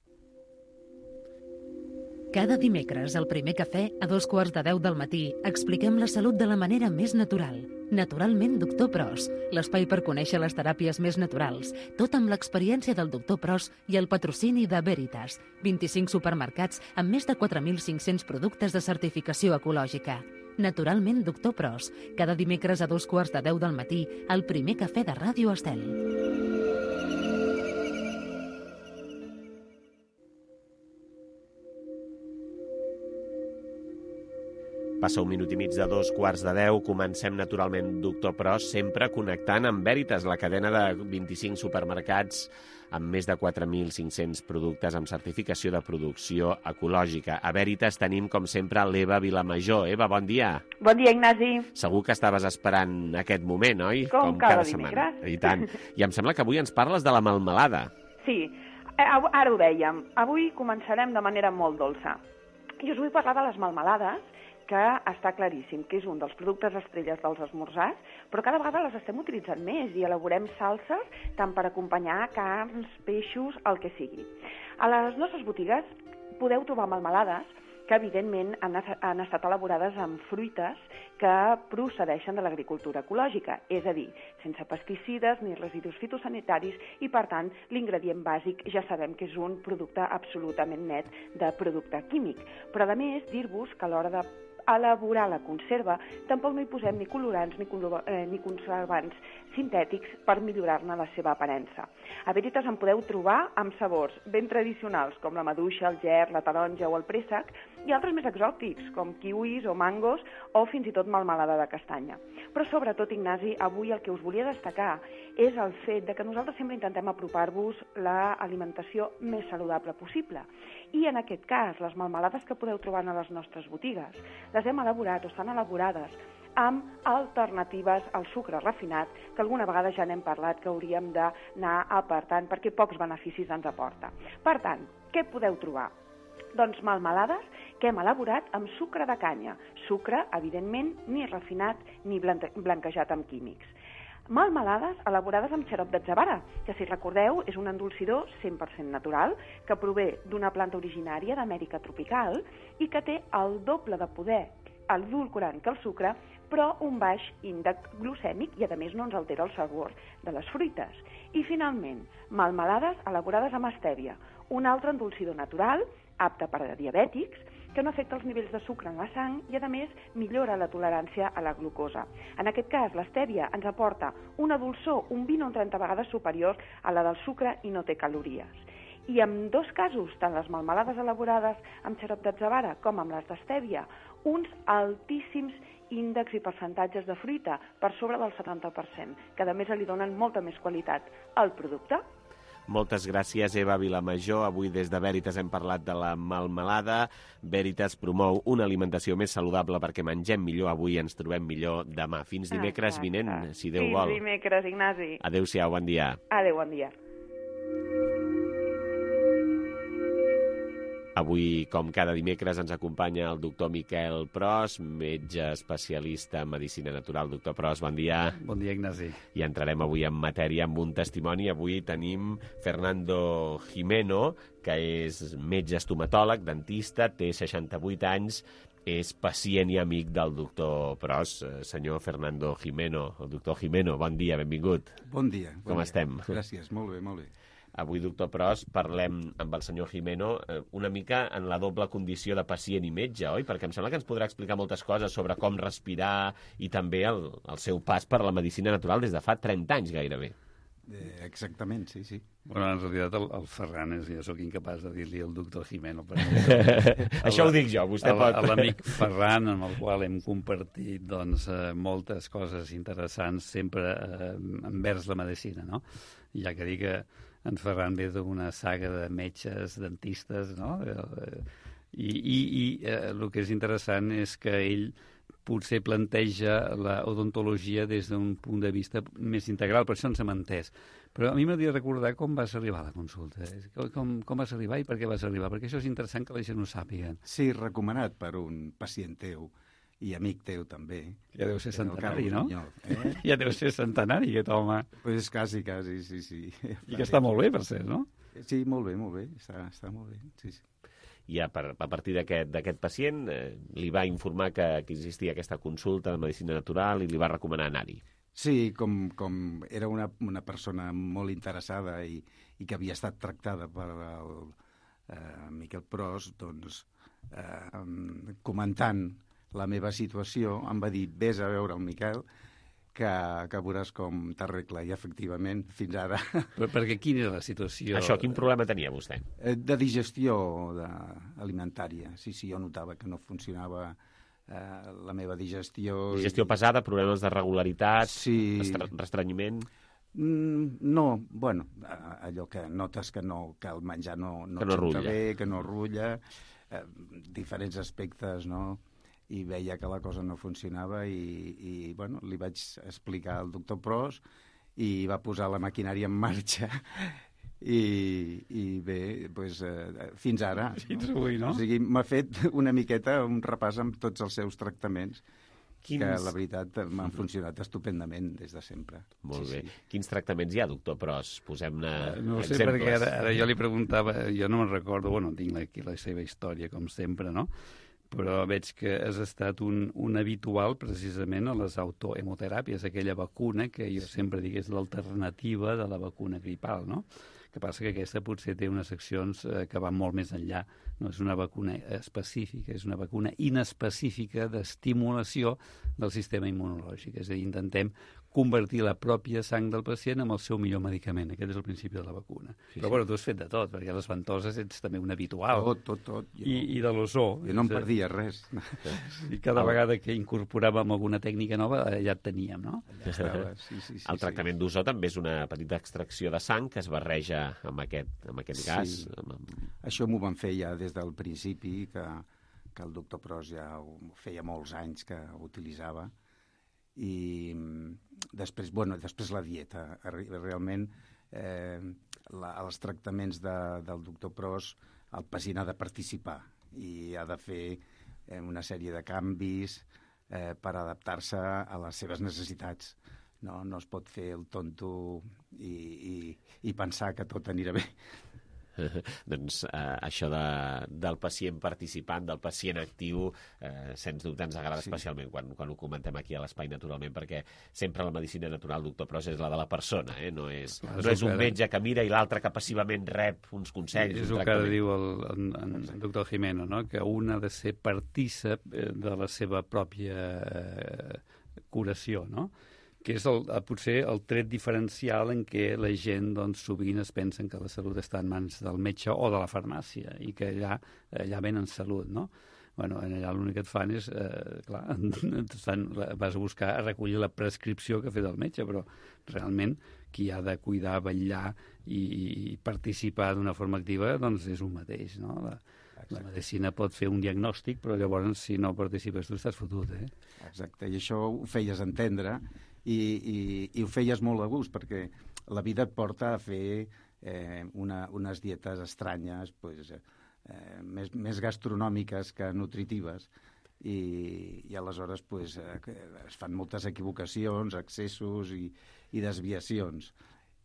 Speaker 1: Cada dimecres, al primer cafè, a dos quarts de deu del matí, expliquem la salut de la manera més natural. Naturalment, doctor Pros, l'espai per conèixer les teràpies més naturals, tot amb l'experiència del doctor Pros i el patrocini de Veritas, vint-i-cinc supermercats amb més de quatre mil cinc-cents productes de certificació ecològica. Naturalment, doctor Pros, cada dimecres a dos quarts de deu del matí, al primer cafè de Ràdio Estel.
Speaker 2: Passa un minut i mig de dos quarts de deu. Comencem naturalment, doctor Pros, sempre connectant amb Veritas, la cadena de vint-i-cinc supermercats amb més de quatre mil cinc-cents productes amb certificació de producció ecològica. A Veritas tenim, com sempre, l'Eva Vilamajor. Eva, bon dia.
Speaker 20: Bon dia, Ignasi.
Speaker 2: Segur que estaves esperant aquest moment, oi?
Speaker 20: Com, com cada, cada dimecres.
Speaker 2: I tant. I em sembla que avui ens parles de la melmelada.
Speaker 20: Sí, ara ho dèiem. Avui començarem de manera molt dolça. I us vull parlar de les melmelades, que està claríssim que és un dels productes estrelles dels esmorzars, però cada vegada les estem utilitzant més i elaborem salses tant per acompanyar carns, peixos, el que sigui. A les nostres botigues podeu trobar melmelades que evidentment han, han estat elaborades amb fruites que procedeixen de l'agricultura ecològica, és a dir, sense pesticides ni residus fitosanitaris i, per tant, l'ingredient bàsic ja sabem que és un producte absolutament net de producte químic. Però, a més, dir-vos que a l'hora de elaborar la conserva, tampoc no hi posem ni colorants ni, eh, ni conservants sintètics per millorar-ne la seva aparença. A Veritas en podeu trobar amb sabors ben tradicionals, com la maduixa, el ger, la taronja o el préssec, i altres més exòtics, com kiwis o mangos, o fins i tot melmelada de castanya. Però sobretot, Ignasi, avui el que us volia destacar és el fet de que nosaltres sempre intentem apropar-vos l'alimentació més saludable possible. I en aquest cas, les melmelades que podeu trobar a les nostres botigues, les hem elaborat o estan elaborades amb alternatives al sucre refinat, que alguna vegada ja n'hem parlat que hauríem d'anar apartant perquè pocs beneficis ens aporta. Per tant, què podeu trobar? Doncs melmelades que hem elaborat amb sucre de canya. Sucre, evidentment, ni refinat ni blanquejat amb químics. Melmelades elaborades amb xarop d'atzavara, que si recordeu és un endolcidor cent per cent natural que prové d'una planta originària d'Amèrica tropical i que té el doble de poder edulcorant que el sucre, però un baix índex glucèmic i a més no ens altera el sabor de les fruites. I finalment, melmelades elaborades amb estèvia, un altre endolcidor natural apte per a diabètics, que no afecta els nivells de sucre en la sang i, a més, millora la tolerància a la glucosa. En aquest cas, l'estèvia ens aporta una dolçor un vint o un trenta vegades superior a la del sucre i no té calories. I en dos casos, tant les melmelades elaborades amb xarop d'atzavara com amb les d'estèvia, uns altíssims índexs i percentatges de fruita per sobre del setanta per cent, que a més li donen molta més qualitat al producte.
Speaker 2: Moltes gràcies, Eva Vilamajor. Avui des de Veritas hem parlat de la melmelada. Veritas promou una alimentació més saludable perquè mengem millor avui i ens trobem millor demà. Fins dimecres vinent, si Déu vol.
Speaker 20: Fins dimecres, Ignasi.
Speaker 2: Adéu-siau, bon dia.
Speaker 20: Adéu, bon dia.
Speaker 2: Avui, com cada dimecres, ens acompanya el doctor Miquel Pros, metge especialista en medicina natural. Doctor Pros, bon dia.
Speaker 21: Bon dia, Ignasi.
Speaker 2: I entrarem avui en matèria amb un testimoni. Avui tenim Fernando Jimeno, que és metge estomatòleg, dentista, té seixanta-vuit anys, és pacient i amic del doctor Pros. Senyor Fernando Jimeno, el doctor Jimeno, bon dia, benvingut.
Speaker 21: Bon dia.
Speaker 2: Com
Speaker 21: bon
Speaker 2: estem?
Speaker 21: Dia. Gràcies, molt bé, molt bé.
Speaker 2: Avui, doctor Pros, parlem amb el senyor Jimeno una mica en la doble condició de pacient i metge, oi? Perquè em sembla que ens podrà explicar moltes coses sobre com respirar i també el, el seu pas per la medicina natural des de fa trenta anys gairebé.
Speaker 21: Eh, exactament, sí, sí. Bueno, en realitat el, el Ferran és, jo sóc incapaç de dir-li el doctor Jimeno.
Speaker 2: Això ho dic jo, vostè pot.
Speaker 21: L'amic Ferran, amb el qual hem compartit doncs, moltes coses interessants sempre eh, envers la medicina, no? Ja que dic que en Ferran ve d'una saga de metges, dentistes, no? I, i, i eh, el que és interessant és que ell potser planteja l'odontologia des d'un punt de vista més integral, per això ens hem entès. Però a mi m'hauria de recordar com vas arribar a la consulta. Com, com vas arribar i per què vas arribar? Perquè això és interessant que la gent ho sàpiga.
Speaker 22: Sí, recomanat per un pacient teu i amic teu també.
Speaker 21: Ja deu ser centenari, no?
Speaker 22: Eh?
Speaker 21: Ja deu ser centenari, aquest home.
Speaker 22: Pues quasi, quasi, sí, sí.
Speaker 21: I que està molt bé, per ser, no?
Speaker 22: Sí, molt bé, molt bé, està, està molt bé, sí, sí.
Speaker 2: I a, per, a partir d'aquest pacient eh, li va informar que, que existia aquesta consulta de medicina natural i li va recomanar anar-hi.
Speaker 22: Sí, com, com era una, una persona molt interessada i, i que havia estat tractada per el eh, Miquel Pros, doncs, eh, comentant la meva situació, em va dir, vés a veure el Miquel, que, que veuràs com t'arregla. I, efectivament, fins ara...
Speaker 21: Però perquè quina era la situació?
Speaker 2: Això, quin problema tenia vostè?
Speaker 22: De digestió de, alimentària. Sí, sí, jo notava que no funcionava eh, la meva digestió.
Speaker 2: Digestió i... pesada, problemes de regularitat,
Speaker 22: sí.
Speaker 2: restrenyiment...
Speaker 22: Mm, no, bueno, allò que notes que, no, que el menjar no, no,
Speaker 2: que no
Speaker 22: et bé, que no rulla, eh, diferents aspectes, no?, i veia que la cosa no funcionava i, i bueno, li vaig explicar al doctor Pros i va posar la maquinària en marxa i, i bé, doncs, eh, fins ara.
Speaker 21: Fins avui, no?
Speaker 22: O sigui, m'ha fet una miqueta un repàs amb tots els seus tractaments, Quins... que la veritat m'han funcionat estupendament des de sempre.
Speaker 2: Molt
Speaker 22: sí,
Speaker 2: bé.
Speaker 22: Sí.
Speaker 2: Quins tractaments hi ha, doctor Pros? Posem-ne
Speaker 21: no sé,
Speaker 2: exemples.
Speaker 21: Perquè ara, ara jo li preguntava, jo no me'n recordo, bueno, tinc aquí la seva història, com sempre, no?, però veig que has estat un, un habitual precisament a les autohemoteràpies, aquella vacuna que jo sempre dic és l'alternativa de la vacuna gripal, no?, que passa que aquesta potser té unes accions eh, que van molt més enllà. No és una vacuna específica, és una vacuna inespecífica d'estimulació del sistema immunològic. És a dir, intentem convertir la pròpia sang del pacient en el seu millor medicament. Aquest és el principi de la vacuna. Sí, Però, sí. bueno, tu has fet de tot, perquè a les ventoses ets també un habitual.
Speaker 22: Tot, tot, tot. Jo,
Speaker 21: I, I de l'ozó.
Speaker 22: Jo no em perdia res.
Speaker 21: I cada vegada que incorporàvem alguna tècnica nova, ja et teníem, no?
Speaker 22: Ja estava, sí, sí, sí.
Speaker 2: El tractament sí. d'ozó també és una petita extracció de sang que es barreja amb aquest, amb aquest gas.
Speaker 22: Sí.
Speaker 2: Amb...
Speaker 22: Això m'ho van fer ja des del principi, que, que el doctor Pros ja ho feia molts anys que ho utilitzava. I després, bueno, després la dieta. Realment, eh, la, els tractaments de, del doctor Pros, el pacient ha de participar i ha de fer eh, una sèrie de canvis eh, per adaptar-se a les seves necessitats. No, no es pot fer el tonto i, i, i pensar que tot anirà bé.
Speaker 2: doncs eh, això de, del pacient participant, del pacient actiu, eh, sens dubte ens agrada sí. especialment quan, quan ho comentem aquí a l'Espai, naturalment, perquè sempre la medicina natural, doctor Pros, és la de la persona, eh? no, és, Clar, no és, és un metge que mira i l'altre que passivament rep uns consells.
Speaker 21: És el que diu el, el, el, el doctor Jimeno, no? Que un ha de ser partícip de la seva pròpia eh, curació, no? Que és el, potser el tret diferencial en què la gent doncs, sovint es pensen que la salut està en mans del metge o de la farmàcia i que allà, allà venen salut, no? Bueno, allà l'únic que et fan és, eh, clar, et fan, vas a buscar a recollir la prescripció que ha fet el metge, però realment qui ha de cuidar, vetllar i, i participar d'una forma activa doncs és un mateix, no? La, la medicina pot fer un diagnòstic, però llavors si no participes tu estàs fotut, eh?
Speaker 22: Exacte, i això ho feies entendre i, i, i ho feies molt a gust, perquè la vida et porta a fer eh, una, unes dietes estranyes, pues, eh, més, més gastronòmiques que nutritives, i, i aleshores pues, eh, es fan moltes equivocacions, excessos i, i desviacions.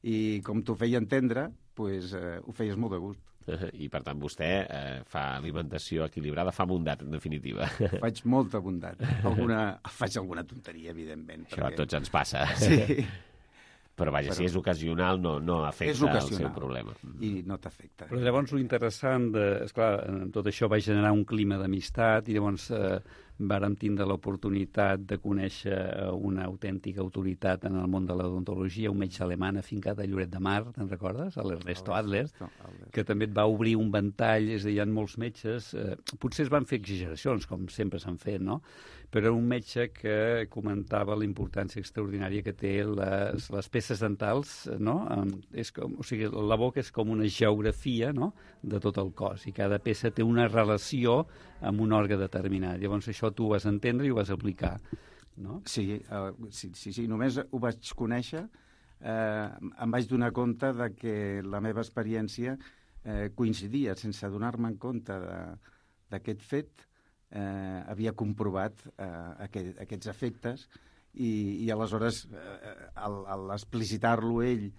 Speaker 22: I com t'ho feia entendre, pues, eh, ho feies molt de gust.
Speaker 2: I, per tant, vostè eh, fa alimentació equilibrada, fa bondat, en definitiva.
Speaker 22: Faig molta bondat. Alguna, faig alguna tonteria, evidentment.
Speaker 2: Això
Speaker 22: perquè...
Speaker 2: a tots ens passa.
Speaker 22: Sí.
Speaker 2: Però, vaja, Però... si és ocasional, no, no afecta el seu problema.
Speaker 22: I no t'afecta.
Speaker 21: Però llavors, l'interessant, de... esclar, tot això va generar un clima d'amistat i llavors eh, vàrem tindre l'oportunitat de conèixer una autèntica autoritat en el món de l'odontologia, un metge alemany afincat a Lloret de Mar, te'n recordes? L'Ernesto Adler, que també et va obrir un ventall, és a dir, hi ha molts metges, eh, potser es van fer exageracions, com sempre s'han fet, no? Però un metge que comentava la importància extraordinària que té les, les peces dentals, no? És com, o sigui, la boca és com una geografia, no?, de tot el cos, i cada peça té una relació amb un òrgan determinat. Llavors això tu ho vas entendre i ho vas aplicar, no?
Speaker 22: Sí, uh, sí, sí, sí, només ho vaig conèixer, eh, em vaig donar compte de que la meva experiència eh, coincidia, sense donar-me en compte d'aquest fet, eh, havia comprovat eh, aquest, aquests efectes i, i aleshores eh, al, al explicitar-lo ell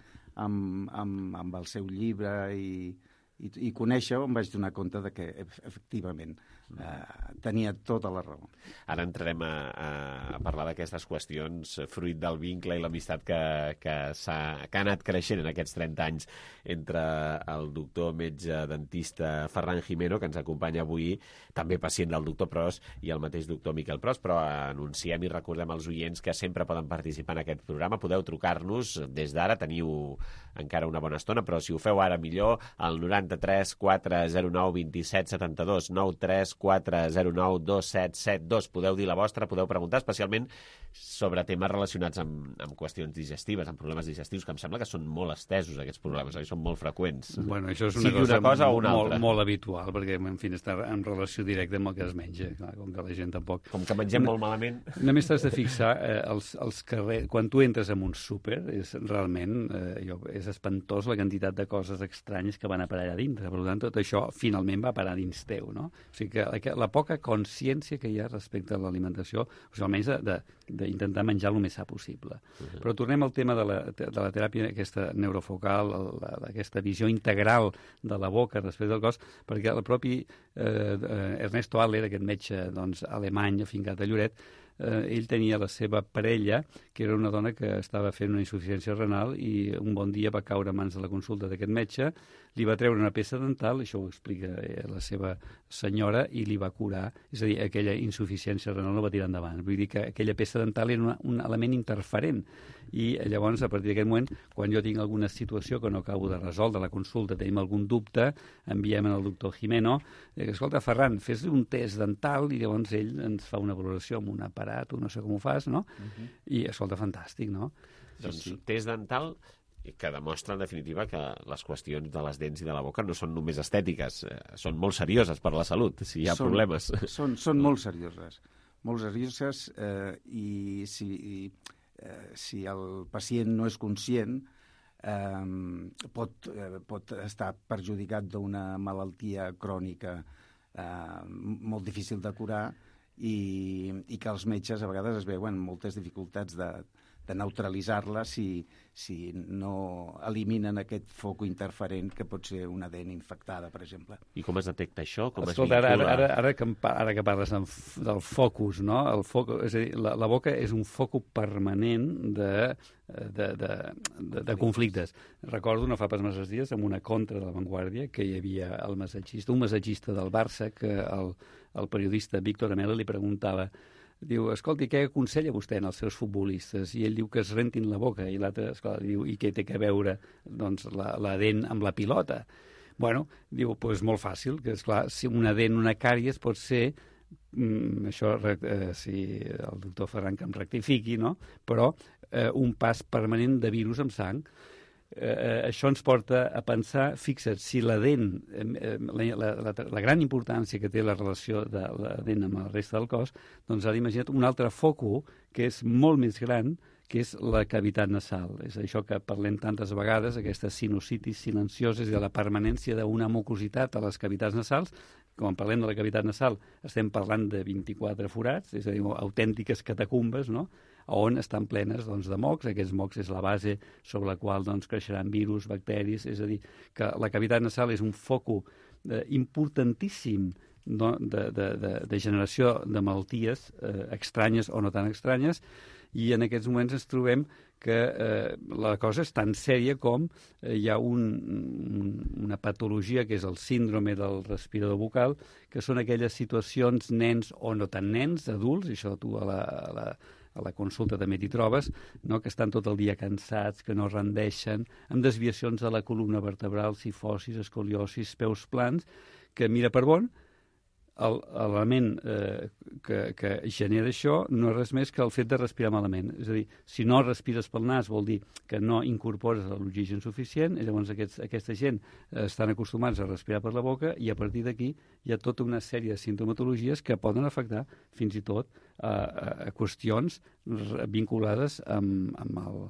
Speaker 22: amb, amb, amb el seu llibre i, i, i conèixer-ho em vaig donar compte de que efectivament eh, tenia tota la raó.
Speaker 2: Ara entrarem a, a, a parlar d'aquestes qüestions fruit del vincle i l'amistat que, que, que ha anat creixent en aquests trenta anys entre el doctor metge dentista Ferran Jimeno, que ens acompanya avui, també pacient del doctor Pros, i el mateix doctor Miquel Pros, però anunciem i recordem als oients que sempre poden participar en aquest programa. Podeu trucar-nos des d'ara, teniu encara una bona estona, però si ho feu ara millor, al noranta-tres quatre zero nou dos set set dos, nou tres quatre zero nou dos set set dos. Podeu dir la vostra, podeu preguntar, especialment sobre temes relacionats amb, amb qüestions digestives, amb problemes digestius, que em sembla que són molt estesos, aquests problemes, oi? Són molt freqüents.
Speaker 21: Bueno, això és una,
Speaker 2: sigui
Speaker 21: cosa,
Speaker 2: una cosa o una
Speaker 21: molt,
Speaker 2: altra.
Speaker 21: Molt habitual, perquè, en fi, està en relació directa amb el que es menja, clar, com que la gent tampoc...
Speaker 2: Com que mengem molt malament...
Speaker 21: Només t'has de fixar, eh, els, els carrers, quan tu entres en un súper, és realment, eh, jo, és espantós la quantitat de coses estranyes que van a parar allà dintre. Per tant, tot això finalment va parar dins teu, no? O sigui que la, la poca consciència que hi ha respecte a l'alimentació, o sigui, almenys d'intentar menjar el més sa possible. Uh-huh. Però tornem al tema de la, de la teràpia aquesta neurofocal, la, aquesta visió integral de la boca respecte al cos, perquè el propi eh, Ernesto Adler, aquest metge doncs, alemany afincat a Lloret, eh, ell tenia la seva parella, que era una dona que estava fent una insuficiència renal i un bon dia va caure a mans de la consulta d'aquest metge, li va treure una peça dental, això ho explica eh, la seva senyora, i li va curar, és a dir, aquella insuficiència renal no va tirar endavant. Vull dir que aquella peça dental era una, un element interferent. I llavors, a partir d'aquest moment, quan jo tinc alguna situació que no acabo de resoldre la consulta, tenim algun dubte, enviem al doctor Jimeno, eh, escolta, Ferran, fes-li un test dental, i llavors ell ens fa una valoració amb un aparat, o no sé com ho fas, no? Uh-huh. I, escolta, fantàstic, no?
Speaker 2: Doncs sí, sí. Test dental que demostra, en definitiva, que les qüestions de les dents i de la boca no són només estètiques, eh, són molt serioses per la salut, si hi ha són, problemes.
Speaker 22: Són, són molt serioses, molt serioses, eh, i si, i, eh, si el pacient no és conscient, eh, pot, eh, pot estar perjudicat d'una malaltia crònica eh, molt difícil de curar, i, i que els metges a vegades es veuen moltes dificultats de de neutralitzar-la si, si no eliminen aquest foc interferent que pot ser una dent infectada, per exemple.
Speaker 2: I com es detecta això? Com
Speaker 21: Escolta,
Speaker 2: es
Speaker 21: ara, ara, ara, que, ara que parles del focus, no? El foc, és a dir, la, la boca és un focus permanent de, de, de, de, de conflictes. Recordo no fa pas masses dies amb una contra de La Vanguardia que hi havia el massatgista, un massatgista del Barça, que el, el periodista Víctor Amela li preguntava, diu, escolti, què aconsella vostè en els seus futbolistes? I ell diu que es rentin la boca, i l'altre, esclar, diu, i què té a veure doncs, la, la dent amb la pilota? Bueno, diu, doncs pues molt fàcil, que esclar, si una dent, una càries pot ser, mm, això, eh, si el doctor Ferran que em rectifiqui, no? Però eh, un pas permanent de virus amb sang. Eh, això ens porta a pensar, fixa't, si la dent, eh, la, la, la, la gran importància que té la relació de la dent amb la resta del cos, doncs ara imagina't un altre foco que és molt més gran, que és la cavitat nasal. És això que parlem tantes vegades, aquesta sinusitis silenciosa, és de la permanència d'una mucositat a les cavitats nasals. Quan parlem de la cavitat nasal estem parlant de vint-i-quatre forats, és a dir, autèntiques catacumbes, no?, on estan plenes doncs, de mocs. Aquests mocs és la base sobre la qual doncs, creixeran virus, bacteris, és a dir, que la cavitat nasal és un foco eh, importantíssim no? de, de, de, de generació de malalties eh, estranyes o no tan estranyes, i en aquests moments ens trobem que eh, la cosa és tan sèria com eh, hi ha un, un, una patologia que és el síndrome del respirador bucal, que són aquelles situacions nens o no tan nens, adults, i això tu a la, a la, a la consulta també t'hi trobes, no? Que estan tot el dia cansats, que no rendeixen, amb desviacions de la columna vertebral, cifosis, escoliosis, peus plans, que mira per bon, l'element eh, que, que genera això no és res més que el fet de respirar malament. És a dir, si no respires pel nas vol dir que no incorpores l'oxigen suficient, i llavors aquests, aquesta gent eh, estan acostumats a respirar per la boca, i a partir d'aquí hi ha tota una sèrie de sintomatologies que poden afectar fins i tot a, a, a qüestions vinculades amb, amb, el,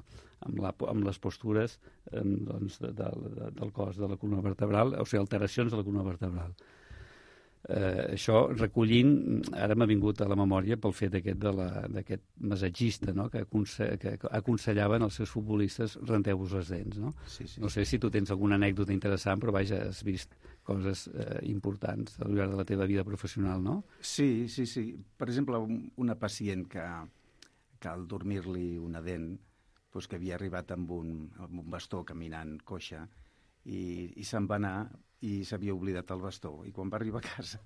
Speaker 21: amb, la, amb les postures eh, doncs, de, de, de, del cos, de la columna vertebral, o sigui, alteracions de la columna vertebral. Eh, això recollint, ara m'ha vingut a la memòria pel fet aquest d'aquest massatgista, no? que, aconse que aconsellaven als seus futbolistes renteu-vos les dents. No?
Speaker 22: Sí, sí.
Speaker 21: No sé si tu tens alguna anècdota interessant, però vaja, has vist coses eh, importants al llarg de la teva vida professional, no?
Speaker 22: Sí, sí, sí. Per exemple, una pacient que, que al dormir-li una dent, doncs que havia arribat amb un, amb un bastó caminant coixa, i, i se'n va anar i s'havia oblidat el bastó, i quan va arribar a casa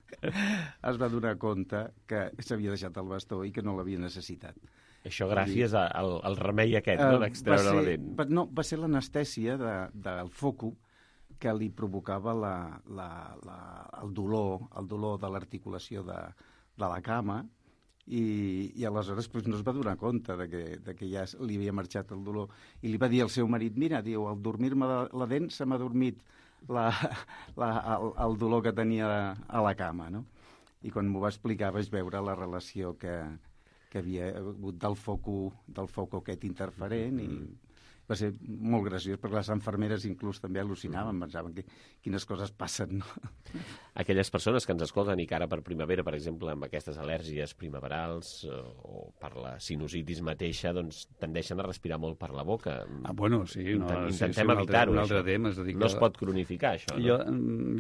Speaker 22: es va donar compte que s'havia deixat el bastó i que no l'havia necessitat.
Speaker 2: Això gràcies I, al, al remei aquest, no?, d'extreure la dent.
Speaker 22: Va, no, va ser l'anestèsia de, del foco que li provocava la, la, la, el dolor, el dolor de l'articulació de, de la cama, i, i aleshores pues, no es va donar compte de que, de que ja li havia marxat el dolor, i li va dir al seu marit, mira, diu, al dormir-me la, la dent se m'ha dormit la, la, el, el dolor que tenia a la cama, no? I quan m'ho va explicar vaig veure la relació que, que havia hagut del foco, del foco aquest interferent, i, va ser molt graciós, perquè les infermeres inclús també al·lucinaven, pensaven que, quines coses passen, no?
Speaker 2: Aquelles persones que ens escolten i que ara per primavera, per exemple, amb aquestes al·lèrgies primaverals o per la sinusitis mateixa, doncs tendeixen a respirar molt per la boca.
Speaker 22: Ah, bueno, sí. No,
Speaker 2: Intentem
Speaker 22: sí, sí,
Speaker 2: evitar-ho,
Speaker 22: un altre
Speaker 2: això.
Speaker 22: tema, és a dir,
Speaker 2: no es pot cronificar, això, no?
Speaker 22: Jo,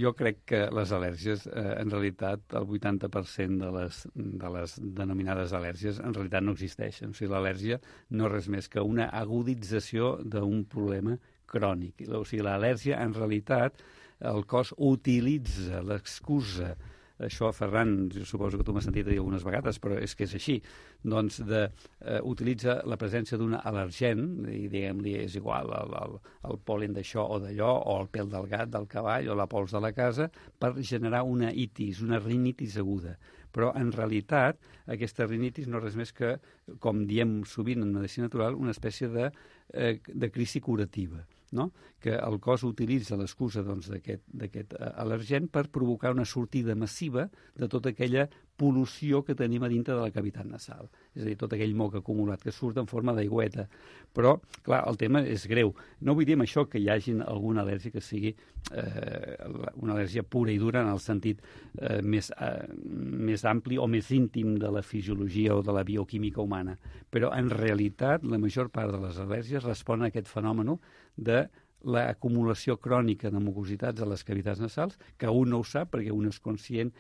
Speaker 22: jo crec que les al·lèrgies, eh, en realitat, el vuitanta per cent de les, de les denominades al·lèrgies en realitat no existeixen. O sigui, l'al·lèrgia no és res més que una agudització d'un problema crònic. O sigui, l'al·lèrgia, en realitat, el cos utilitza l'excusa, això, Ferran, jo suposo que tu m'has sentit dir algunes vegades, però és que és així, doncs de, eh, utilitza la presència d'un al·lergen, i diguem-li, és igual, el, el, el pol·len d'això o d'allò, o el pèl del gat, del cavall, o la pols de la casa, per generar una itis, una rinitis aguda. Però, en realitat, aquesta rinitis no és res més que, com diem sovint en medicina natural, una espècie de, eh, de crisi curativa, no? Que el cos utilitza l'excusa doncs, d'aquest al·lergen per provocar una sortida massiva de tota aquella pol·lució que tenim a dintre de la cavitat nasal. És a dir, tot aquell moc acumulat que surt en forma d'aigüeta. Però, clar, el tema és greu. No vull dir amb això que hi hagi alguna al·lèrgia que sigui eh, una al·lèrgia pura i dura en el sentit eh, més, eh, més ampli o més íntim de la fisiologia o de la bioquímica humana. Però, en realitat, la major part de les al·lèrgies responen a aquest fenomen de l'acumulació crònica de mucositats a les cavitats nasals, que un no ho sap perquè un és conscient,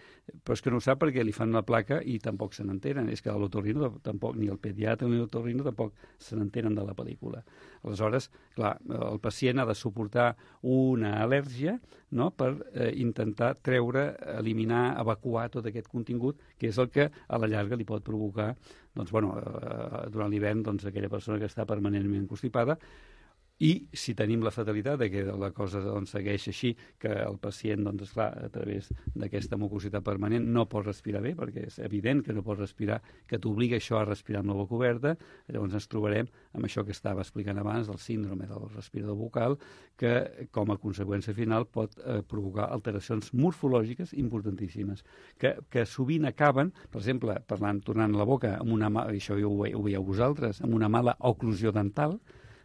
Speaker 22: però és que no ho sap perquè li fan la placa i tampoc se n'entenen. És que l'otorrino tampoc, ni el pediatre ni l'otorrino tampoc se n'entenen de la pel·lícula. Aleshores, clar, el pacient ha de suportar una al·lèrgia, no?, per eh, intentar treure, eliminar, evacuar tot aquest contingut, que és el que a la llarga li pot provocar, doncs, bueno, eh, durant l'hivern, doncs, aquella persona que està permanentment constipada. I si tenim la fatalitat de que la cosa doncs, segueix així, que el pacient, doncs, esclar, a través d'aquesta mucositat permanent no pot respirar bé, perquè és evident que no pot respirar, que t'obliga això a respirar amb la boca oberta, llavors ens trobarem amb això que estava explicant abans, del síndrome del respirador bucal, que com a conseqüència final pot eh, provocar alteracions morfològiques importantíssimes, que, que sovint acaben, per exemple, parlant, tornant a la boca, amb una, això ho, ho veieu vosaltres, amb una mala oclusió dental,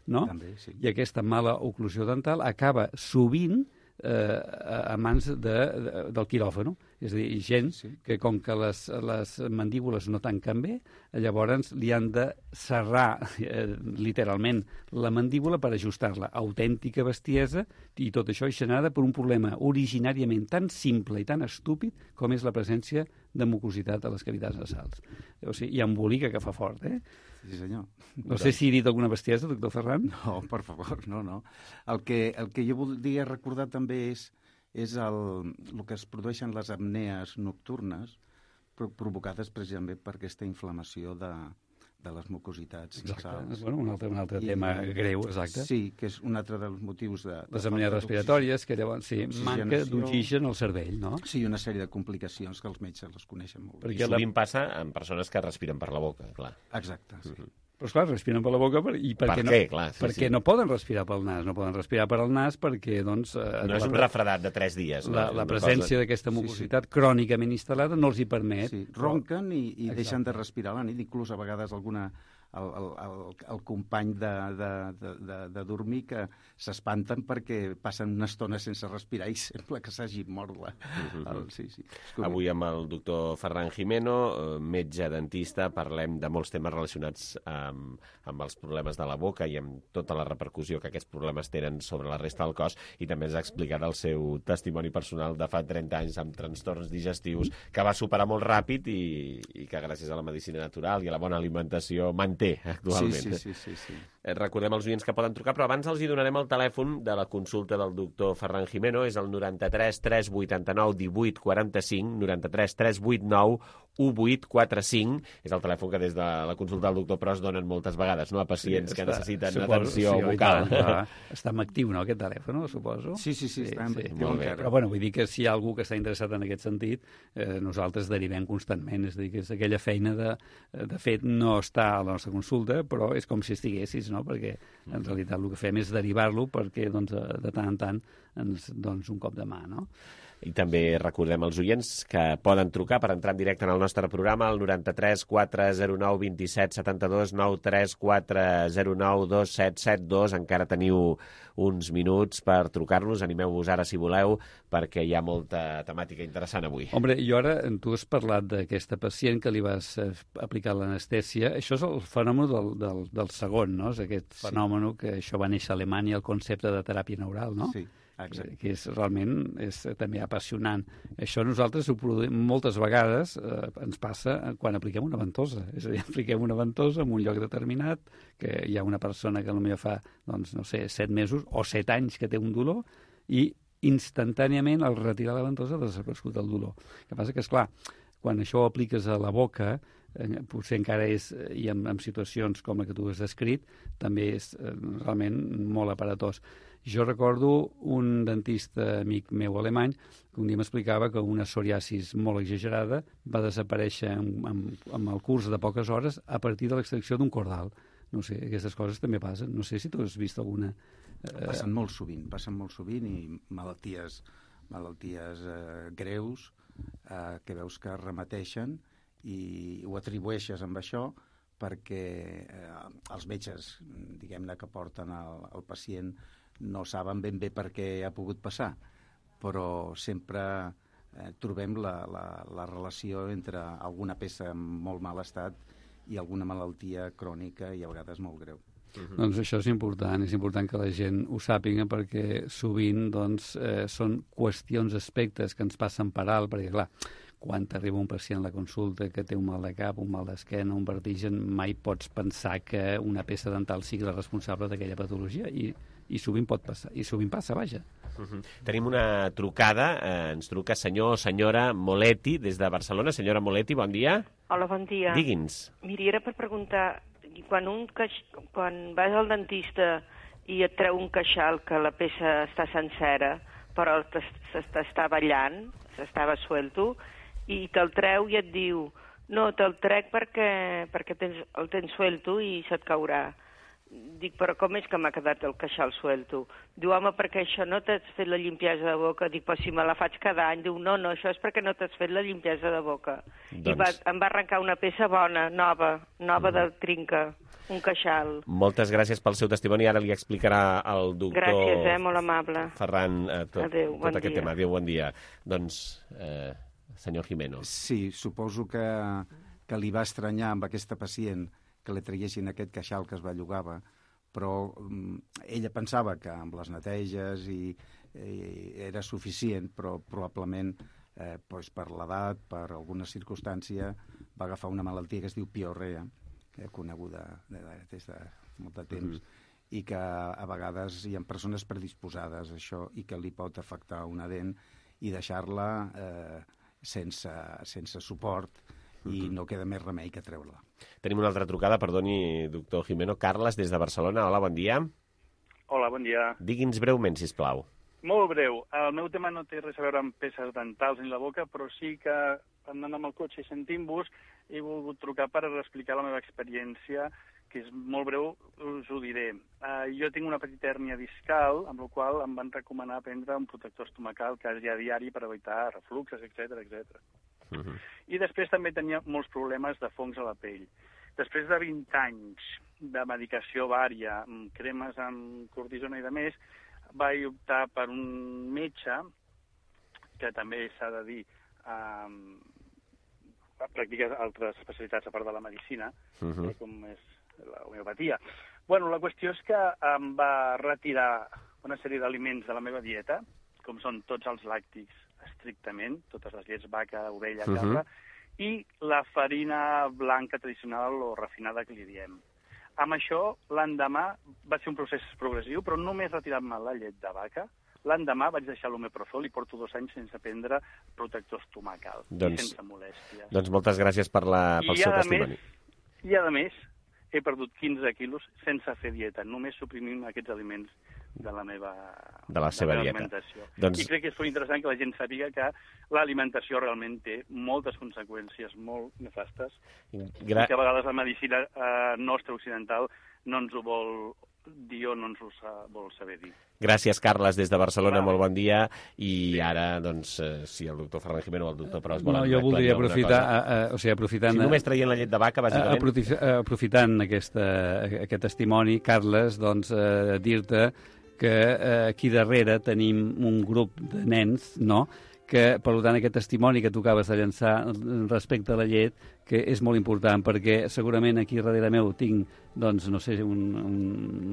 Speaker 22: no? També, sí.
Speaker 2: Mm.
Speaker 22: I aquesta mala oclusió dental acaba sovint eh, a mans de, de, del quiròfano. És a dir, gent sí, sí. que com que les, les mandíbules no tanquen bé, llavors li han de serrar eh, literalment la mandíbula per ajustar-la. Autèntica bestiesa, i tot això és generada per un problema originàriament tan simple i tan estúpid com és la presència de mucositat a les cavitats nasals. O sigui, i embolica que fa fort, eh? Sí, senyor. No sé si he dit alguna bestiesa, doctor Ferran. No, per favor, no, no. El que, el que jo voldria recordar també és, és el, el que es produeixen les apnees nocturnes provocades precisament per aquesta inflamació de, de les mucositats nasals. Bueno, un altre, un altre I, tema greu, exacte. Sí, que és un altre dels motius de... Les apnees respiratòries, que llavors, sí, manca d'oxigen al cervell, no? Sí, una sèrie de complicacions que els metges les coneixen molt bé.
Speaker 2: I sovint la... passa en persones que respiren per la boca, clar.
Speaker 22: Exacte, sí. Mm-hmm. Però, esclar, respiren per la boca per, i perquè,
Speaker 2: per
Speaker 22: no,
Speaker 2: què? Clar, sí,
Speaker 22: perquè
Speaker 2: sí.
Speaker 22: no poden respirar pel nas. No poden respirar per al nas perquè, doncs...
Speaker 2: No és un refredat de tres dies.
Speaker 22: La,
Speaker 2: no?
Speaker 22: la presència cosa... d'aquesta mucositat sí, sí. crònicament instal·lada no els hi permet. Sí, ronquen i, i deixen de respirar a la nit, inclús a vegades alguna... El, el, el, el company de, de, de, de, de dormir que s'espanten perquè passen una estona sense respirar i sembla que s'hagi mort la...
Speaker 2: Mm-hmm.
Speaker 22: el, sí, sí.
Speaker 2: Avui amb el doctor Ferran Jimeno, metge dentista, parlem de molts temes relacionats amb, amb els problemes de la boca i amb tota la repercussió que aquests problemes tenen sobre la resta del cos, i també ens ha explicat el seu testimoni personal de fa trenta anys amb trastorns digestius que va superar molt ràpid i, i que gràcies a la medicina natural i a la bona alimentació manté actualment.
Speaker 22: Sí, sí, sí, sí, sí.
Speaker 2: Recordem als oients que poden trucar, però abans els hi donarem el telèfon de la consulta del doctor Ferran Jimeno, és el noranta-tres tres vuitanta-nou divuit quaranta-cinc, noranta-tres tres vuitanta-nou divuit quaranta-cinc, és el telèfon que des de la consulta del doctor Pros donen moltes vegades, no?, a pacients sí, que està, necessiten suposo, atenció sí, vocal.
Speaker 22: Tant, està en actiu, no?, aquest telèfon, suposo. Sí, sí, sí, sí està en sí, actiu. Sí, però, bueno, vull dir que si hi ha algú que està interessat en aquest sentit, eh, nosaltres derivem constantment, és a dir, que és aquella feina de, de fet, no està a la nostra consulta, però és com si estiguessis, no?, perquè en realitat el que fem és derivar-lo perquè, doncs, de tant en tant, ens, doncs, un cop de mà, no?
Speaker 2: I també recordem als oients que poden trucar per entrar en directe en el nostre programa al noranta-tres quatre zero nou vint set setanta-dos, noranta-tres quatre zero nou dos set set dos. Encara teniu uns minuts per trucar-nos. Animeu-vos ara si voleu, perquè hi ha molta temàtica interessant avui.
Speaker 21: Hombre, jo ara, tu has parlat d'aquesta pacient que li vas aplicar l'anestèsia. Això és el fenomen del, del, del segon, no? És aquest fenomen que això va néixer a Alemanya, el concepte de teràpia neural, no?
Speaker 22: Sí. Exacte.
Speaker 21: Que és realment és també apassionant. Això nosaltres ho produïm moltes vegades, eh, ens passa quan apliquem una ventosa. És a dir, apliquem una ventosa en un lloc determinat, que hi ha una persona que potser fa, doncs, no sé, set mesos o set anys que té un dolor, i instantàniament al retirar la ventosa ha desaparegut el dolor. El que passa que, esclar, quan això ho apliques a la boca, eh, potser encara és, i en, en situacions com la que tu has descrit, també és eh, realment molt aparatós. Jo recordo un dentista amic meu alemany que un dia m'explicava que una psoriasis molt exagerada va desaparèixer amb, amb, amb el curs de poques hores a partir de l'extracció d'un cordal. No sé, aquestes coses també passen. No sé si tu has vist alguna...
Speaker 22: Eh... Passen molt sovint, passen molt sovint i malalties, malalties eh, greus eh, que veus que remeteixen i ho atribueixes amb això perquè eh, els metges, diguem-ne, que porten el, el pacient no saben ben bé per què ha pogut passar, però sempre eh, trobem la, la, la relació entre alguna peça en molt mal estat i alguna malaltia crònica i a vegades molt greu.
Speaker 21: Uh-huh. Doncs això és important, és important que la gent ho sàpiga perquè sovint doncs, eh, són qüestions, aspectes que ens passen per alt, perquè clar, quan t'arriba un pacient a la consulta que té un mal de cap, un mal d'esquena, un vertigen, mai pots pensar que una peça dental sigui la responsable d'aquella patologia i i sovint pot passar, i sovint passa, vaja.
Speaker 2: Uh-huh. Tenim una trucada, eh, ens truca senyor o senyora Moletti des de Barcelona. Senyora Moletti, bon dia.
Speaker 4: Hola, bon dia.
Speaker 2: Digui'ns.
Speaker 4: Miri, era per preguntar, quan, un queix... quan vas al dentista i et treu un queixal que la peça està sencera, però s'està ballant, s'estava suelto, i te'l treu i et diu, no, te'l trec perquè, perquè tens, el tens suelto i se't caurà. Dic, però com és que m'ha quedat el queixal suelto? Diu, home, perquè això no t'has fet la limpiesa de boca. Dic, però si me la faig cada any. Diu, no, no, això és perquè no t'has fet la limpiesa de boca. Doncs... I va, em va arrencar una peça bona, nova, nova mm. de trinca, un queixal.
Speaker 2: Moltes gràcies pel seu testimoni. Ara li explicarà el doctor...
Speaker 4: Gràcies, eh, molt amable.
Speaker 2: Ferran, eh, tot,
Speaker 4: Adéu,
Speaker 2: tot
Speaker 4: bon
Speaker 2: aquest
Speaker 4: dia.
Speaker 2: tema. Adéu, bon dia. Doncs, eh, senyor Jimeno.
Speaker 22: Sí, suposo que, que li va estranyar amb aquesta pacient que li traguessin aquest queixal que es bellugava, però um, ella pensava que amb les neteges i, i era suficient, però probablement eh, doncs per l'edat, per alguna circumstància, va agafar una malaltia que es diu piorrea, que és coneguda de, de, des de molt de temps, mm-hmm. i que a vegades hi ha persones predisposades a això i que li pot afectar una dent i deixar-la eh, sense, sense suport, i no queda més remei que treure-la.
Speaker 2: Tenim una altra trucada, perdoni, doctor Jimeno. Carles, des de Barcelona. Hola, bon dia.
Speaker 5: Hola, bon dia.
Speaker 2: Digui'ns breument, sisplau.
Speaker 5: Molt breu. El meu tema no té res a veure amb peces dentals ni la boca, però sí que, anant amb el cotxe i sentint-vos, he volgut trucar per explicar la meva experiència, que és molt breu, us ho diré. Uh, jo tinc una petita hèrnia discal, amb la qual em van recomanar prendre un protector estomacal quasi a diari per evitar refluxes, etcètera, etcètera. Uh-huh. I després també tenia molts problemes de fongs a la pell. Després de vint anys de medicació vària, amb cremes amb cortisona i de més, vaig optar per un metge, que també s'ha de dir, eh, practica altres especialitats a part de la medicina, uh-huh. eh, com és la homeopatia. Bueno, la qüestió és que em va retirar una sèrie d'aliments de la meva dieta, com són tots els làctics, estrictament, totes les llets, vaca, ovella, cabra, uh-huh. i la farina blanca tradicional o refinada que li diem. Amb això, l'endemà va ser un procés progressiu, però només retirant-me la llet de vaca, l'endemà vaig deixar l'omeprazol i porto dos anys sense prendre protector estomacal, doncs, sense molèsties.
Speaker 2: Doncs moltes gràcies per la, pel I seu testimoni.
Speaker 5: Més, I a més, he perdut quinze quilos sense fer dieta, només suprimint aquests aliments de la meva,
Speaker 2: de la seva
Speaker 5: de la
Speaker 2: dieta.
Speaker 5: Alimentació.
Speaker 2: Doncs...
Speaker 5: I crec que és molt interessant que la gent sàpiga que l'alimentació realment té moltes conseqüències molt nefastes Gra... i que a vegades la medicina eh, nostra occidental no ens ho vol dir o no ens ho sa, vol saber dir.
Speaker 2: Gràcies, Carles, des de Barcelona, molt bon dia. I ara, doncs, eh, si el doctor Ferran Jimeno o el doctor Pros volen...
Speaker 21: No, jo voldria aprofitar, a, a, o sigui, aprofitant...
Speaker 2: Si només traient la llet de vaca, bàsicament...
Speaker 21: Aprofit, aprofitant aquesta, aquest testimoni, Carles, doncs, eh, dir-te que eh, aquí darrere tenim un grup de nens, no?, que, per tant, aquest testimoni que tu acabes de llançar respecte a la llet, que és molt important, perquè segurament aquí darrere meu tinc, doncs, no sé, un, un,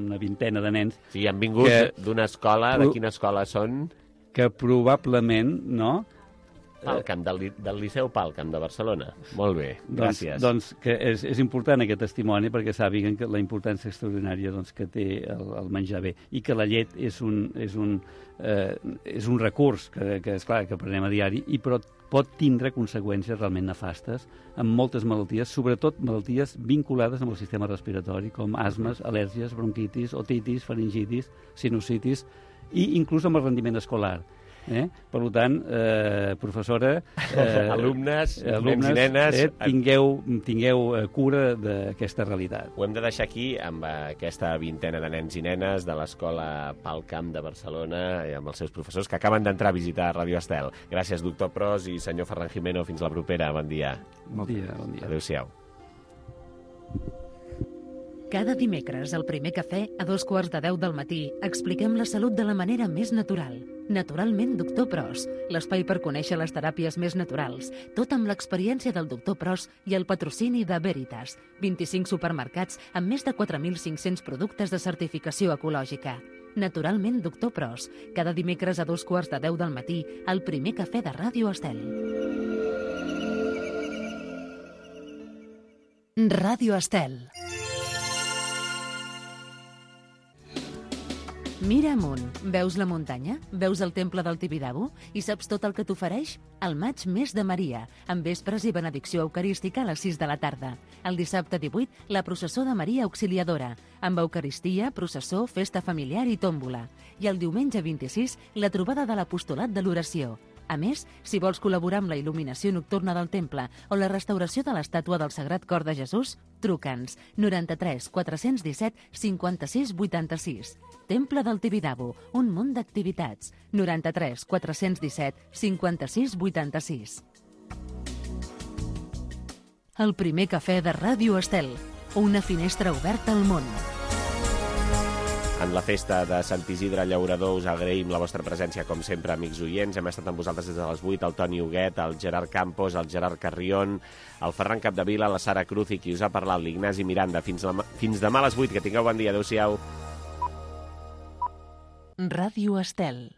Speaker 21: una vintena de nens...
Speaker 2: Sí, han vingut d'una escola, de quina escola són?
Speaker 21: Que probablement, no?,
Speaker 2: Palcamp, del, del Liceu Palcamp de Barcelona. Molt bé, gràcies.
Speaker 21: Doncs, doncs que és, és important aquest testimoni perquè sàpiguen que la importància extraordinària doncs, que té el, el menjar bé i que la llet és un, és un, eh, és un recurs que, que és clar que prenem a diari, i però pot tindre conseqüències realment nefastes amb moltes malalties, sobretot malalties vinculades amb el sistema respiratori, com asmes, al·lèrgies, bronquitis, otitis, faringitis, sinusitis i inclús amb el rendiment escolar. Eh? Per tant, eh, professora, eh,
Speaker 2: alumnes,
Speaker 21: alumnes,
Speaker 2: nens i nenes,
Speaker 21: eh, tingueu, tingueu cura d'aquesta realitat.
Speaker 2: Ho hem de deixar aquí amb aquesta vintena de nens i nenes de l'Escola Palcamp de Barcelona i amb els seus professors que acaben d'entrar a visitar Ràdio Estel. Gràcies, doctor Pros i senyor Ferran Jimeno. Fins la propera. Bon dia.
Speaker 21: Bon dia, bon dia.
Speaker 2: Adéu-siau.
Speaker 1: Cada dimecres, al primer cafè, a dos quarts de deu del matí, expliquem la salut de la manera més natural. Naturalment, doctor Pros, l'espai per conèixer les teràpies més naturals, tot amb l'experiència del doctor Pros i el patrocini de Veritas, vint-i-cinc supermercats amb més de quatre mil cinc-cents productes de certificació ecològica. Naturalment, doctor Pros, cada dimecres a dos quarts de deu del matí, al primer cafè de Ràdio Estel. Ràdio Estel. Mira amunt. Veus la muntanya? Veus el temple del Tibidabo? I saps tot el que t'ofereix? El maig mes de Maria, amb vespres i benedicció eucarística a les sis de la tarda. El dissabte divuit, la processó de Maria Auxiliadora, amb eucaristia, processó, festa familiar i tòmbola. I el diumenge vint-i-sis, la trobada de l'apostolat de l'oració. A més, si vols col·laborar amb la il·luminació nocturna del temple o la restauració de l'estàtua del Sagrat Cor de Jesús, truca'ns noranta-tres quatre-cents disset cinquanta-sis vuitanta-sis. Temple del Tibidabo, un munt d'activitats. noranta-tres quatre-cents disset cinquanta-sis vuitanta-sis. El primer cafè de Ràdio Estel, una finestra oberta al món.
Speaker 2: En la festa de Sant Isidre Llaurador us agraïm la vostra presència, com sempre, amics oients. Hem estat amb vosaltres des de les vuit, el Toni Huguet, el Gerard Campos, el Gerard Carrión, el Ferran Capdevila, la Sara Cruz i qui us ha parlat, l'Ignasi Miranda. Fins, la, fins demà a les vuit, que tingueu bon dia. Adéu-siau.
Speaker 1: Ràdio Estel.